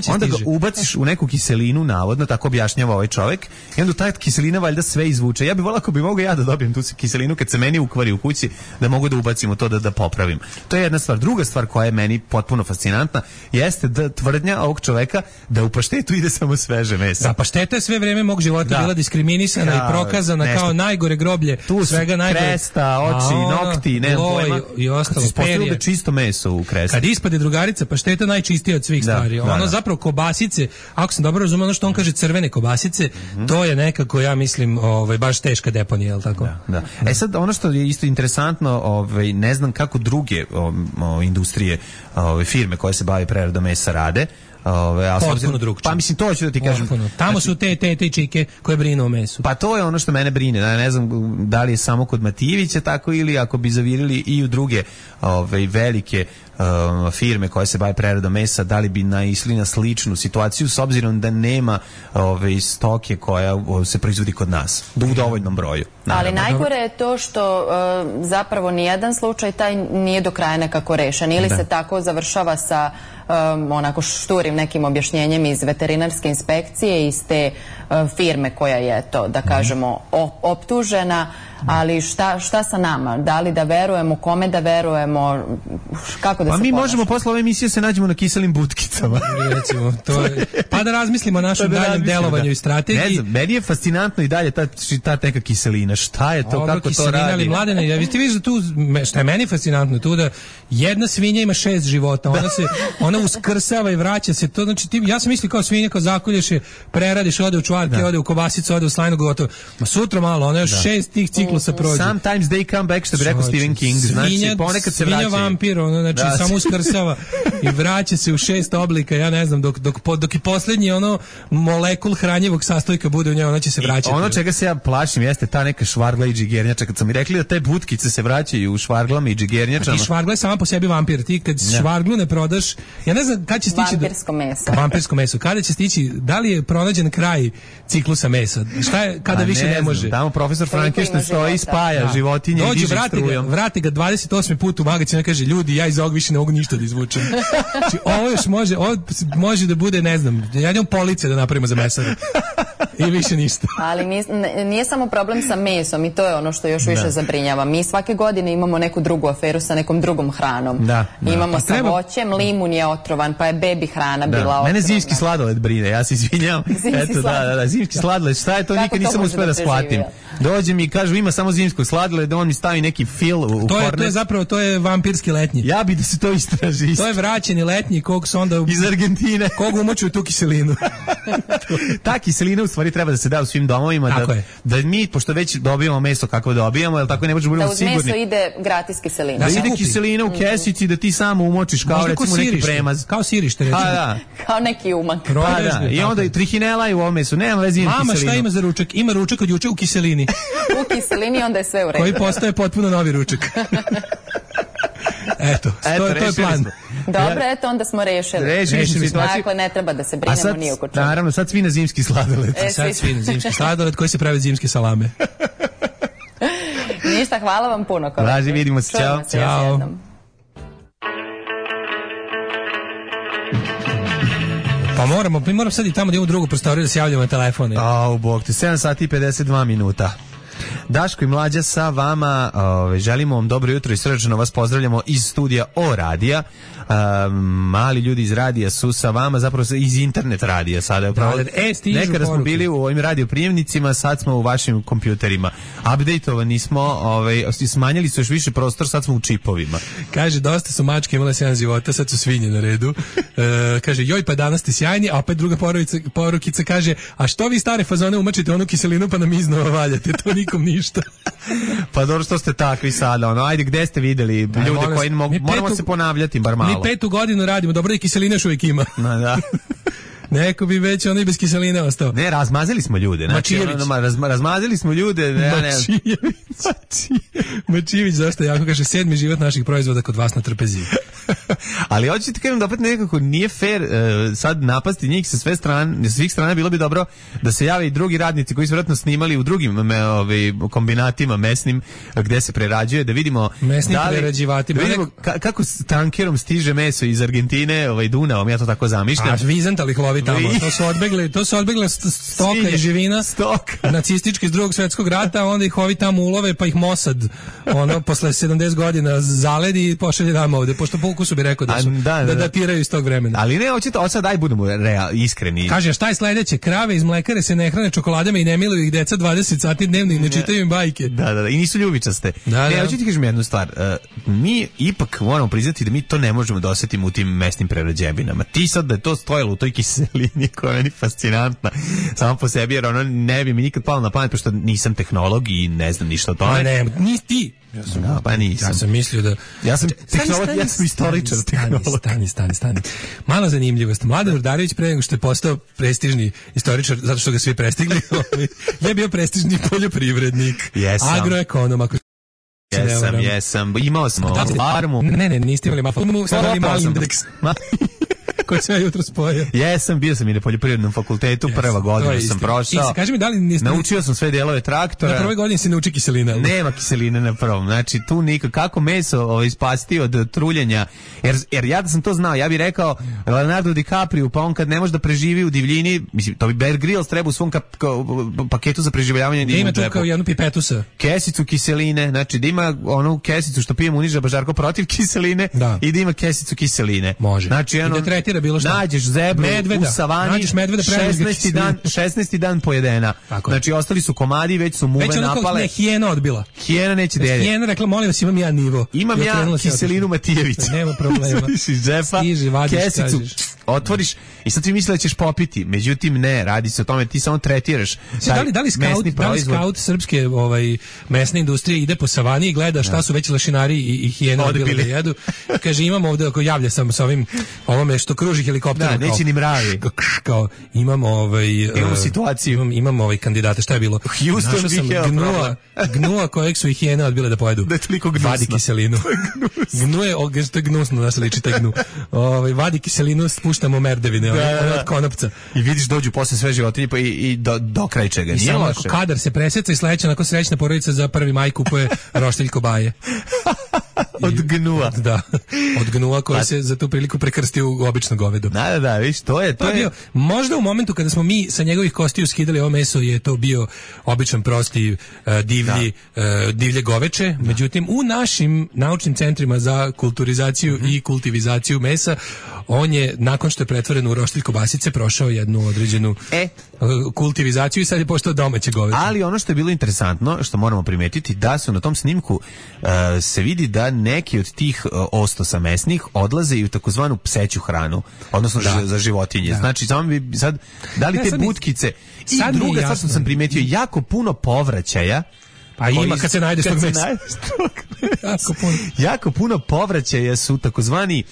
[SPEAKER 5] onda ga ubaciš u neku kiselinu, navodno, tako objašnjava ovaj čovjek, i onda ta kiselina valjda sve izvuče. Ja bih volao ako bi mogao ja da dobijem tu kiselinu kad se meni ukvari u kući, da mogu da ubacim u to da, da popravim. To je jedna stvar. Druga stvar koja je meni potpuno fascinantna jeste da tvrdnja ovog čoveka da u paštetu ide samo sveže meso.
[SPEAKER 6] Da, pašteta je sve vreme mog života da. bila diskriminisana ja, i prokazana nešto. Kao najgore groblje.
[SPEAKER 5] Tu
[SPEAKER 6] svega
[SPEAKER 5] najgore. Kresta, oči, a, nokti, ne znam pojma.
[SPEAKER 6] I ostalo, perje.
[SPEAKER 5] Da čisto meso u krestu.
[SPEAKER 6] Kad ispade drugarica, pašteta najčistija od svih da, stvari. Ono da, da. zapravo kobasice, ako sam dobro razumio, ono što on kaže crvene kobasice, mm-hmm. to je nekako, ja mislim, ovaj, baš teška deponija, je li tako?
[SPEAKER 5] Da, da. Da. E sad, ono što je isto interesantno, ovaj, ne znam kako druge o, o, industrije, ove, firme koje se bave preradom mesa rade, Ove, a
[SPEAKER 6] potpuno drugčije.
[SPEAKER 5] Pa mislim, to ću da ti kažem.
[SPEAKER 6] Potpuno. Tamo znači, su te, te, te čike koje brinu o mesu.
[SPEAKER 5] Pa to je ono što mene brine. Da ne znam da li je samo kod Matijevića tako ili ako bi zavirili i u druge ove, velike um, firme koje se bave preradom mesa, da li bi naišli na sličnu situaciju s obzirom da nema ove, stoke koja o, se proizvodi kod nas. Da u dovoljnom broju.
[SPEAKER 7] Naravno. Ali najgore je to što uh, zapravo nijedan slučaj taj nije do kraja nekako rešen. Ili da. se tako završava sa um, onako šturim nekim objašnjenjem iz veterinarske inspekcije, iz te uh, firme koja je to, da kažemo, optužena, ali šta, šta sa nama? Da li da verujemo, kome da verujemo, kako da
[SPEAKER 5] pa
[SPEAKER 7] se
[SPEAKER 5] mi
[SPEAKER 7] ponašamo?
[SPEAKER 5] možemo posle ove emisije se nađemo na kiselim butkicama.
[SPEAKER 6] Recimo, to je, pa da razmislimo o našem
[SPEAKER 5] da
[SPEAKER 6] daljem delovanju
[SPEAKER 5] da.
[SPEAKER 6] i strategiji.
[SPEAKER 5] Ne znam, meni je fascinantno i dalje ta, ta neka kiselina. Šta je to,
[SPEAKER 6] Dobro,
[SPEAKER 5] kako
[SPEAKER 6] kiselina,
[SPEAKER 5] to radi?
[SPEAKER 6] Ali Mladene, ja, vi ste vidiš da tu, šta je meni fascinantno, tu da jedna svinja ima šest života, ona se, ona uskrsava i vraća se, to znači ti, ja sam mislio kao svinja, kao zakolješ je, preradiš, ode u čvarke,
[SPEAKER 5] da.
[SPEAKER 6] ode u kobasicu, ode u slajnu, gotovo. Ma sutra malo, ona još da. šest tih ciklusa prođe.
[SPEAKER 5] Sometimes they come back, što bi rekao Stephen King, znači
[SPEAKER 6] svinja,
[SPEAKER 5] ponekad se vraćaju.
[SPEAKER 6] Svinja vampir, ono, znači da. samo uskrsava i vraća se u šest oblika, ja ne znam, dok, dok, dok i posljednji ono molekul hranjivog sastojka bude u njoj, ona će se vraćati.
[SPEAKER 5] I ono čega se ja plašim jeste ta neka švargla i džigernjača. Kad sam mi rekli da te butkice se vraćaju u švarglama i džigernjačama.
[SPEAKER 6] I švargla je sama po sebi vampir. Ti kad ja. švarglu ne prodaš, ja ne znam kada će stići...
[SPEAKER 7] Vampirsko meso.
[SPEAKER 6] Vampirsko meso. Kada će stići, da li je pronađen kraj ciklusa mesa? Šta je, kada A više ne, ne može?
[SPEAKER 5] Tamo profesor Frankenstein stoji, spaja da. životinje i diže strujom.
[SPEAKER 6] Vrati ga dvadeset osmi put u magacinu i kaže, ljudi, ja iz ovog više ne mogu ništa da izvučem. Znači, ovo još može, ovo može da bude, ne znam, ja idem police da napravimo za mesare. I više ništa.
[SPEAKER 7] Ali nije, nije samo problem sa mesom i to je ono što još više da. zabrinjava. Mi svake godine imamo neku drugu aferu sa nekom drugom hranom. Da, da. Imamo pa sa treba... voćem, limun je otrovan, pa je bebi hrana da. bila otrovana.
[SPEAKER 5] Mene zimski sladoled brine, ja se izvinjam. Eto, da, da, da, zimski sladoled, šta je to, nikad nisam uspio da shvatim. Dođe mi i kažu ima samo zimskog sladoleda, on mi stavi neki fil u, u
[SPEAKER 6] to je,
[SPEAKER 5] kornet.
[SPEAKER 6] To je zapravo, to je vampirski letnji.
[SPEAKER 5] Ja bi da se to istraži.
[SPEAKER 6] To je vraćeni letnji kog se onda...
[SPEAKER 5] Iz Argentine.
[SPEAKER 6] Kog umočuju tu kiselinu.
[SPEAKER 5] Ta kiselina u stvari treba da se da u svim domovima. Da, da mi, pošto već dobijamo meso kako dobijamo, jel tako ne možemo budemo sigurni.
[SPEAKER 7] Da uz meso ide gratis kiselina.
[SPEAKER 5] Da, da ide kiselina u kesici, da ti samo umočiš kao recimo neki premaz.
[SPEAKER 6] Kao sirište, recimo.
[SPEAKER 5] Da.
[SPEAKER 7] Kao neki umak.
[SPEAKER 5] Pa da, i onda i trihinela i u ovom mesu, nema veze ima kiselinu.
[SPEAKER 6] Mama, šta ima za ručak? Ima ručak od juče u kiselini.
[SPEAKER 7] U kiselini onda je sve u redu.
[SPEAKER 6] Koji postaje potpuno novi ručak. Eto, eto to, to je plan. Smo.
[SPEAKER 7] Dobro, ja, eto, onda smo rešili.
[SPEAKER 5] Rešili smo situaciju.
[SPEAKER 7] Dakle, ne treba da se brinemo
[SPEAKER 5] sad,
[SPEAKER 7] ni oko čega.
[SPEAKER 5] Naravno, sad svi na zimski sladoled.
[SPEAKER 6] E, sad svi na zimski sladoled koji se pravi zimske salame.
[SPEAKER 7] Ništa, hvala vam puno.
[SPEAKER 5] Važi, vidimo se, čao.
[SPEAKER 6] Ćao. Pa moramo, mi moramo sad i tamo da imamo drugu prostoriju da se javljamo na telefone.
[SPEAKER 5] Au, bog te, sedam sati i pedeset dva minuta. Daško i Mlađa sa vama, ove, želimo vam dobro jutro i srdačno vas pozdravljamo iz studija O radija. Um, mali ljudi iz radija su sa vama, zapravo iz internet radija sada. Upravo,
[SPEAKER 6] da, e,
[SPEAKER 5] nekada smo bili u ovim radioprijemnicima, sad smo u vašim kompjuterima. Updateovani smo, ovaj, smanjili su još više prostor, sad smo u čipovima.
[SPEAKER 6] Kaže, dosta su mačke imale sedam života, sad su svinje na redu. E, kaže, joj, pa danas ste sjajni, a opet druga porukica, porukica kaže, a što vi stare fazone umačite onu kiselinu pa nam iznova valjate, to nikom ništa.
[SPEAKER 5] Pa dobro što ste takvi sada, ono, ajde, gde ste videli ljude Aj, koji mogu, moramo petu, se ponavljati, bar malo.
[SPEAKER 6] Mi petu godinu radimo, dobro da i kiselina još uvijek ima.
[SPEAKER 5] No, da.
[SPEAKER 6] Neko bi već ono i bez kiseline ostao.
[SPEAKER 5] Ne, razmazili smo ljude. Znači, ono, raz, razmazili smo ljude. Ne,
[SPEAKER 6] Mačijević. Mačijević, zašto jako kaže, sedmi život naših proizvoda kod vas na trpeziji.
[SPEAKER 5] Ali hoćete ti kažem da opet nekako nije fair uh, sad napasti njih sa sve strane, svih strana, bilo bi dobro da se jave i drugi radnici koji su vjerojatno snimali u drugim me, ovaj, kombinatima mesnim gde se prerađuje, da vidimo
[SPEAKER 6] mesnim
[SPEAKER 5] da li,
[SPEAKER 6] prerađivatima.
[SPEAKER 5] Da vidimo ka, kako s tankerom stiže meso iz Argentine, ovaj Dunavom, ja to tako zamišljam.
[SPEAKER 6] A Vizantali lovi tamo, to su odbegle, to su odbegle stoka Svinje, i živina
[SPEAKER 5] stoka.
[SPEAKER 6] nacistički iz drugog svjetskog rata, onda ih ovi tamo ulove, pa ih Mossad ono posle sedamdeset godina zaledi i pošalje nam ovde, pošto po ukusu bi rekao da su, da, da, da datiraju iz tog vremena.
[SPEAKER 5] Ali ne, hoćete, od sad daj budemo real, iskreni.
[SPEAKER 6] Kaže, šta je sledeće? Krave iz mlekare se ne hrane čokoladama i ne miluju ih deca dvadeset sati dnevno i ne čitaju im bajke.
[SPEAKER 5] Da, da, da, i nisu ljubičaste. Da, ne, da. Hoćete ti kažem jednu stvar. Uh, mi ipak moramo priznati da mi to ne možemo da osetimo u tim mesnim prerađevinama. Ti sad da je to stojalo u toj kiselini koja je meni fascinantna samo po sebi, jer ono ne bi mi nikad palo na pamet, pošto nisam tehnolog i ne znam ništa o tome.
[SPEAKER 6] A ne, nisi ti. Ja sam,
[SPEAKER 5] no, pa nisam.
[SPEAKER 6] Ja sam mislio da...
[SPEAKER 5] Ja sam tehnolog, ja sam istoričar tehnolog.
[SPEAKER 6] Stani, stani, stani. Mala zanimljivost. Mladen Urdarević pre nego što je postao prestižni istoričar, zato što ga svi prestigli, je bio prestižni poljoprivrednik.
[SPEAKER 5] Jesam.
[SPEAKER 6] Agroekonom, ako
[SPEAKER 5] jesam, jesam. Imao smo farmu.
[SPEAKER 6] Ne, ne, niste imali farmu, sad imali mali indeks. koji sam ja jutro spojio.
[SPEAKER 5] Jesam, bio sam i na poljoprivrednom fakultetu, yes, prva godina sam prošao.
[SPEAKER 6] I kaži mi, da li niste...
[SPEAKER 5] Naučio sam sve delove traktora.
[SPEAKER 6] Na prvoj godini si nauči kiselina.
[SPEAKER 5] Nema kiseline na prvom. Znači, tu nikako, kako meso ovaj, spasti od truljenja. Jer, jer ja da sam to znao, ja bih rekao Leonardo DiCaprio, pa on kad ne može da preživi u divljini, mislim, to bi Bear Grylls treba u svom kap, ka, paketu za preživljavanje da ima
[SPEAKER 6] tu kao jednu pipetusa.
[SPEAKER 5] Kesicu kiseline, znači da ima onu kesicu što pijemo u Niža Bažarko protiv kiseline, da. I da ima kesicu kiseline.
[SPEAKER 6] Može.
[SPEAKER 5] Znači, ono,
[SPEAKER 6] i da tretira bilo šta.
[SPEAKER 5] Nađeš zebru
[SPEAKER 6] medveda,
[SPEAKER 5] u savani, šesnaesti dan, šesnaesti dan pojedena. Tako znači, je. Ostali su komadi, već su muve već napale.
[SPEAKER 6] Već hijena odbila.
[SPEAKER 5] Hijena neće delje.
[SPEAKER 6] Hijena rekla, molim vas, imam ja nivo.
[SPEAKER 5] Imam ja, ja kiselinu Matijevića.
[SPEAKER 6] Nema problema.
[SPEAKER 5] Iz džepa,
[SPEAKER 6] stiži, vadiš,
[SPEAKER 5] kesicu,
[SPEAKER 6] kažeš.
[SPEAKER 5] Otvoriš i sad ti misli da ćeš popiti. Međutim, ne, radi se o tome, ti samo tretiraš.
[SPEAKER 6] Da li, da li scout, da li scout srpske ovaj, mesne industrije ide po savani i gleda šta su već lešinari i, i hijena odbili da jedu. Kaže, imamo ovde, ako javlja sam sa ovim, ovome što kruži helikopterom.
[SPEAKER 5] Da, neće ni mravi.
[SPEAKER 6] Kao, imamo ovaj...
[SPEAKER 5] Imamo situaciju.
[SPEAKER 6] Imam, imamo ovaj kandidate, šta je bilo?
[SPEAKER 5] Houston
[SPEAKER 6] sam gnua, gnua kojeg su i hijene odbile da pojedu.
[SPEAKER 5] Da je toliko gnusno.
[SPEAKER 6] Vadi kiselinu. Gnuje, to je gnusno da se liči taj gnu. Ovaj, vadi kiselinu, spuštamo merdevine, da, da, da. Od konopca.
[SPEAKER 5] I vidiš dođu posle sve životinje pa i, i do, do kraja čega.
[SPEAKER 6] I samo ako kadar se preseca i sledeća onako srećna porodica za prvi maj kupuje roštilj kobaje.
[SPEAKER 5] Od gnua.
[SPEAKER 6] Da. Od gnua koji pa, se za tu priliku prekrstio u obično govedo.
[SPEAKER 5] Da, da, da, viš, to je to,
[SPEAKER 6] to je bio, možda u momentu kada smo mi sa njegovih kostiju skidali ovo meso je to bio običan prosti uh, divlji uh, divlje goveče, da. Međutim u našim naučnim centrima za kulturizaciju mm-hmm. i kultivizaciju mesa on je nakon što je pretvoren u roštilj kobasice prošao jednu određenu
[SPEAKER 5] e.
[SPEAKER 6] kultivizaciju i sad je postao domaće goveče.
[SPEAKER 5] Ali ono što je bilo interesantno, što moramo primetiti, da su na tom snimku uh, se vidi da neki od tih uh, ostosa mesnih odlaze i u takozvanu pseću hranu, odnosno da. za životinje. Da. Znači, samo bi sad, da li ja, te butkice i sad druga, sad što sam primetio, jako puno povraćaja.
[SPEAKER 6] Pa ima kad se najdeš tog mesa.
[SPEAKER 5] jako, puno. jako puno povraćaja su takozvani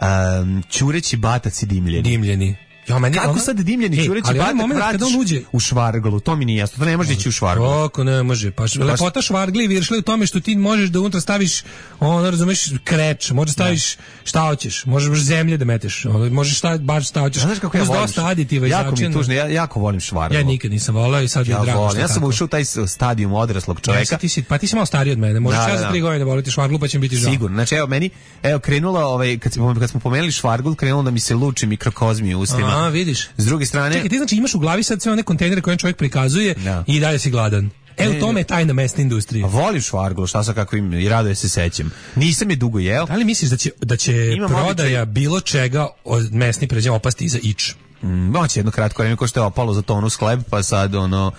[SPEAKER 5] um, ćureći bataci dimljeni.
[SPEAKER 6] Dimljeni. Ja, meni
[SPEAKER 5] kako
[SPEAKER 6] ona...
[SPEAKER 5] sad dimljeni ćureći batak vratiš u švarglu? To mi nije jasno. To ne može ići u švarglu.
[SPEAKER 6] Kako ne može? Pa lepota švargli viršle u tome što ti možeš da unutra staviš, ono, razumeš, kreč, možeš staviš šta hoćeš, možeš zemlje da meteš, možeš šta, baš šta hoćeš.
[SPEAKER 5] Znaš kako ja volim?
[SPEAKER 6] Dosta aditiva i
[SPEAKER 5] jako mi tužno, ja jako volim švarglu.
[SPEAKER 6] Ja nikad nisam voleo i sad ja mi je drago
[SPEAKER 5] volim. Ja sam ušao u taj stadijum odraslog čoveka.
[SPEAKER 6] Ja, ti si, pa ti si malo stariji od mene. Možeš da, čas za tri godine voliti švarglu pa će mi biti žao.
[SPEAKER 5] Sigurno. Znači evo meni, evo krenulo, ovaj kad smo kad smo pomenuli švarglu, krenulo da mi se luči mikrokozmi u ustima.
[SPEAKER 6] A, vidiš.
[SPEAKER 5] S druge strane,
[SPEAKER 6] čekaj, ti znači imaš u glavi sad sve one kontejnere koje čovjek prikazuje no. i dalje si gladan. E, u tome je tajna mesne industrije.
[SPEAKER 5] A voliš švarglu, šta sa kako im i rado se sećam. Nisam je dugo jeo.
[SPEAKER 6] Da li misliš da će, da će prodaja običaj... bilo čega od mesni pređe opasti iza ič?
[SPEAKER 5] Mm, moće jedno kratko vreme ko što je opalo za tonu sklep, pa sad ono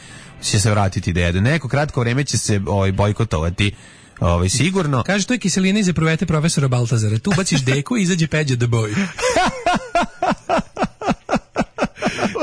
[SPEAKER 5] će se vratiti da jedu. Neko kratko vreme će se ovaj, bojkotovati. Ovaj sigurno.
[SPEAKER 6] Kaže, to je kiselina iz epruvete profesora Baltazara. Tu baciš deku i izađe Peđa the Boy.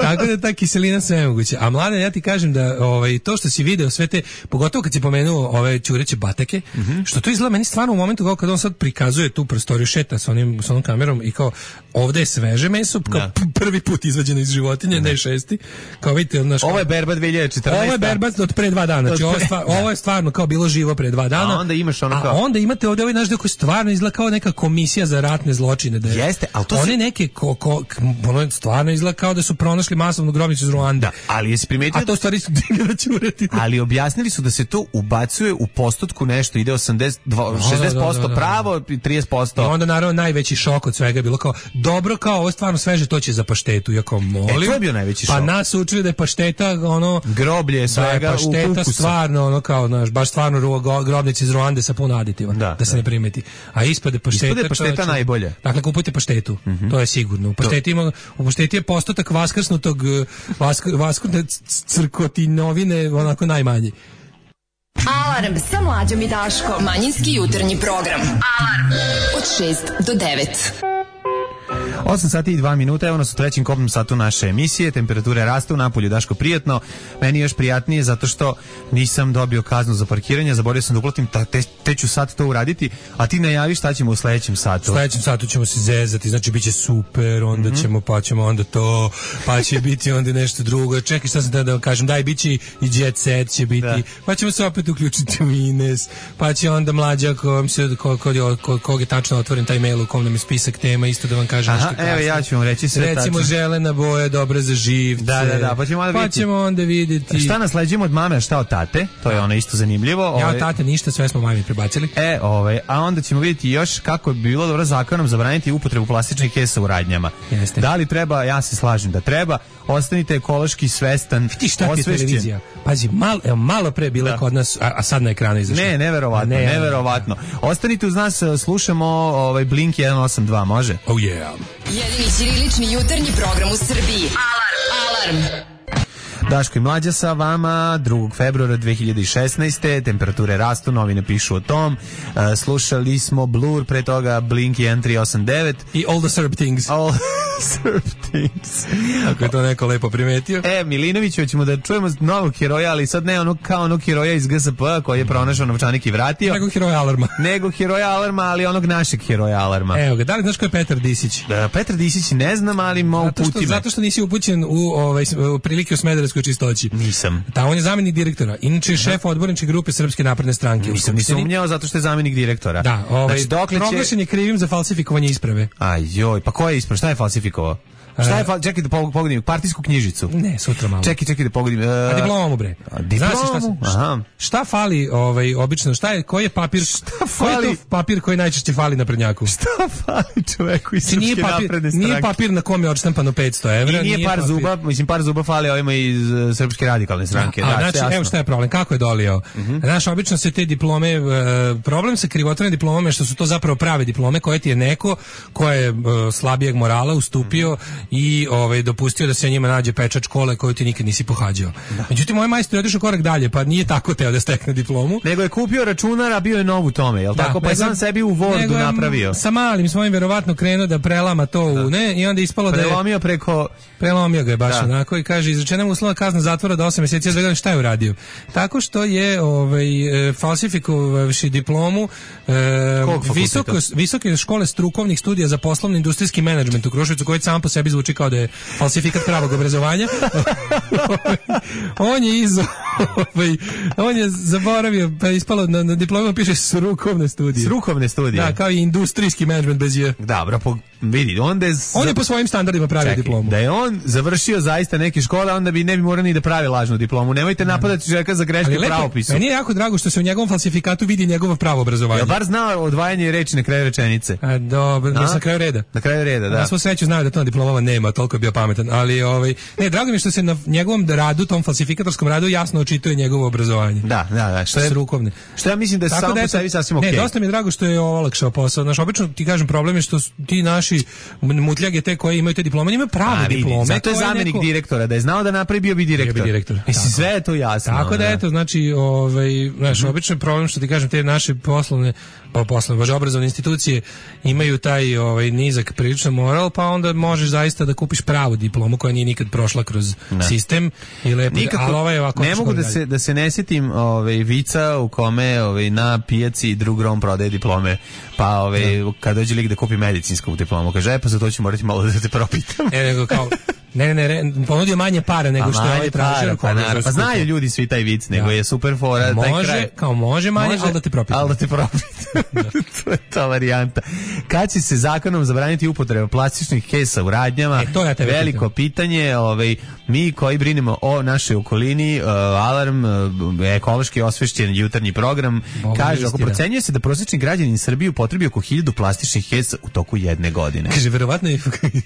[SPEAKER 6] Tako da ta kiselina sve je moguće. A Mladen, ja ti kažem da ovaj, to što si video sve te, pogotovo kad si pomenuo ove ćureće batake, mm-hmm. što to izgleda meni stvarno u momentu kao kad on sad prikazuje tu prostoriju, šeta sa onim, sa onom kamerom i kao ovde je sveže meso, kao da. prvi put izvađeno iz životinje, da. ne šesti. Kao vidite, naš,
[SPEAKER 5] ovo je berba dve hiljade četrnaeste.
[SPEAKER 6] Ovo je berba od pre dva dana. Znači, ovo, je stvar, ovo je stvarno kao bilo živo pre dva dana.
[SPEAKER 5] A onda imaš ono kao...
[SPEAKER 6] A onda imate ovde ovaj naš deo koji stvarno izgleda kao neka komisija za ratne zločine. Da je,
[SPEAKER 5] jeste, ali to
[SPEAKER 6] one
[SPEAKER 5] se...
[SPEAKER 6] neke, ko, ko, ono stvarno izgleda kao da su pronašli masovnu grobnicu iz Ruande.
[SPEAKER 5] Da, ali jesi primetio...
[SPEAKER 6] A to stvari su divljena ćureti.
[SPEAKER 5] Ali objasnili su da se to ubacuje u postotku nešto, ide osamdeset, šezdeset posto da, da, da, da. pravo, trideset posto.
[SPEAKER 6] I onda naravno najveći šok od svega je bilo kao, dobro, kao ovo stvarno sveže, to će za paštetu. Iako molim.
[SPEAKER 5] E, to je bio najveći šok.
[SPEAKER 6] Pa nas učili da je pašteta, ono...
[SPEAKER 5] Groblje svega
[SPEAKER 6] da je pašteta
[SPEAKER 5] u kukusa.
[SPEAKER 6] Stvarno, ono kao, znaš, baš stvarno grobnici iz Ruande sa puno aditiva, da, da se da. ne primeti. A ispade pašteta...
[SPEAKER 5] Ispade pašteta
[SPEAKER 6] čovječe,
[SPEAKER 5] najbolje.
[SPEAKER 6] Dakle, kupujte paštetu, mm-hmm. to je sigurno. U pašteti, ima, u pašteti je postotak vaskrsnutog, vask, vaskrsnute crkotinovine, onako najmanji.
[SPEAKER 4] Alarm sa Mlađom i Daškom. Manjinski jutarnji program. Alarm od šest do devet.
[SPEAKER 5] osam sati i dva minuta, evo nas u trećem kopnom satu naše emisije, temperature rastu, napolju Daško prijatno, meni još prijatnije zato što nisam dobio kaznu za parkiranje, zaboravio sam da uplatim, te, te ću sad to uraditi, a ti najavi šta ćemo u sledećem satu.
[SPEAKER 6] U sledećem satu ćemo se zezati, znači bit će super, onda mm-hmm. ćemo, pa ćemo onda to, pa će biti onda nešto drugo, čekaj šta sam da vam kažem, daj, bit će i Jet Set će biti, da. Pa ćemo se opet uključiti u Ines, pa će onda Mlađa, ko, ko, ko, ko, ko je tačno otvoren taj mail u kom nam je spisak tema, isto da vam kažem. kasnije.
[SPEAKER 5] Evo ja ću vam reći sve tačno.
[SPEAKER 6] Recimo želena boja, dobra za živce.
[SPEAKER 5] Da, da, da, pa ćemo onda
[SPEAKER 6] pa
[SPEAKER 5] vidjeti.
[SPEAKER 6] ćemo onda vidjeti.
[SPEAKER 5] Šta nasleđujemo od mame, a šta od tate? To je ono isto zanimljivo.
[SPEAKER 6] Ja
[SPEAKER 5] ovaj,
[SPEAKER 6] od tate ništa, sve smo mami prebacili.
[SPEAKER 5] E, ovaj, a onda ćemo vidjeti još kako bi bilo dobro zakonom zabraniti upotrebu plastičnih kesa u radnjama.
[SPEAKER 6] Jeste.
[SPEAKER 5] Da li treba, ja se slažem da treba, ostanite ekološki svestan,
[SPEAKER 6] Ti šta ti je televizija? Pazi, malo, evo, malo pre bila
[SPEAKER 5] Da.
[SPEAKER 6] kod nas, a, a sad na ekranu izašla.
[SPEAKER 5] Ne, neverovatno,
[SPEAKER 6] A ne,
[SPEAKER 5] neverovatno. Ostanite uz nas, slušamo ovaj Blink jedan osam dva, može?
[SPEAKER 6] Oh yeah.
[SPEAKER 4] Jedini ćirilični jutarnji program u Srbiji. Alarm! Alarm!
[SPEAKER 5] Daško i Mlađa sa vama, drugog februara dve hiljade šesnaeste. Temperature rastu, novine pišu o tom. Uh, slušali smo Blur, pre toga Blink jedan tri osam devet.
[SPEAKER 6] I All the Serb Things.
[SPEAKER 5] All Serb Things.
[SPEAKER 6] Ako je to neko lepo primetio.
[SPEAKER 5] E, Milinoviću, ćemo da čujemo novog heroja, ali sad ne onog kao onog heroja iz G S P koji je pronašao novčanik i vratio.
[SPEAKER 6] Nego heroja Alarma.
[SPEAKER 5] Nego heroja Alarma, ali onog našeg heroja Alarma.
[SPEAKER 6] Evo ga, da li znaš ko je Petar Disić?
[SPEAKER 5] Da, Petar Disić ne znam, ali mogu
[SPEAKER 6] Zato što,
[SPEAKER 5] puti me.
[SPEAKER 6] zato što nisi upućen u, ovaj, u prilike u smederevskoj čistoći.
[SPEAKER 5] Nisam.
[SPEAKER 6] Da, on je zamjenik direktora. Inače je šef odborničke grupe Srpske napredne stranke.
[SPEAKER 5] Nisam ni sumnjao zato što je zamjenik direktora.
[SPEAKER 6] Da, ovaj,
[SPEAKER 5] znači, dokle će...
[SPEAKER 6] proglašen je krivim za falsifikovanje isprave.
[SPEAKER 5] Aj joj, pa ko je ispravo? Šta je falsifikovao? Šta je fal... Čekaj da pog- pogodim, partijsku knjižicu.
[SPEAKER 6] Ne, sutra malo.
[SPEAKER 5] Čekaj, čekaj da pogodim. Uh...
[SPEAKER 6] A diplomu bre.
[SPEAKER 5] A diplomu?
[SPEAKER 6] Znaš šta,
[SPEAKER 5] Aha.
[SPEAKER 6] šta fali ovaj obično? Šta je koji je papir?
[SPEAKER 5] Šta
[SPEAKER 6] Koji
[SPEAKER 5] fali?
[SPEAKER 6] je to papir koji najčešće fali na prednjaku?
[SPEAKER 5] Šta fali čoveku iz
[SPEAKER 6] Znači, nije
[SPEAKER 5] Srpske
[SPEAKER 6] papir,
[SPEAKER 5] napredne stranke?
[SPEAKER 6] nije papir na kom je odštampano petsto evra.
[SPEAKER 5] I nije, par
[SPEAKER 6] papir.
[SPEAKER 5] zuba, mislim par zuba fali ovima iz uh, Srpske radikalne stranke.
[SPEAKER 6] A,
[SPEAKER 5] Da,
[SPEAKER 6] znači,
[SPEAKER 5] jasno.
[SPEAKER 6] evo šta je problem, kako je dolio? Mm-hmm. Znaš, obično se te diplome, uh, problem sa krivotvorenim diplomama je što su to zapravo prave diplome koje ti je neko ko je uh, slabijeg morala ustupio mm-hmm. i ovaj, dopustio da se njima nađe pečat škole koju ti nikad nisi pohađao. Da. Međutim, moj majstor je otišao korak dalje, pa nije tako teo da stekne diplomu.
[SPEAKER 5] Nego je kupio računar, a bio je nov u tome, jel
[SPEAKER 6] Da,
[SPEAKER 5] tako? Pa je sam sebi u Wordu napravio.
[SPEAKER 6] Sa malim svojim verovatno krenuo da prelama to da. u ne i onda ispalo da je
[SPEAKER 5] prelomio preko
[SPEAKER 6] prelomio ga je baš
[SPEAKER 5] da.
[SPEAKER 6] onako i kaže izrečena mu uslovna kazna zatvora do osam mjeseci, da šta je uradio. Tako što je ovaj e, falsifikovavši diplomu e, visoko visoke škole strukovnih studija za poslovni industrijski menadžment u Kruševcu, koji sam po sebi zvuči kao da je falsifikat pravog obrazovanja. On je iz ovaj, on je zaboravio, pa ispalo na, na diplomu piše strukovne studije.
[SPEAKER 5] Strukovne studije.
[SPEAKER 6] Da, kao i industrijski menadžment bez je.
[SPEAKER 5] Dobro, po, vidi, onda je...
[SPEAKER 6] On je po svojim standardima pravio
[SPEAKER 5] Čekaj,
[SPEAKER 6] diplomu.
[SPEAKER 5] Da je on završio zaista neke škole, onda bi ne bi morao ni da pravi lažnu diplomu. Nemojte napadati čovjeka za greške u pravopisu.
[SPEAKER 6] Meni je jako drago što se u njegovom falsifikatu vidi njegovo pravo obrazovanje.
[SPEAKER 5] Ja bar znao odvajanje reči na kraju rečenice.
[SPEAKER 6] A, dobro, mislim na kraju reda.
[SPEAKER 5] Na kraju reda, da.
[SPEAKER 6] Na svu sreću znao da to na diplomama nema, toliko je bio pametan, ali ovaj ne, drago mi je što se na njegovom radu, tom falsifikatorskom radu jasno očituje njegovo obrazovanje.
[SPEAKER 5] Da, da, da, što je
[SPEAKER 6] strukovne.
[SPEAKER 5] Što ja mislim da je samo po sebi sasvim okej.
[SPEAKER 6] Ne, dosta mi je drago što je olakšao posao. Znaš, obično ti kažem problem je što ti naši mutljage te koji imaju te diplome, imaju prave
[SPEAKER 5] A,
[SPEAKER 6] diplome.
[SPEAKER 5] Zato je zamenik neko... direktora, da je znao da napravi bio bi direktor.
[SPEAKER 6] Bio bi direktor.
[SPEAKER 5] Mislim, sve je to jasno.
[SPEAKER 6] Tako da,
[SPEAKER 5] da.
[SPEAKER 6] eto, znači, ovaj, znaš, mm-hmm. obično je problem što ti kažem, te naše poslovne, pa poslovne, baš obrazovne institucije imaju taj ovaj, nizak priličan moral, pa onda možeš zaista da kupiš pravu diplomu koja nije nikad prošla kroz ne. sistem i lepo,
[SPEAKER 5] nikako,
[SPEAKER 6] ali ovaj ovako
[SPEAKER 5] ne mogu da se, da se ne sjetim ovaj, vica u kome ovaj, na pijaci drug rom prodaje diplome, pa ovaj, ja. kad dođe lik da kupi medicinsku diplomu, kaže, e, pa za to ću morati malo da te propitam.
[SPEAKER 6] E, nego kao, ne, ne, ne, ponudio manje para nego što je ovaj tražio.
[SPEAKER 5] Pa, pa, pa znaju ljudi svi taj vic, nego ja. je super fora.
[SPEAKER 6] Može,
[SPEAKER 5] taj kraj.
[SPEAKER 6] Kao može manje, može, ali da te propitam.
[SPEAKER 5] Ali da te propitam. To je ta varijanta. Kad će se zakonom zabraniti upotreba plastičnih kesa u radnjama?
[SPEAKER 6] E, to ja tebe
[SPEAKER 5] veliko
[SPEAKER 6] pitam.
[SPEAKER 5] pitanje. Ovaj, mi koji brinemo o našoj okolini, uh, Alarm, uh, ekološki osvešćen jutarnji program, Bogu kaže, ako procenjuje se da prosječni građanin Srbije upotrebi oko hiljadu plastičnih kesa u toku jedne godine.
[SPEAKER 6] Kaže, verovatno je,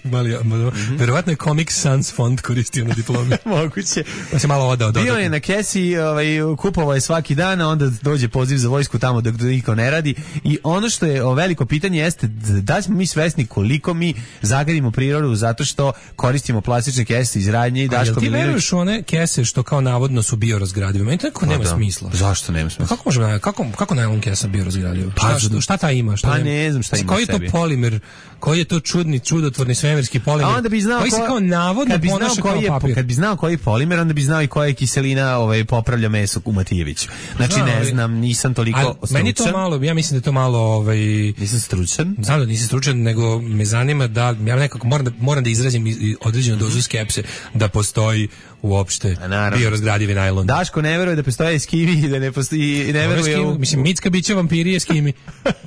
[SPEAKER 6] mali, mm-hmm. verovatno je Comic Sans fond koristio na diplomi.
[SPEAKER 5] Moguće.
[SPEAKER 6] Pa se malo odao.
[SPEAKER 5] Bio je na kesi, ovaj, kupovao je svaki dan, a onda dođe poziv za vojsku tamo dok niko ne radi. I ono što je o, veliko pitanje jeste da smo mi svesni koliko mi zagadimo prirodu zato što koristimo plastične kese iz radnje i Daško
[SPEAKER 6] Milinović. Ti veruješ one kese što kao navodno su biorazgradive? Meni to neko nema da. smisla.
[SPEAKER 5] Zašto nema smisla?
[SPEAKER 6] Kako možemo, kako, kako najlon kesa biorazgradiva?
[SPEAKER 5] Pa,
[SPEAKER 6] šta, šta ta ima? Šta
[SPEAKER 5] pa ne znam šta ima
[SPEAKER 6] koji je to polimer? Koji je to čudni, čudotvorni svemirski polimer?
[SPEAKER 5] A onda bi znao
[SPEAKER 6] koji
[SPEAKER 5] ko...
[SPEAKER 6] se kao navodno
[SPEAKER 5] kad bi znao
[SPEAKER 6] ponaša
[SPEAKER 5] koji
[SPEAKER 6] kao
[SPEAKER 5] je,
[SPEAKER 6] papir.
[SPEAKER 5] kad bi znao koji je polimer, onda bi znao i koja je kiselina ovaj, popravlja meso u Matijeviću. Znači,
[SPEAKER 6] Znao,
[SPEAKER 5] ne
[SPEAKER 6] ali-
[SPEAKER 5] znam, nisam toliko
[SPEAKER 6] Ali
[SPEAKER 5] stručan.
[SPEAKER 6] meni to malo, ja mislim da je to malo ovaj
[SPEAKER 5] Nisam stručan.
[SPEAKER 6] znam da nisam stručan, nego me zanima da ja nekako moram da, moram da izrazim i- i određenu dozu skepse da postoji uopšte
[SPEAKER 5] A, naravno.
[SPEAKER 6] biorazgradivi najlon.
[SPEAKER 5] Daško ne veruje da postoje eskimi i da ne postoji i ne
[SPEAKER 6] Ove
[SPEAKER 5] veruje
[SPEAKER 6] skimi-
[SPEAKER 5] u,
[SPEAKER 6] mislim, mitska bića vampiri je skimi.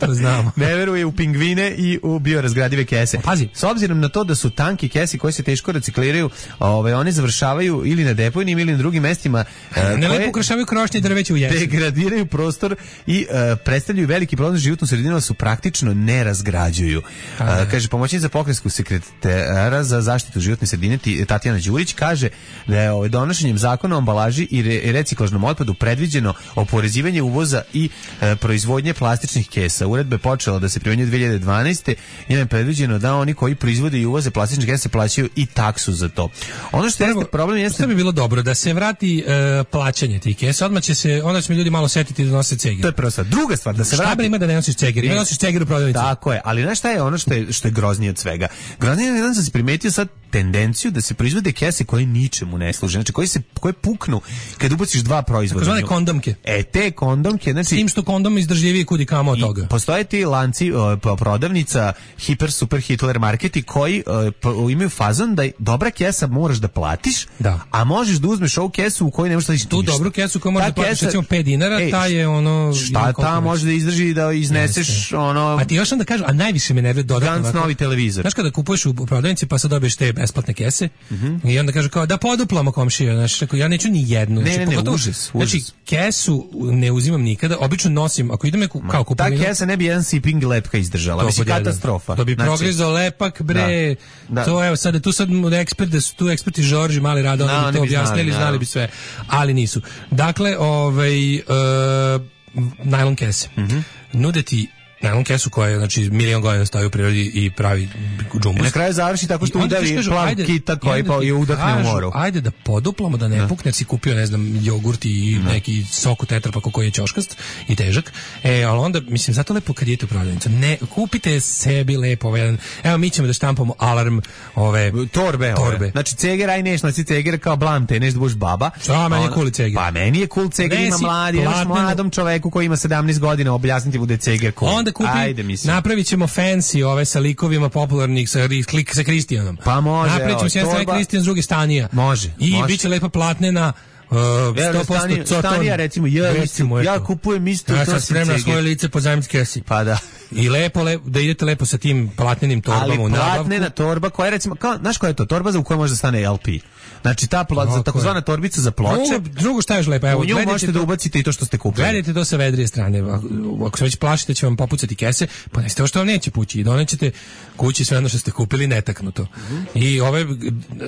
[SPEAKER 6] To znamo.
[SPEAKER 5] ne veruje u pingvine i u biorazgradive kese.
[SPEAKER 6] Pazi.
[SPEAKER 5] S obzirom na to da su tanke kese koje se teško recikliraju, ovaj one završavaju ili na deponijima ili na drugim mestima e,
[SPEAKER 6] Ne
[SPEAKER 5] koje
[SPEAKER 6] lepo ukrašavaju krošnje i drveće u jesen.
[SPEAKER 5] degradiraju prostor i e, predstavljaju veliki problem za životnu sredinu, ali su praktično ne razgrađuju. E, kaže pomoćnica pokrajinskog sekretara za zaštitu životne sredine Ti- Tatjana Đurić kaže da je ovaj, donošenjem zakona o ambalaži i re, reciklažnom otpadu predviđeno oporezivanje uvoza i e, proizvodnje plastičnih kesa. Uredba je počela da se primenjuje dve hiljade dvanaeste. Njime je predviđeno da oni koji proizvode i uvoze plastične kese plaćaju i taksu za to. Ono što jeste problem jeste
[SPEAKER 6] Što bi bilo dobro da se vrati e, plaćanje tih kesa, odmah će se, onda će mi ljudi malo setiti da nose ceger.
[SPEAKER 5] to je prva stvar. Druga stvar, da se
[SPEAKER 6] Šta
[SPEAKER 5] vrati
[SPEAKER 6] bre ima da ne nosiš ceger? Ima
[SPEAKER 5] Ne.
[SPEAKER 6] nosiš ceger u prodavnici.
[SPEAKER 5] Tako je, ali znaš šta je ono što je, što je groznije od svega? Groznije je jedan sam se primetio sad tendenciju da se proizvode kese koje ničemu ne služe, znači koje, se, koje puknu kad ubaciš dva proizvoda.
[SPEAKER 6] Takozvane kondomke.
[SPEAKER 5] E, te kondomke, znači...
[SPEAKER 6] S tim što kondom izdržljiviji kudi kamo od toga.
[SPEAKER 5] Postoje ti lanci o, po- prodavnica Hiper Super Hitler Marketi koji o, po- imaju fazon da dobra kesa moraš da platiš,
[SPEAKER 6] Da.
[SPEAKER 5] a možeš da uzmeš ovu kesu u kojoj ne možeš da
[SPEAKER 6] Tu dobru kesu koju možeš
[SPEAKER 5] Ta
[SPEAKER 6] da platiš
[SPEAKER 5] kesa-
[SPEAKER 6] recimo pet dinara,
[SPEAKER 5] Ej,
[SPEAKER 6] ta je ono...
[SPEAKER 5] Šta
[SPEAKER 6] koliko
[SPEAKER 5] ta
[SPEAKER 6] već.
[SPEAKER 5] može da izdrži da izneseš
[SPEAKER 6] Jeste.
[SPEAKER 5] ono...
[SPEAKER 6] A ti još onda kažu, a najviše me nervira dodatno.
[SPEAKER 5] Gans
[SPEAKER 6] ovako.
[SPEAKER 5] novi televizor.
[SPEAKER 6] Znaš kada kupuješ u prodavnici pa sad dobiješ te besplatne kese i onda kaže kao da poduplamo komšija, znači rekao, ja neću ni jednu.
[SPEAKER 5] Ne,
[SPEAKER 6] znači,
[SPEAKER 5] ne, ne,
[SPEAKER 6] pogotovo-
[SPEAKER 5] užas,
[SPEAKER 6] Znači
[SPEAKER 5] užas.
[SPEAKER 6] kesu ne uzimam nikada, obično nosim, ako idem neku, kao
[SPEAKER 5] Ta
[SPEAKER 6] kupovinu,
[SPEAKER 5] kesa ne bi jedan sipping lepka izdržala.
[SPEAKER 6] to
[SPEAKER 5] Mislim,
[SPEAKER 6] pod jedan.
[SPEAKER 5] katastrofa.
[SPEAKER 6] To bi
[SPEAKER 5] Znači,
[SPEAKER 6] progrizao lepak, bre.
[SPEAKER 5] Da, da.
[SPEAKER 6] To evo sad, tu sad ekspert, da su tu eksperti Žorži, Mali Rado,
[SPEAKER 5] Da,
[SPEAKER 6] oni bi
[SPEAKER 5] oni
[SPEAKER 6] to
[SPEAKER 5] bi znali,
[SPEAKER 6] objasnili, znali,
[SPEAKER 5] naravno.
[SPEAKER 6] bi sve, ali nisu. Dakle, ovaj, e, najlon kese.
[SPEAKER 5] Mhm.
[SPEAKER 6] Nude ti najlon kesu koja je, znači, milion godina stoji u prirodi i pravi džumbus.
[SPEAKER 5] I na kraju završi tako što
[SPEAKER 6] I onda ti
[SPEAKER 5] udavi
[SPEAKER 6] kažu,
[SPEAKER 5] plav
[SPEAKER 6] ajde,
[SPEAKER 5] kita koji
[SPEAKER 6] i onda
[SPEAKER 5] pa
[SPEAKER 6] ti
[SPEAKER 5] je udahne u
[SPEAKER 6] kažu,
[SPEAKER 5] moru.
[SPEAKER 6] Ajde da poduplamo, da ne pukne, jer si kupio, ne znam, jogurt i neki sok u tetrapaku koji je ćoškast i težak. E, ali onda, mislim, zato lepo kad idete u prodavnicu, ne, kupite sebi lepo ovaj jedan, evo mi ćemo da štampamo alarm ove
[SPEAKER 5] Torbe,
[SPEAKER 6] torbe.
[SPEAKER 5] ove. Znači ceger, aj neš, nosi ceger kao blamte, neš da budeš baba.
[SPEAKER 6] Šta, meni je
[SPEAKER 5] Ono-
[SPEAKER 6] cool ceger.
[SPEAKER 5] Pa meni je cool ceger, ima
[SPEAKER 6] Nesi
[SPEAKER 5] mladi, imaš
[SPEAKER 6] platnenu-
[SPEAKER 5] mladom čoveku koji ima sedamnaest godina, objasniti bude ceger cool.
[SPEAKER 6] Onda kupi,
[SPEAKER 5] Ajde, mislim.
[SPEAKER 6] napravit ćemo fancy ove sa likovima popularnih sa, ri- klik, sa Kristijanom.
[SPEAKER 5] Pa može,
[SPEAKER 6] Napravit
[SPEAKER 5] evo,
[SPEAKER 6] ćemo s jedne strane
[SPEAKER 5] torba-
[SPEAKER 6] Kristijan, s druge Stanija.
[SPEAKER 5] Može,
[SPEAKER 6] I
[SPEAKER 5] može.
[SPEAKER 6] bit će lepa platnena, uh,
[SPEAKER 5] Evo,
[SPEAKER 6] sto posto
[SPEAKER 5] Stanija-
[SPEAKER 6] coton.
[SPEAKER 5] Stanija, recimo, ja,
[SPEAKER 6] Recimo,
[SPEAKER 5] isto, ja
[SPEAKER 6] eto.
[SPEAKER 5] kupujem isto,
[SPEAKER 6] Ja
[SPEAKER 5] to
[SPEAKER 6] sam
[SPEAKER 5] sam
[SPEAKER 6] spremna
[SPEAKER 5] ceger.
[SPEAKER 6] svoje lice po zajamci kesi.
[SPEAKER 5] Pa da.
[SPEAKER 6] I lepo, lepo, da idete lepo sa tim platnenim torbama
[SPEAKER 5] Ali
[SPEAKER 6] u nabavku.
[SPEAKER 5] platnena torba koja je recimo, kao, znaš koja je to? Torba za u kojoj može da stane L P. Znači ta pla,
[SPEAKER 6] Tako je.
[SPEAKER 5] takozvana torbica za ploče.
[SPEAKER 6] Drugo, drugo šta je još lepo? Evo,
[SPEAKER 5] U nju
[SPEAKER 6] gledajte
[SPEAKER 5] možete
[SPEAKER 6] to-
[SPEAKER 5] da ubacite i to što ste kupili.
[SPEAKER 6] Gledajte to sa vedrije strane. Ako- Ako se već plašite će vam popucati kese, pa ne ovo što vam neće pući. I donećete kući sve ono što ste kupili netaknuto. I ove,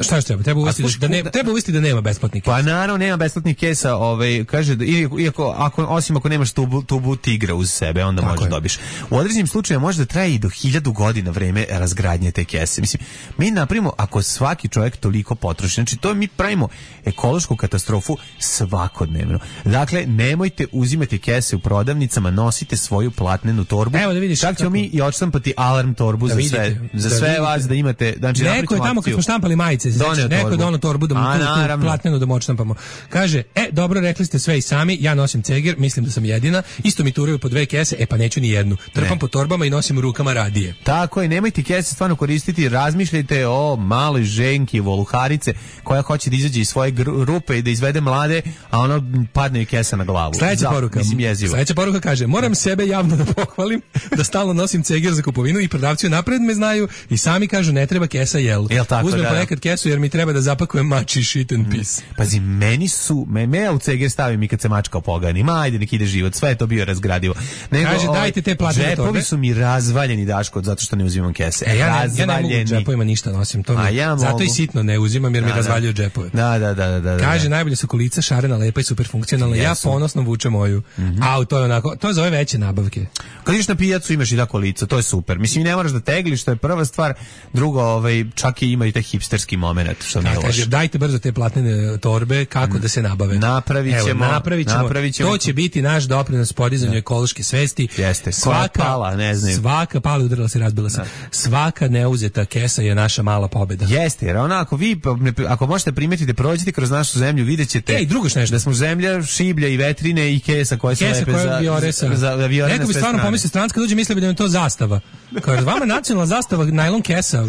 [SPEAKER 6] šta još treba? Treba uvesti da,
[SPEAKER 5] slušaj,
[SPEAKER 6] da, ne,
[SPEAKER 5] kuda-
[SPEAKER 6] treba uvesti da nema besplatnih kesa.
[SPEAKER 5] Pa naravno nema besplatnih kesa, ovaj kaže da iako, iako ako osim ako nemaš tubu, tubu tigra uz sebe, onda
[SPEAKER 6] Tako
[SPEAKER 5] možeš
[SPEAKER 6] je.
[SPEAKER 5] dobiš. U određenim slučajevima može da traje i do hiljadu godina vreme razgradnje te kese. Mislim, mi napravimo ako svaki čovjek toliko potroši, znači to mi pravimo ekološku katastrofu svakodnevno. Dakle, nemojte uzimati kese u prodavnicama, nosite svoju platnenu torbu.
[SPEAKER 6] Evo da vidiš
[SPEAKER 5] Čak ćemo
[SPEAKER 6] kako-
[SPEAKER 5] mi i odštampati alarm torbu
[SPEAKER 6] Da
[SPEAKER 5] za
[SPEAKER 6] vidite,
[SPEAKER 5] sve, za
[SPEAKER 6] da
[SPEAKER 5] sve
[SPEAKER 6] vidite.
[SPEAKER 5] vas da imate, znači
[SPEAKER 6] Neko
[SPEAKER 5] napravit ćemo
[SPEAKER 6] je tamo kad
[SPEAKER 5] akciju.
[SPEAKER 6] smo štampali majice, znači,
[SPEAKER 5] Doneo
[SPEAKER 6] neko je
[SPEAKER 5] torbu.
[SPEAKER 6] donao torbu da mu
[SPEAKER 5] A,
[SPEAKER 6] tu, tu
[SPEAKER 5] naravno.
[SPEAKER 6] platnenu da mu odštampamo. Kaže, e, dobro, rekli ste sve i sami, ja nosim ceger, mislim da sam jedina, isto mi turaju po dve kese, e pa neću ni jednu. Trpam
[SPEAKER 5] Ne.
[SPEAKER 6] po torbama i nosim u rukama radije.
[SPEAKER 5] Tako je, nemojte kese stvarno koristiti, razmišljajte o maloj ženki, voluharice, koja hoće da izađe iz svoje gru- rupe i da izvede mlade, a ono padne joj kesa na glavu.
[SPEAKER 6] Sledeća
[SPEAKER 5] Za-
[SPEAKER 6] poruka.
[SPEAKER 5] Mislim, jezivo.
[SPEAKER 6] Sledeća poruka kaže, moram sebe javno da pohvalim, da stalno nosim ceger za kupovinu i prodavci napred me znaju i sami kažu ne treba kesa, jel?
[SPEAKER 5] Jel tako,
[SPEAKER 6] Uzmem
[SPEAKER 5] da, da.
[SPEAKER 6] ponekad kesu jer mi treba da zapakujem mači shit and piss.
[SPEAKER 5] Pazi, meni su, me, me ja u ceger stavim i kad se mačka opogani, ma ajde nek ide život, sve je to bio razgradivo. Nego,
[SPEAKER 6] Kaže,
[SPEAKER 5] ovaj,
[SPEAKER 6] dajte te platnene
[SPEAKER 5] džepovi
[SPEAKER 6] torbe.
[SPEAKER 5] su mi razvaljeni, Daško, zato što ne uzimam kese.
[SPEAKER 6] E, ja, ne, ja ne mogu u
[SPEAKER 5] Razvaljeni.
[SPEAKER 6] džepovima ništa nosim, to mi,
[SPEAKER 5] A ja
[SPEAKER 6] zato
[SPEAKER 5] mogu.
[SPEAKER 6] i sitno ne uzimam jer mi
[SPEAKER 5] Da, da.
[SPEAKER 6] razvaljuju džepove.
[SPEAKER 5] Da, da, da, da, da.
[SPEAKER 6] Kaže,
[SPEAKER 5] da.
[SPEAKER 6] najbolje su kolica, šarena, lepa i super funkcionalna. Ja
[SPEAKER 5] Jesu.
[SPEAKER 6] ponosno vučem moju. A, to je onako, to je za ove veće nabavke.
[SPEAKER 5] Kad ideš na pijacu imaš i tako lica, to je super. Mislim, ne moraš da tegliš, to je prva stvar. Drugo, ovaj, čak i ima i taj hipsterski moment, što nije
[SPEAKER 6] A, kaže,
[SPEAKER 5] loše.
[SPEAKER 6] dajte brzo te platnene torbe, kako tako da se nabave.
[SPEAKER 5] Napravićemo,
[SPEAKER 6] Evo, napravićemo.
[SPEAKER 5] napravićemo.
[SPEAKER 6] To će biti naš doprinos podizanju da. ekološke svesti.
[SPEAKER 5] Jeste. Svaka pala, ne znam.
[SPEAKER 6] Svaka pala, udarila se, razbila se. Da. Svaka neuzeta kesa je naša mala pobeda.
[SPEAKER 5] Jeste, jer ona ako vi ako možete primetiti, prođite kroz našu zemlju, videćete
[SPEAKER 6] Ej, drugo nešto.
[SPEAKER 5] Da smo zemlja šiblja i vetrine i kesa koje se lepe za
[SPEAKER 6] vioresa.
[SPEAKER 5] za, za viore.
[SPEAKER 6] Neko bi stvarno pomislio stranc kad dođe misli da je to zastava. Kaže vama nacionalna zastava najlon kesa.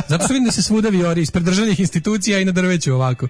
[SPEAKER 6] Zato što vidim da se svuda viori ispred državnih institucija i na drveću ovako.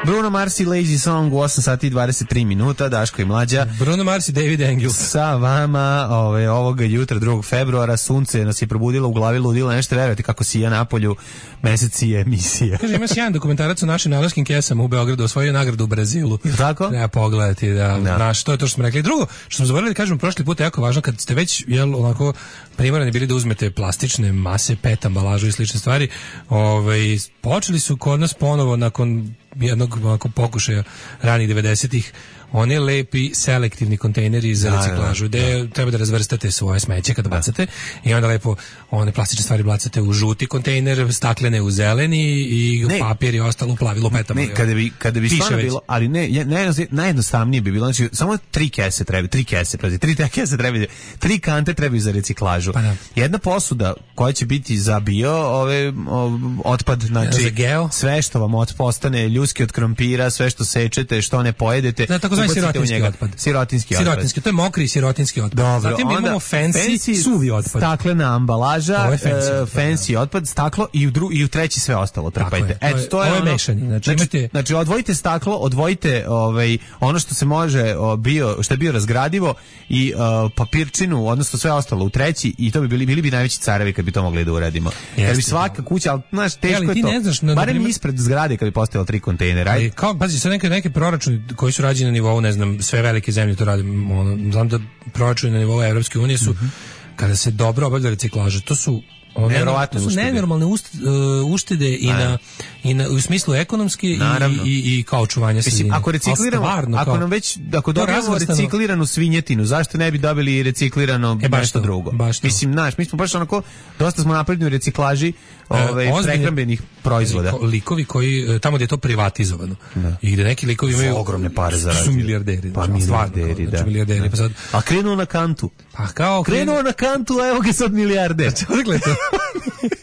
[SPEAKER 5] Bruno Mars i Lazy Song u osam sati i dvadeset tri minuta, Daško i Mlađa.
[SPEAKER 6] Bruno Mars i David Engels.
[SPEAKER 5] Sa vama ove, ovoga jutra, drugog februara, sunce nas je probudilo u glavi, ludilo, nešto verujete kako sija napolju, mesec je emisija.
[SPEAKER 6] Kaže, ima sjajan dokumentarac o našim najlonskim kesama u Beogradu, osvojio nagradu u Brazilu.
[SPEAKER 5] Tako?
[SPEAKER 6] Treba pogledati, da, da. Naš, to je to što smo rekli. Drugo, što smo zaboravili da kažemo prošli put, je jako važno, kad ste već, jel, onako, primorani bili da uzmete plastične mase, pet ambalažu i slične stvari, ovaj, počeli su kod nas ponovo nakon jednog onako pokušaja ranih devedesetih oni lepi selektivni kontejneri za reciklažu, gde da. treba da razvrstate svoje smeće kada da. bacate i onda lepo one plastične stvari bacate u žuti kontejner, staklene u zeleni i ne. papir i ostalo u plavi lupetama.
[SPEAKER 5] Ne, kada bi, kada bi stvarno bilo, ali ne, najjednostavnije bi bilo, znači samo tri kese treba, tri kese, prazi, tri kese treba, tri kante trebaju za reciklažu. Pa da. Jedna posuda koja će biti za bio ove, o, otpad, znači sve što vam postane ljuski od krompira, sve što sečete, što ne pojedete,
[SPEAKER 6] da, tako zvani sirotinski otpad.
[SPEAKER 5] Sirotinski otpad.
[SPEAKER 6] Sirotinski, to je mokri sirotinski otpad. Dobro, zatim imamo fancy, fancy suvi otpad.
[SPEAKER 5] Staklena ambalaža, fancy, uh, fancy da. otpad, staklo i u, dru, i u treći sve ostalo trpajte.
[SPEAKER 6] Eto, to je, to je ono, mešanje. Znači,
[SPEAKER 5] znači,
[SPEAKER 6] imate...
[SPEAKER 5] znači, odvojite staklo, odvojite ovaj, ono što se može, o, bio, što je bio razgradivo i uh, papirčinu, odnosno sve ostalo u treći i to bi bili, bili bi najveći carevi kad bi to mogli da uradimo. Kad bi svaka kuća, ali znaš, teško je to. Ne znaš, no, barem primjer... ispred zgrade kad bi postavilo tri kontejnera.
[SPEAKER 6] Ali, kao, pazi, sad neke, neke proračuni koji su rađeni na nivou, ne znam, sve velike zemlje to rade, ono, znam da proračuni na nivou Evropske unije su, mm-hmm. kada se dobro obavlja reciklaža, to su
[SPEAKER 5] nevjerovatne
[SPEAKER 6] uštede. nenormalne ust, uh, uštede i na, i na u smislu ekonomski i, i, i kao očuvanja sredine.
[SPEAKER 5] Ako recikliramo, stvarno, ako nam već ako dobijemo recikliranu svinjetinu, zašto ne bi dobili i reciklirano e, nešto to, drugo? Mislim, naš, mi smo baš onako dosta smo napredni u reciklaži ovaj e, prehrambenih proizvoda.
[SPEAKER 6] Likovi koji tamo gdje je to privatizovano. Da. I gde neki likovi imaju
[SPEAKER 5] ogromne pare zarađuju.
[SPEAKER 6] Su milijarderi.
[SPEAKER 5] Pa milijarderi, da.
[SPEAKER 6] Milijarderi, pa sad
[SPEAKER 5] a krenuo na kantu.
[SPEAKER 6] Pa kao
[SPEAKER 5] krenuo na kantu, a evo ga sad milijarder.
[SPEAKER 6] Odakle to?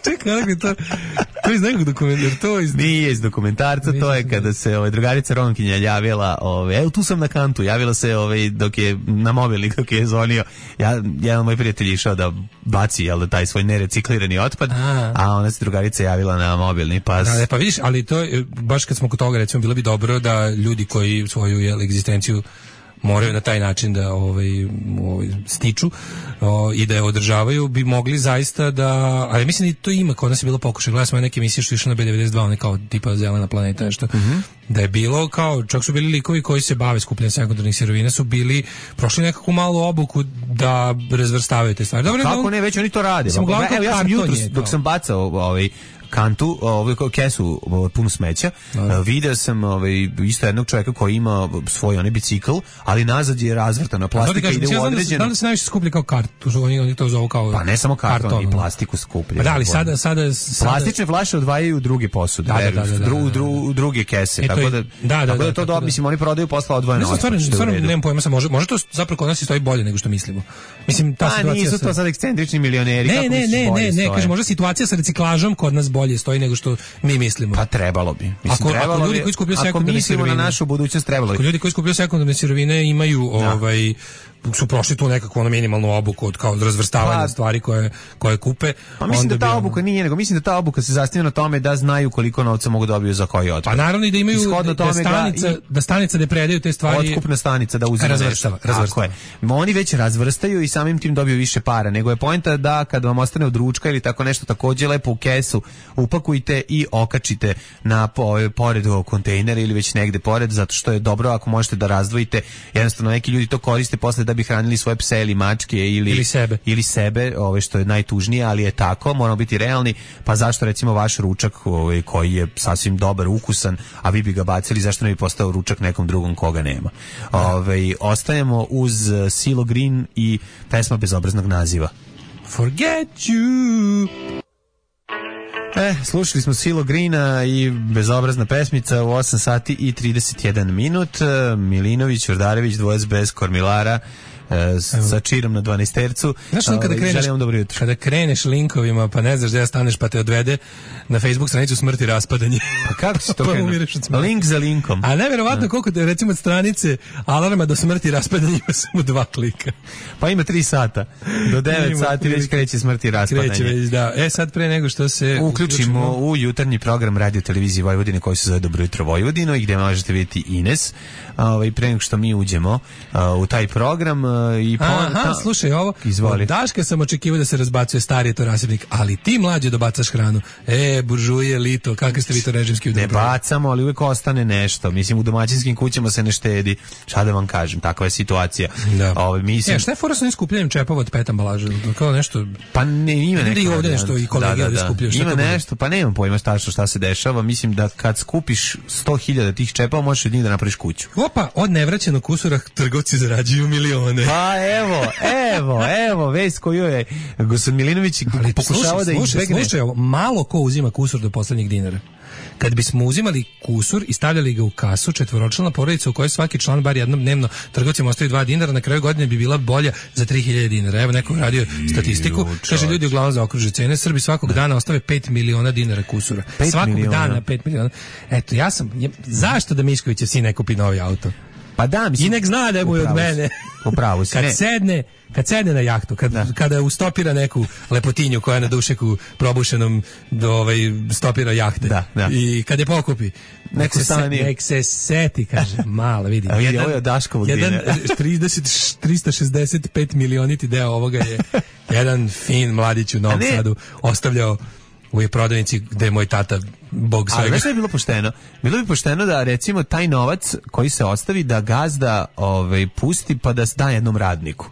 [SPEAKER 6] Čekaj, odakle to? To iz nekog dokumentarca, to iz...
[SPEAKER 5] Nije iz dokumentarca, to je kada se ovaj, drugarica Ronkinja javila, ovaj, evo tu sam na kantu, javila se ovaj, dok je na mobilnik, dok je zvonio, ja, jedan moj prijatelj išao da baci jel, da taj svoj nereciklirani otpad, a, a ona se drugarica javila na mobilni pas.
[SPEAKER 6] Da, pa vidiš, ali to je, baš kad smo kod toga, recimo, bilo bi dobro da ljudi koji svoju jel, egzistenciju moraju na taj način da ovaj, ovaj stiču o, i da je održavaju, bi mogli zaista da, ali mislim da to ima, kod nas je bilo pokušaj, gledali smo neke emisije što išle na B devedeset dva, one kao tipa Zelena planeta, nešto, mm-hmm. da je bilo kao, čak su bili likovi koji se bave skupljanjem sekundarnih sirovina, su bili, prošli nekakvu malu obuku da razvrstavaju te stvari. Dobro,
[SPEAKER 5] kako ne, već oni to rade. Evo, ja sam jutros, dok sam bacao ovaj, kantu, ovaj kesu punu smeća, no. video sam ovaj isto jednog čovjeka koji ima svoj onaj bicikl, ali nazad je razvrtana plastika, ide u određenu.
[SPEAKER 6] Da li se najviše skuplja kao karton, oni oni to zovu kao.
[SPEAKER 5] Pa ne samo karton, karton i plastiku skuplja.
[SPEAKER 6] Pa da, ali sada sada, sada...
[SPEAKER 5] plastične flaše odvajaju u druge posude, da, da, da, da, dru, dru, druge kese, e, tako da da, da, tako da, da to da, mislim oni prodaju posle odvojeno.
[SPEAKER 6] Ne, stvarno, stvarno nemam pojma, sa može, može to zapravo kod nas stoji bolje nego što mislimo. Mislim ta situacija.
[SPEAKER 5] A nisu to sad ekscentrični milioneri,
[SPEAKER 6] kako ne, ne, ne, ne, kaže možda situacija sa reciklažom kod nas bolje stoji nego što mi mislimo.
[SPEAKER 5] Pa trebalo bi. Mislim,
[SPEAKER 6] ako,
[SPEAKER 5] trebalo
[SPEAKER 6] ako ljudi koji skupljaju sekundarne sirovine,
[SPEAKER 5] na našu budućnost trebalo bi.
[SPEAKER 6] Ako ljudi koji skupljaju sekundarne sirovine imaju da. ovaj su prošli tu nekakvu ono minimalnu obuku od kao razvrstavanja pa, stvari koje koje kupe.
[SPEAKER 5] Pa mislim da ta ono... obuka nije, nego mislim da ta obuka se zasniva na tome da znaju koliko novca mogu dobiju za koji otpad.
[SPEAKER 6] Pa naravno i da imaju da, da stanica, i, da stanica da predaju te stvari.
[SPEAKER 5] Otkupna stanica da uzme razvrstava, razvrstava. Oni već razvrstaju i samim tim dobiju više para, nego je poenta da kad vam ostane od ručka ili tako nešto takođe lepo u kesu upakujte i okačite na po, pored ovog kontejnera ili već negde pored, zato što je dobro ako možete da razdvojite. Jednostavno neki ljudi to koriste posle da bi hranili svoje pse ili mačke ili
[SPEAKER 6] ili sebe,
[SPEAKER 5] ili sebe, ove što je najtužnije, ali je tako, moramo biti realni. Pa zašto recimo vaš ručak, ovaj koji je sasvim dobar, ukusan, a vi bi ga bacili, zašto ne bi postao ručak nekom drugom koga nema? Ovaj ostajemo uz Silo Green i pesma bezobraznog naziva.
[SPEAKER 6] Forget you.
[SPEAKER 5] E, slušali smo Silo Greena i bezobrazna pesmica u osam sati i trideset jedan minut. Milinović, Urdarević, dvojac bez kormilara. E, sa čirom na dvanaestercu.
[SPEAKER 6] Znaš ono kada kreneš, kada kreneš linkovima pa ne znaš gde staneš pa te odvede na Facebook stranicu Smrt i raspadanje.
[SPEAKER 5] Pa kako si to krenuo? Link za linkom.
[SPEAKER 6] A nevjerovatno koliko te, recimo od stranice Alarma do Smrti i raspadanja ima samo dva klika.
[SPEAKER 5] Pa ima tri sata. Do devet sati već kreće Smrt i raspadanje.
[SPEAKER 6] Kreće već, da. E sad pre nego što se
[SPEAKER 5] uključimo, uključimo u jutarnji program Radio Televizije Vojvodine koji se zove Dobro jutro Vojvodino i gde možete vidjeti Ines. Ovaj, pre nego što mi uđemo a, u taj program i
[SPEAKER 6] pa aha, ta... slušaj ovo.
[SPEAKER 5] Izvoli.
[SPEAKER 6] Od Daška sam očekivao da se razbacuje stari to rasipnik, ali ti mlađe dobacaš hranu. E, buržuje, lito, kakvi ste vi to režimski udobro?
[SPEAKER 5] Ne bacamo, ali uvek ostane nešto. Mislim, u domaćinskim kućama se ne štedi. Šta da vam kažem, takva je situacija.
[SPEAKER 6] Da.
[SPEAKER 5] Ove, mislim...
[SPEAKER 6] E, šta je fora sa onim skupljanjem čepova od pet ambalaža? Kao nešto...
[SPEAKER 5] Pa ne, ima neko...
[SPEAKER 6] I ovdje nešto i kolege da, da, da. skupljaju.
[SPEAKER 5] Ima nešto, pa nemam pojma tačno šta se dešava. Mislim da kad skupiš sto hiljada tih čepova, možeš od njih da napraviš kuću.
[SPEAKER 6] Opa, od nevraćenog kusura trgovci zarađuju milione.
[SPEAKER 5] Pa evo, evo, evo, vest koju je gospodin Milinović pokušava da izbegne.
[SPEAKER 6] Slušaj, malo ko uzima kusur do poslednjeg dinara. Kad bismo uzimali kusur i stavljali ga u kasu, četvoročlana porodica u kojoj svaki član bar jednom dnevno trgovcima ostavi dva dinara, na kraju godine bi bila bolja za tri hiljade dinara. Evo neko radio statistiku, kaže ljudi uglavnom zaokruže cene, Srbi svakog dana ostave pet miliona dinara kusura. Svakog miliona. dana pet miliona. Eto, ja sam, je, zašto da Miškovićev sin ne kupi novi auto?
[SPEAKER 5] Pa da, mislim,
[SPEAKER 6] i nek zna da je mu od mene.
[SPEAKER 5] Upravo si.
[SPEAKER 6] Kad ne. sedne, kad sedne na jahtu, kad, kada ustopira neku lepotinju koja je na dušeku probušenom do ovaj stopira jahte.
[SPEAKER 5] Da, da.
[SPEAKER 6] I kad je pokupi, nek se, se, nek se seti, kaže, mala, vidi.
[SPEAKER 5] A vidi, ovo je od Daškovog
[SPEAKER 6] jedan trideset, tristo šezdeset pet milioniti deo ovoga je jedan fin mladić u Novom Sadu ostavljao u je prodavnici gde je moj tata bog svega.
[SPEAKER 5] Ali znaš što je bilo pošteno? Bilo bi pošteno da recimo taj novac koji se ostavi da gazda ovaj, pusti pa da da jednom radniku.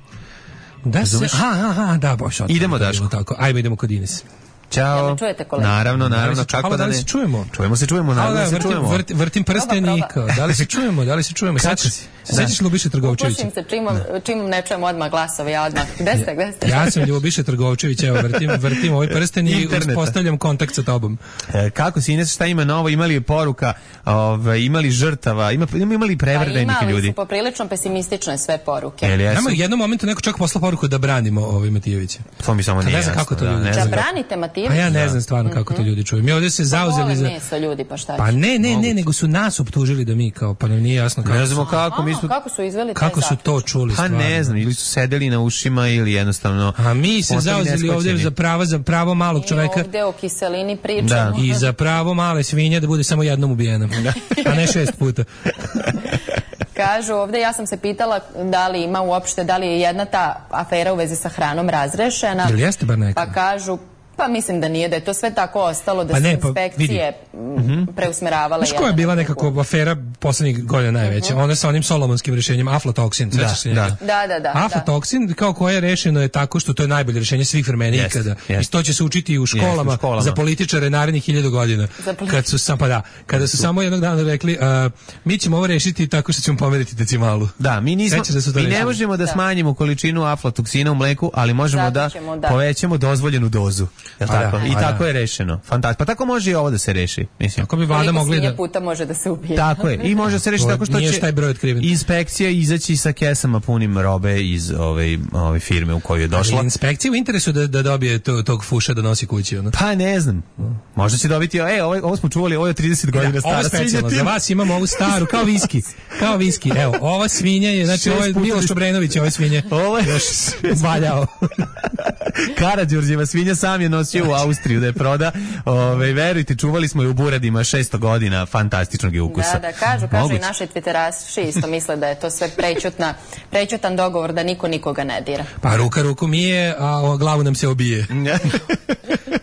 [SPEAKER 6] Da se, aha, aha, da, boš.
[SPEAKER 5] Idemo, Daško.
[SPEAKER 6] Tako. Ajmo, idemo kod Ines.
[SPEAKER 5] Ćao.
[SPEAKER 7] Ja čujete, kolega?
[SPEAKER 5] Naravno, naravno.
[SPEAKER 6] Da li se,
[SPEAKER 5] kako da
[SPEAKER 6] ne? Se čujemo?
[SPEAKER 5] Čujemo se, čujemo, naravno da se
[SPEAKER 6] vrtim,
[SPEAKER 5] čujemo.
[SPEAKER 6] Vrtim, vrtim prstenika. Da li se čujemo? Da li se čujemo? Sećaš se? Sećaš Ljubiše Trgovčevića?
[SPEAKER 7] Upušim se čim, čim ne čujem odmah glasove, ja odmah. Gde ste, gde ste?
[SPEAKER 6] Ja sam Ljubiše Trgovčević, evo, vrtim, vrtim ovaj prsten i uspostavljam kontakt sa tobom.
[SPEAKER 5] E, kako si, Ines, šta ima novo? Imali je poruka, ovaj, imali žrtava, ima, imali prevrede neki ljudi?
[SPEAKER 7] Imali su poprilično pesimistične sve poruke.
[SPEAKER 6] Nama u jednom momentu neko čak poslao poruku da branimo ovaj Matijevića.
[SPEAKER 5] To mi samo nije jasno.
[SPEAKER 6] Kako to ljudi.
[SPEAKER 7] Da branite Matijevića?
[SPEAKER 6] Pa ja ne znam stvarno kako to ljudi čuju. Mi ovdje se zauzeli za...
[SPEAKER 7] Pa ljudi, pa šta
[SPEAKER 6] Pa ne, ne, ne, nego su nas optužili da mi kao, pa nam nije jasno kako.
[SPEAKER 5] Ne znamo kako, mi smo...
[SPEAKER 7] Kako su izveli
[SPEAKER 6] Kako su to čuli
[SPEAKER 5] stvarno? Pa ne znam, ili su sedeli na ušima ili jednostavno...
[SPEAKER 6] A mi se zauzeli ovdje za pravo, za pravo malog čoveka.
[SPEAKER 7] I ovdje o kiselini pričamo.
[SPEAKER 5] Da.
[SPEAKER 6] I za pravo male svinje da bude samo jednom ubijena. A ne šest puta.
[SPEAKER 7] Kažu ovdje, ja sam se pitala da li ima uopšte, da li je jedna ta afera u vezi sa hranom razrešena.
[SPEAKER 6] Ili jeste bar neka?
[SPEAKER 7] Pa kažu, pa mislim da nije, da je to sve tako ostalo, da
[SPEAKER 6] pa
[SPEAKER 7] su
[SPEAKER 6] ne,
[SPEAKER 7] inspekcije
[SPEAKER 6] pa,
[SPEAKER 7] mm, preusmeravale.
[SPEAKER 6] Znaš koja je bila nekako afera poslednjih godina najveća? Uh-huh. Ona sa onim solomonskim rešenjem, aflatoksin.
[SPEAKER 5] Da,
[SPEAKER 6] da.
[SPEAKER 7] da, da, da.
[SPEAKER 6] Aflatoksin, da. Kao koje je rešeno je tako što to je najbolje rešenje svih vremena yes, ikada. Yes. I to će se učiti u školama, yes, u školama. Za političare narednih hiljadu godina. Kad su, sam, pa da, kada su samo jednog dana rekli, uh, mi ćemo ovo rešiti tako što ćemo pomeriti decimalu.
[SPEAKER 5] Da, mi nismo,
[SPEAKER 6] da
[SPEAKER 5] mi ne možemo da, da smanjimo količinu aflatoksina u mleku, ali možemo da, da povećamo dozvoljenu dozu. Je tako? Da, I tako da. je rešeno. Fantastično. Pa tako može i ovo da se reši, mislim.
[SPEAKER 6] Tako bi vlada mogli da
[SPEAKER 7] puta može da se ubije.
[SPEAKER 5] Tako je. I može se rešiti tako što će inspekcija izaći sa kesama punim robe iz ove ove firme u koju je došla.
[SPEAKER 6] Ali inspekcija u interesu da da dobije to, tog fuša da nosi kući, ono.
[SPEAKER 5] Pa ne znam. Možda će dobiti, ej, ovo, ovo smo čuvali, ovo je trideset godina stara svinja.
[SPEAKER 6] Za vas imamo ovu staru kao viski. Kao viski. Evo, ova svinja je, znači ovo je Miloš Obrenović, ove svinje.
[SPEAKER 5] Ovo je
[SPEAKER 6] još valjao.
[SPEAKER 5] Karađorđeva svinja sam je nosio u Austriju da je proda. Ove, verujte, čuvali smo je u buradima šesto godina, fantastičnog je ukusa.
[SPEAKER 7] Da, da, kažu, kažu Moguć. I naši twitteraši isto misle da je to sve prećutna, prećutan dogovor da niko nikoga ne dira.
[SPEAKER 6] Pa ruka ruku mije, a o glavu nam se obije.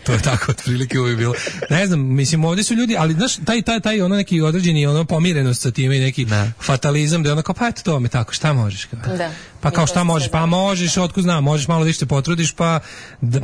[SPEAKER 6] To je tako otprilike uvijek bilo. Ne znam, mislim, ovdje su ljudi, ali znaš, taj, taj, taj ono neki određeni ono pomirenost sa time i neki ne. fatalizam da je ono kao, pa eto to me tako, šta možeš? Kao? Da. Pa kao šta možeš? Pa možeš, otkud znam, možeš malo više se potrudiš, pa da,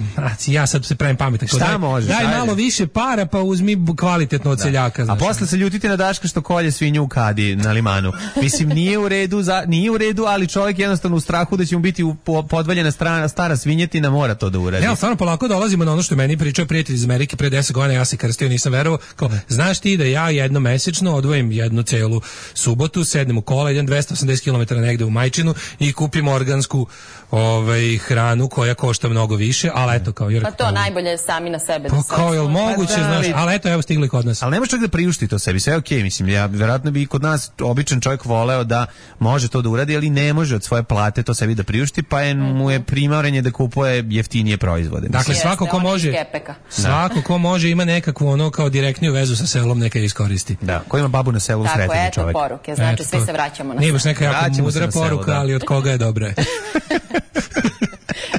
[SPEAKER 6] ja sad se pravim pametan.
[SPEAKER 5] Šta
[SPEAKER 6] daj,
[SPEAKER 5] možeš?
[SPEAKER 6] Daj
[SPEAKER 5] Ajde.
[SPEAKER 6] malo više para pa uzmi kvalitetno od seljaka.
[SPEAKER 5] A
[SPEAKER 6] Znaš.
[SPEAKER 5] posle se ljutite na Daška što kolje svinju u kadi na limanu. Mislim, nije u redu, za, nije u redu, ali čovjek jednostavno u strahu da će mu biti u, po, podvaljena strana, stara svinjetina, mora to da uradi.
[SPEAKER 6] Ja, stvarno polako dolazimo na ono što je meni pričao prijatelj iz Amerike pre deset godina, ja se krstio, nisam verovao. Kao, znaš ti da ja jednom mesečno odvojim jednu celu subotu, sednem u kola, idem dvesta osamdeset kilometara negde u Majčinu i kupim organsku ovaj, hranu koja košta mnogo više, ali eto kao... Jer,
[SPEAKER 7] Pa to
[SPEAKER 6] kao,
[SPEAKER 7] najbolje sami na sebe. Da
[SPEAKER 6] pa
[SPEAKER 7] se
[SPEAKER 6] kao, jel
[SPEAKER 7] osluže.
[SPEAKER 6] moguće,
[SPEAKER 5] Pa da,
[SPEAKER 6] znaš,
[SPEAKER 5] ali-
[SPEAKER 6] ali eto, evo stigli kod nas.
[SPEAKER 5] Ali nemaš čak da priušti to sebi, sve je okej, mislim, ja verovatno bi i kod nas običan čovjek voleo da može to da uradi, ali ne može od svoje plate to sebi da priušti, pa je, mu je primavrenje da kupuje jeftinije proizvode.
[SPEAKER 6] Dakle,
[SPEAKER 7] Jeste,
[SPEAKER 6] svako ko
[SPEAKER 7] on iz
[SPEAKER 6] može,
[SPEAKER 7] kepeka.
[SPEAKER 6] svako ko može ima nekakvu ono kao direktniju vezu sa selom, neka je iskoristi.
[SPEAKER 5] Da, ko ima babu na selu,
[SPEAKER 7] Tako,
[SPEAKER 5] sretan je
[SPEAKER 7] eto
[SPEAKER 5] čovjek.
[SPEAKER 7] poruke. Znači,
[SPEAKER 6] Eto,
[SPEAKER 7] svi
[SPEAKER 6] to-
[SPEAKER 7] se vraćamo na
[SPEAKER 6] Nije baš
[SPEAKER 7] selo.
[SPEAKER 6] neka jako
[SPEAKER 5] Vraćamo se
[SPEAKER 6] mudra
[SPEAKER 5] na selo,
[SPEAKER 6] poruka,
[SPEAKER 5] da.
[SPEAKER 6] ali od koga je dobra.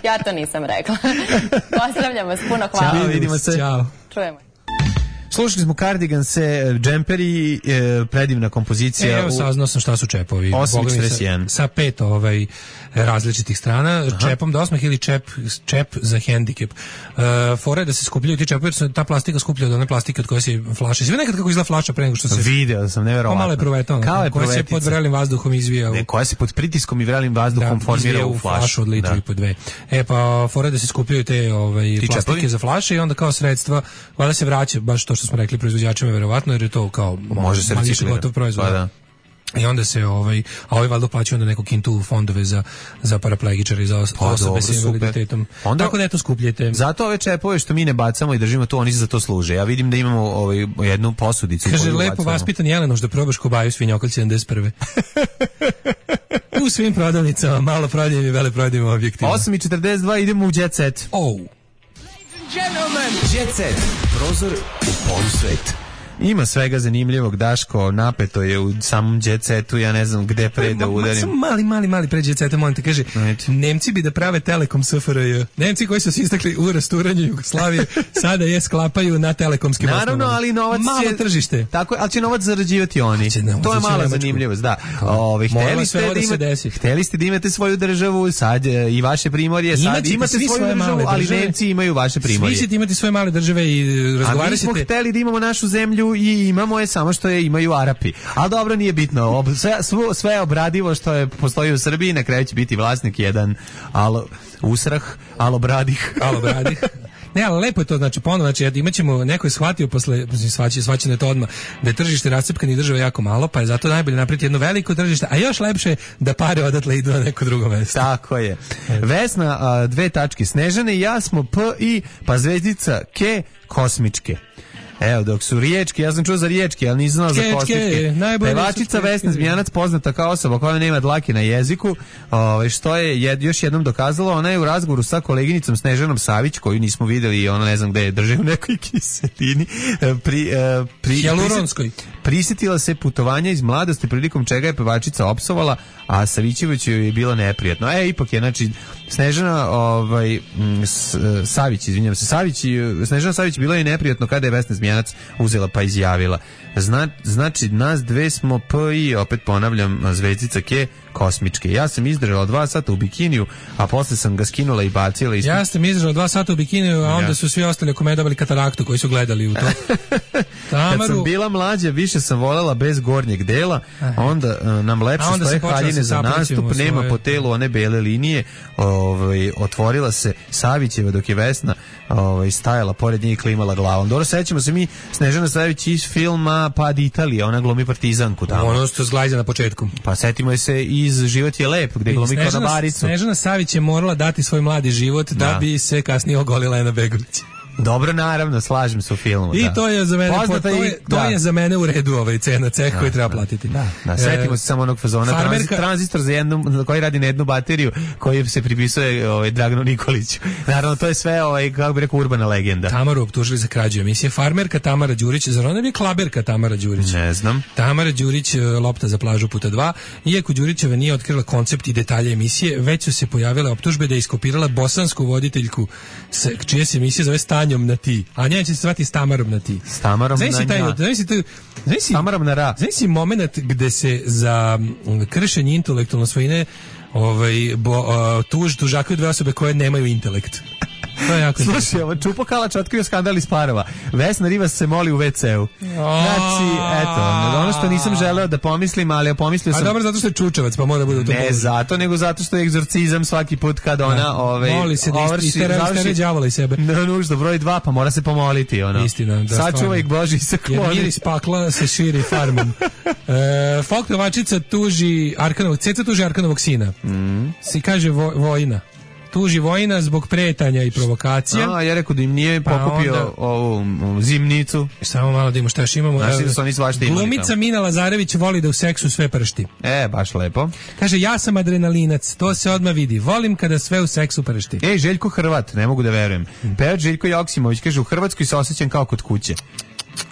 [SPEAKER 7] Ja to nisam rekla. Pozdravljam vas, puno hvala.
[SPEAKER 5] Ćao, vidimo se.
[SPEAKER 6] Ćao.
[SPEAKER 7] Čujemo.
[SPEAKER 5] Slušali smo Cardiganse, džemperi, e, predivna kompozicija.
[SPEAKER 6] E, evo
[SPEAKER 5] u-
[SPEAKER 6] saznao sam šta su čepovi.
[SPEAKER 5] osam
[SPEAKER 6] Boga mi,
[SPEAKER 5] četrdeset jedan.
[SPEAKER 6] Sa, sa pet ovaj, različitih strana. Aha. Čepom do osmeh ili čep, čep za hendikep. Uh, fora je da se skupljaju ti čepovi jer se ta plastika skuplja od one plastike od koje se flaše. Sve nekad kako izgleda flaša pre nego što se...
[SPEAKER 5] Video sam, neverovatno.
[SPEAKER 6] Pomalo je provetano.
[SPEAKER 5] Kao je
[SPEAKER 6] koja se
[SPEAKER 5] provetica.
[SPEAKER 6] pod vrelim vazduhom izvija u...
[SPEAKER 5] Ne, koja se pod pritiskom i vrelim vazduhom formira
[SPEAKER 6] izvija
[SPEAKER 5] u flašu.
[SPEAKER 6] od litru
[SPEAKER 5] Da.
[SPEAKER 6] i po dve. E pa fora je da se skupljaju te ovaj, plastike
[SPEAKER 5] čepovi?
[SPEAKER 6] za flaše i onda kao sredstva, valjda se vraća, baš to što smo rekli proizvođačima verovatno, jer je to kao
[SPEAKER 5] Može se
[SPEAKER 6] manje
[SPEAKER 5] reciklirati.
[SPEAKER 6] gotov proizvod.
[SPEAKER 5] Pa da.
[SPEAKER 6] I onda se ovaj, a ovaj valjda plaćaju onda neku kintu u fondove za za paraplegičare i za os-
[SPEAKER 5] Pa,
[SPEAKER 6] osobe
[SPEAKER 5] dobro,
[SPEAKER 6] sa invaliditetom.
[SPEAKER 5] super. Onda-
[SPEAKER 6] Tako da eto skupljete.
[SPEAKER 5] Zato ove čepove što mi ne bacamo i držimo tu, oni se za to služe. Ja vidim da imamo ovaj, jednu posudicu.
[SPEAKER 6] Kaže,
[SPEAKER 5] koju
[SPEAKER 6] lepo
[SPEAKER 5] bacamo.
[SPEAKER 6] vaspitan Jelenoš da probaš kobaju svinjokolj sedamdeset prve. U svim prodavnicama, malo prodajim i vele prodajim objektivno.
[SPEAKER 5] osam i četrdeset dva idemo u Jet Set.
[SPEAKER 6] Oh.
[SPEAKER 5] Jet Set. Prozor u polusvet. Ima svega zanimljivog, Daško, napeto je u samom Jet Setu, ja ne znam gde pre da
[SPEAKER 6] Ma- ma-
[SPEAKER 5] udarim.
[SPEAKER 6] Samo mali, mali, mali pređe ceta, molim te, kaže,
[SPEAKER 5] Ajde.
[SPEAKER 6] Nemci bi da prave Telekom S F R J. Nemci koji su se istakli u rasturanju Jugoslavije, sada je sklapaju na telekomskim
[SPEAKER 5] Naravno,
[SPEAKER 6] osnovama.
[SPEAKER 5] ali novac
[SPEAKER 6] Malo
[SPEAKER 5] će...
[SPEAKER 6] tržište.
[SPEAKER 5] Tako, ali će novac zarađivati oni.
[SPEAKER 6] Će novac
[SPEAKER 5] To je
[SPEAKER 6] ići u
[SPEAKER 5] mala
[SPEAKER 6] Nemačku.
[SPEAKER 5] zanimljivost, da.
[SPEAKER 6] Kao,
[SPEAKER 5] Ove,
[SPEAKER 6] moralo
[SPEAKER 5] hteli,
[SPEAKER 6] sve
[SPEAKER 5] ste
[SPEAKER 6] ovo
[SPEAKER 5] da
[SPEAKER 6] da se
[SPEAKER 5] imate,
[SPEAKER 6] desi.
[SPEAKER 5] hteli ste da imate svoju državu, sad e, i vaše primorje, sad
[SPEAKER 6] Imaćete
[SPEAKER 5] imate
[SPEAKER 6] svi
[SPEAKER 5] svoju
[SPEAKER 6] svoje
[SPEAKER 5] državu,
[SPEAKER 6] male
[SPEAKER 5] ali
[SPEAKER 6] države.
[SPEAKER 5] Nemci imaju vaše primorje.
[SPEAKER 6] Svi ćete imati svoje male države i
[SPEAKER 5] A mi
[SPEAKER 6] razgovarat
[SPEAKER 5] smo
[SPEAKER 6] ćete.
[SPEAKER 5] hteli da imamo našu zemlju i imamo je, samo što je imaju Arapi. Ali dobro, nije bitno. Ob, sve, svo- sve je obradivo što je postoji u Srbiji, na kraju će biti vlasnik jedan alo, usrah, alobradih.
[SPEAKER 6] Alo, bradih. Ne, ali lepo je to, znači ponovno, znači imaćemo, neko je shvatio posle, svaći, svaćeno je to odmah, da je tržište rascepkane i države jako malo, pa je zato najbolje napraviti jedno veliko tržište, a još lepše je da pare odatle idu na neko drugo mesto.
[SPEAKER 5] Tako je. Vesna, a, dve tačke. Snežane i ja smo P i, pa zvezdica K, kosmičke. Evo, dok su riječki, ja sam čuo za riječki, ali nisam znao za
[SPEAKER 6] Kečke,
[SPEAKER 5] kosmičke.
[SPEAKER 6] najbolje su
[SPEAKER 5] Pevačica
[SPEAKER 6] kečke.
[SPEAKER 5] Vesna Zmijanac, poznata kao osoba koja nema dlake na jeziku, ovaj, što je jed, još jednom dokazala, ona je u razgovoru sa koleginicom Snežanom Savić, koju nismo videli i ona ne znam gde je, drže u nekoj kiselini, e, pri, e, pri,
[SPEAKER 6] Hijaluronskoj.
[SPEAKER 5] prisjetila se putovanja iz mladosti, prilikom čega je pevačica opsovala, a Savićeviću je bilo neprijatno. E, ipak je, znači, Snežana ovaj, m, S- Savić, izvinjam se, Savić, i- Snežana Savić bilo je neprijatno kada je Vesna Zmijanac uzela pa izjavila. Zna, znači, nas dve smo P i, opet ponavljam, zvezdica K, kosmičke. Ja sam izdržala dva sata u bikiniju, a posle sam ga skinula i bacila ispod.
[SPEAKER 6] Ja sam izdržao dva sata u bikiniju, a onda
[SPEAKER 5] Ja.
[SPEAKER 6] su svi ostali oko mene dobili kataraktu koji su gledali u to.
[SPEAKER 5] Kad
[SPEAKER 6] Tamaru,
[SPEAKER 5] sam bila mlađa, više sam voljela bez gornjeg dela, onda uh, nam lepše
[SPEAKER 6] A onda
[SPEAKER 5] stoje
[SPEAKER 6] sam počela
[SPEAKER 5] haljine
[SPEAKER 6] se
[SPEAKER 5] za
[SPEAKER 6] saplićemo
[SPEAKER 5] nastup, nema
[SPEAKER 6] svoje.
[SPEAKER 5] po telu one bele linije, ovaj, otvorila se Savićeva dok je Vesna ovaj, stajala pored nje i klimala glavom. Dobro, sećamo se mi Snežana Savić iz filma Pad Italije, ona glumi partizanku tamo.
[SPEAKER 6] ono što zglajza na početku.
[SPEAKER 5] Pa setimo je se iz Život je lep, gde glumi
[SPEAKER 6] Snežana,
[SPEAKER 5] konobaricu.
[SPEAKER 6] Snežana Savić je morala dati svoj mladi život da,
[SPEAKER 5] Da.
[SPEAKER 6] bi se kasnije ogolila Ena Begović.
[SPEAKER 5] Dobro, naravno, slažem se u filmu.
[SPEAKER 6] I
[SPEAKER 5] da.
[SPEAKER 6] to je za mene
[SPEAKER 5] Poznata
[SPEAKER 6] to,
[SPEAKER 5] i-
[SPEAKER 6] je, to
[SPEAKER 5] da.
[SPEAKER 6] je za mene u redu ovaj cena ceh koji treba platiti.
[SPEAKER 5] Da, da, setimo se samo onog fazona,
[SPEAKER 6] farmerka-
[SPEAKER 5] tranzi, tranzistor za jednu, koji radi na jednu bateriju, koji se pripisuje ovaj, Draganu Nikoliću. Naravno, to je sve, ovaj, kako bi rekao, urbana legenda.
[SPEAKER 6] Tamaru optužili za krađu emisije. Farmerka Tamara Đurić, zar ona bi klaberka Tamara Đurić?
[SPEAKER 5] Ne znam.
[SPEAKER 6] Tamara Đurić, e, lopta za plažu puta dva. Iako Đurićeva nije otkrila koncept i detalje emisije, već su se pojavile optužbe da je iskopirala bosansku voditeljku s- čije se emisije zove Stanjom na ti. A njen će se zvati s Tamarom na ti.
[SPEAKER 5] S Tamarom
[SPEAKER 6] Znaš si
[SPEAKER 5] na
[SPEAKER 6] taj,
[SPEAKER 5] nja.
[SPEAKER 6] znaš si taj, znaš si,
[SPEAKER 5] Tamarom na ra.
[SPEAKER 6] znaš si moment gde se za mm, kršenje intelektualne svojine ovaj, bo, uh, tuž, tužakaju dve osobe koje nemaju intelekt. To je jako
[SPEAKER 5] Slušaj, ovo Čupo Kalač otkrio skandal iz Parova. Vesna Rivas se moli u ve ceu. Znači, eto, ono što nisam želeo da pomislim, ali pomislio sam...
[SPEAKER 6] A dobro, zato što je čučevac, pa mora da bude u tom
[SPEAKER 5] Ne položu. Zato, nego zato što je egzorcizam svaki put kad ona ovaj,
[SPEAKER 6] moli se da
[SPEAKER 5] ovrši,
[SPEAKER 6] istere, istere đavola iz sebe.
[SPEAKER 5] Ne, nužno, broj dva, pa mora se pomoliti. Ono.
[SPEAKER 6] Istina, da.
[SPEAKER 5] Sačuvaj ih Boži se kloni.
[SPEAKER 6] Jer miris pakla se širi farmom. E, folk pevačica tuži Arkanovog, Ceca tuži Arkanovog sina. Mm. Si kaže vo, Vojina. Tuži Vojina zbog pretanja i provokacija.
[SPEAKER 5] A, ja rekao da im nije pokupio pa onda, ovu zimnicu.
[SPEAKER 6] Samo malo da imamo šta još imamo.
[SPEAKER 5] Znaš da su oni svašta imali.
[SPEAKER 6] Glumica Mina Lazarević voli da u seksu sve pršti.
[SPEAKER 5] E, baš lepo.
[SPEAKER 6] Kaže, ja sam adrenalinac, to se odmah vidi. Volim kada sve u seksu pršti.
[SPEAKER 5] Ej, Željko Hrvat, ne mogu da verujem. Pevač Željko Joksimović kaže, u Hrvatskoj se osjećam kao kod kuće.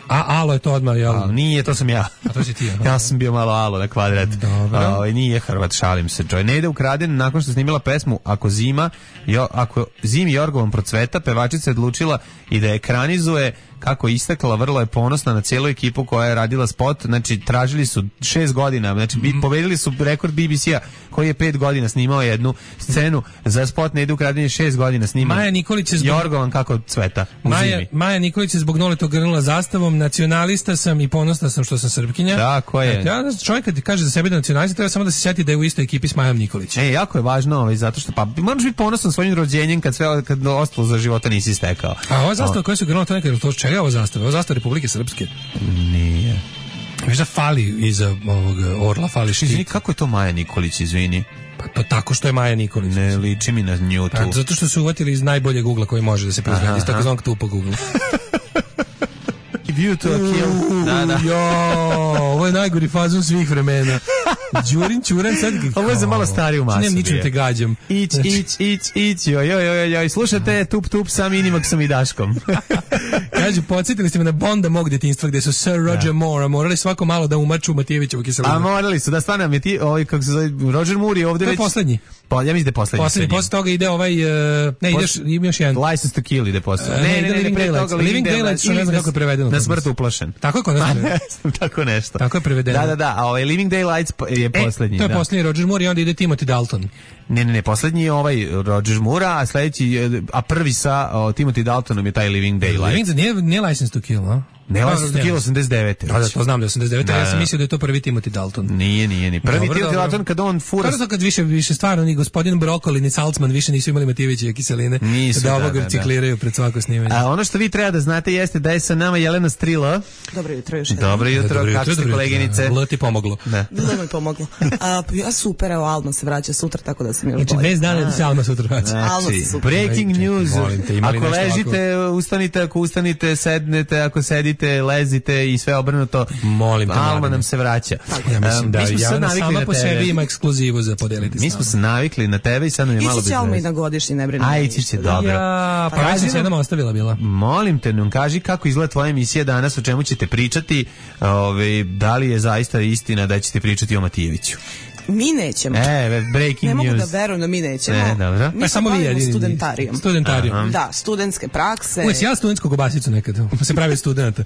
[SPEAKER 6] A alo je to odmah, jel?
[SPEAKER 5] A, nije, to sam ja.
[SPEAKER 6] A to si ti,
[SPEAKER 5] ja sam bio malo alo na kvadrat.
[SPEAKER 6] Dobro.
[SPEAKER 5] A, nije Hrvat, šalim se. Čoj, ne ide ukraden nakon što snimila pesmu Ako zima, jo, ako zimi Jorgovom procveta, pevačica je odlučila i da ekranizuje kako istakla, vrlo je ponosna na cijelu ekipu koja je radila spot, znači tražili su šest godina, znači mm. pobedili su rekord be be ce-a koji je pet godina snimao jednu scenu za spot Ne ide ukraden šest godina snimao.
[SPEAKER 6] Maja Nikolić je zbog...
[SPEAKER 5] Jorgovan kako cveta u
[SPEAKER 6] Maja,
[SPEAKER 5] zimi.
[SPEAKER 6] Maja Nikolić je zbog Noletog grnula zastavom, nacionalista sam i ponosna sam što sam Srpkinja.
[SPEAKER 5] Tako je.
[SPEAKER 6] Ja, čovjek kad kaže za sebe da nacionalista, treba samo da se sjeti da je u istoj ekipi s Majom Nikolić.
[SPEAKER 5] E, jako je važno, ovaj, zato što pa moraš biti ponosan svojim rođenjem kad sve kad ostalo za života nisi stekao.
[SPEAKER 6] A ova zastava koja su grnula, to nekada, to čega je ova zastava? Ova zastava Republike Srpske?
[SPEAKER 5] Nije.
[SPEAKER 6] Viš da fali iza ovog orla, fali štit.
[SPEAKER 5] Izvini, kako je to Maja Nikolić, izvini?
[SPEAKER 6] Pa to tako što je Maja Nikolić.
[SPEAKER 5] Ne liči mi na nju tu.
[SPEAKER 6] Pa, zato što su uvatili iz najbolje Googla koji može da se proizvede, iz takozvanog tupog Googla.
[SPEAKER 5] View to a kill. Da, da.
[SPEAKER 6] Jo, ovo je najgori fazon svih vremena. Đurin Ćuran sad...
[SPEAKER 5] Ovo je za malo stariju masu.
[SPEAKER 6] Nem ničim te gađam.
[SPEAKER 5] Ić, ić, ić, ić, joj, joj, joj, joj. Slušate Tup Tup sa Minimaksom i Daškom.
[SPEAKER 6] Kažu, podsjetili ste me na Bonda mog djetinjstva gde su Sir Roger Moore morali svako malo da umaču Matijevićevu kiselinu.
[SPEAKER 5] A morali su, da stvarno mi ti, ovaj, kako se zove, Roger Moore je ovde
[SPEAKER 6] to
[SPEAKER 5] već...
[SPEAKER 6] To je poslednji.
[SPEAKER 5] Pa, ja mislim da je poslednji.
[SPEAKER 6] Poslednji, posle toga ide ovaj... Uh, ne, ideš, ima još jedan.
[SPEAKER 5] License to Kill ide posle.
[SPEAKER 6] Uh, ne, ne, ne, ne, Living Daylights. Living Daylights, što ne znam kako je prevedeno.
[SPEAKER 5] Na smrt uplašen.
[SPEAKER 6] Tako je kod nas prevedeno.
[SPEAKER 5] Tako nešto.
[SPEAKER 6] Tako je prevedeno.
[SPEAKER 5] Da, da, da, a ovaj Living Daylights je poslednji.
[SPEAKER 6] E, to je poslednji Roger Moore i onda ide Timothy Dalton.
[SPEAKER 5] Ne, ne, ne, poslednji je ovaj Roger Moore, a sledeći, a prvi sa o, Timothy Daltonom je taj Living Daylights.
[SPEAKER 6] Living, nije, nije License to Kill, a?
[SPEAKER 5] Ne, License to Kill osamdeset devete.
[SPEAKER 6] Da, da, to znam da je osamdeset devete,
[SPEAKER 5] da,
[SPEAKER 6] ja sam mislio da je to prvi Timothy Dalton.
[SPEAKER 5] Nije, nije, nije. Prvi Timothy Dalton kad on fura...
[SPEAKER 6] Kada to kad više, više stvarno ni gospodin Brokoli ni Salzman više nisu imali Matijevićeve kiseline,
[SPEAKER 5] nisu,
[SPEAKER 6] da ovog
[SPEAKER 5] da, da,
[SPEAKER 6] recikliraju pred svako snimanje.
[SPEAKER 5] A ono što vi treba da znate jeste da je sa nama Jelena Strila.
[SPEAKER 10] Dobro jutro još jedan.
[SPEAKER 5] Dobro jutro,
[SPEAKER 6] dobro
[SPEAKER 5] kako ste koleginice?
[SPEAKER 6] Bilo ti pomoglo.
[SPEAKER 10] Da. Bilo mi pomoglo. A, ja super, evo Alma se vraća sutra, tako da sam još
[SPEAKER 6] znači,
[SPEAKER 10] bolje.
[SPEAKER 6] Znači, bez dana da se Alma sutra vraća.
[SPEAKER 5] Znači,
[SPEAKER 10] Alma se super.
[SPEAKER 5] Breaking news.
[SPEAKER 6] Te,
[SPEAKER 5] ako ležite, ako... ustanite, ako ustanite, sednete, ako sedite, lezite i sve obrnuto.
[SPEAKER 6] Molim te,
[SPEAKER 5] Alma nam se vraća.
[SPEAKER 6] Ja mislim da
[SPEAKER 5] um,
[SPEAKER 6] ja sama po sebi ima ekskluzivu za podeliti.
[SPEAKER 5] Mi smo se navikli na tebe i sad nam je malo bez veze.
[SPEAKER 10] Ići će Alma i na godišnji, ne brini.
[SPEAKER 5] Aj, ići će dobro.
[SPEAKER 6] Ja, pa već sam se jednom ostavila bila.
[SPEAKER 5] Molim te, nam kaži kako izgleda tvoja emisija danas, o čemu ćete pričati, ove, da li je zaista istina da ćete pričati o Matijeviću?
[SPEAKER 10] Mi nećemo.
[SPEAKER 5] E, breaking
[SPEAKER 10] news. Ne mogu
[SPEAKER 5] news.
[SPEAKER 10] da verujem da mi nećemo.
[SPEAKER 5] Ne, dobro.
[SPEAKER 10] Mi samo vi studentarijom.
[SPEAKER 6] Studentarijom.
[SPEAKER 10] Da, studentske prakse.
[SPEAKER 6] Uvijek ja studentsku kobasicu nekad. Se pravi studenta.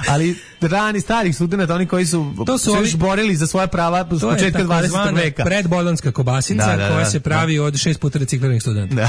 [SPEAKER 5] Ali rani starih studenta, oni koji su,
[SPEAKER 6] to su
[SPEAKER 5] se
[SPEAKER 6] ovi,
[SPEAKER 5] još borili za svoje prava s početka dvadesetog veka.
[SPEAKER 6] Predbolonska kobasica da, da, da, koja se pravi da. od šest puta recikliranih studenta.
[SPEAKER 5] Da.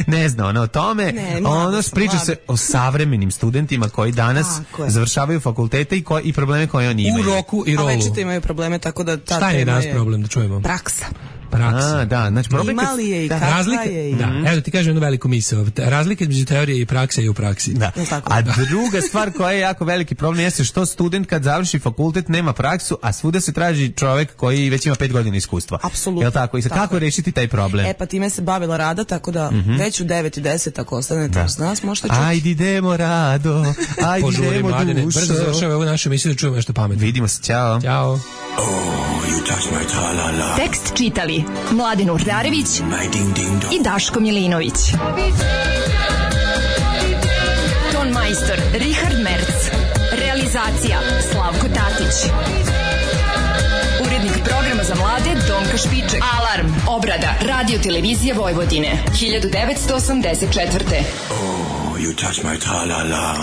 [SPEAKER 5] Ne zna ona o tome, ne, ono priča se o savremenim studentima koji danas završavaju fakultete i, ko, i probleme koje oni imaju.
[SPEAKER 6] U roku i rolu.
[SPEAKER 10] A večito imaju probleme, tako da ta
[SPEAKER 6] šta je danas problem, da čujemo?
[SPEAKER 10] Praksa.
[SPEAKER 6] Praksa.
[SPEAKER 5] A, da, znači problem
[SPEAKER 10] ima li je i kakva
[SPEAKER 6] razlika,
[SPEAKER 10] je i...
[SPEAKER 6] Da, mm. evo ti kažem jednu veliku misao. Razlika između teorije i prakse je u praksi.
[SPEAKER 5] Da. A druga stvar koja je jako veliki problem jeste što student kad završi fakultet nema praksu, a svuda se traži čovjek koji već ima pet godina iskustva.
[SPEAKER 10] Apsolutno.
[SPEAKER 5] Jel tako? I sad, kako rešiti taj problem?
[SPEAKER 10] E pa time se bavila Rada, tako da mm -hmm. već u devet i deset ako ostanete uz nas, možete čuti.
[SPEAKER 5] Ajde idemo Rado, ajde
[SPEAKER 6] Požuri,
[SPEAKER 5] idemo
[SPEAKER 6] mladine,
[SPEAKER 5] dušo.
[SPEAKER 6] Brzo završava ovu našu emisiju da čujemo nešto pametno.
[SPEAKER 5] Vidimo se, ćao.
[SPEAKER 6] Ćao.
[SPEAKER 11] Oh, you touch my tra-la-la.
[SPEAKER 4] Tekst čitali Mladen Urdarević i Daško Milinović. Ton majstor Richard Merc. Realizacija Slavko Tatić. Urednik programa za mlade Donka Špiček. Alarm. Obrada Radio Televizije Vojvodine. hiljadu devetsto osamdeset četvrte.
[SPEAKER 11] Oh, you touch my tra-la-la.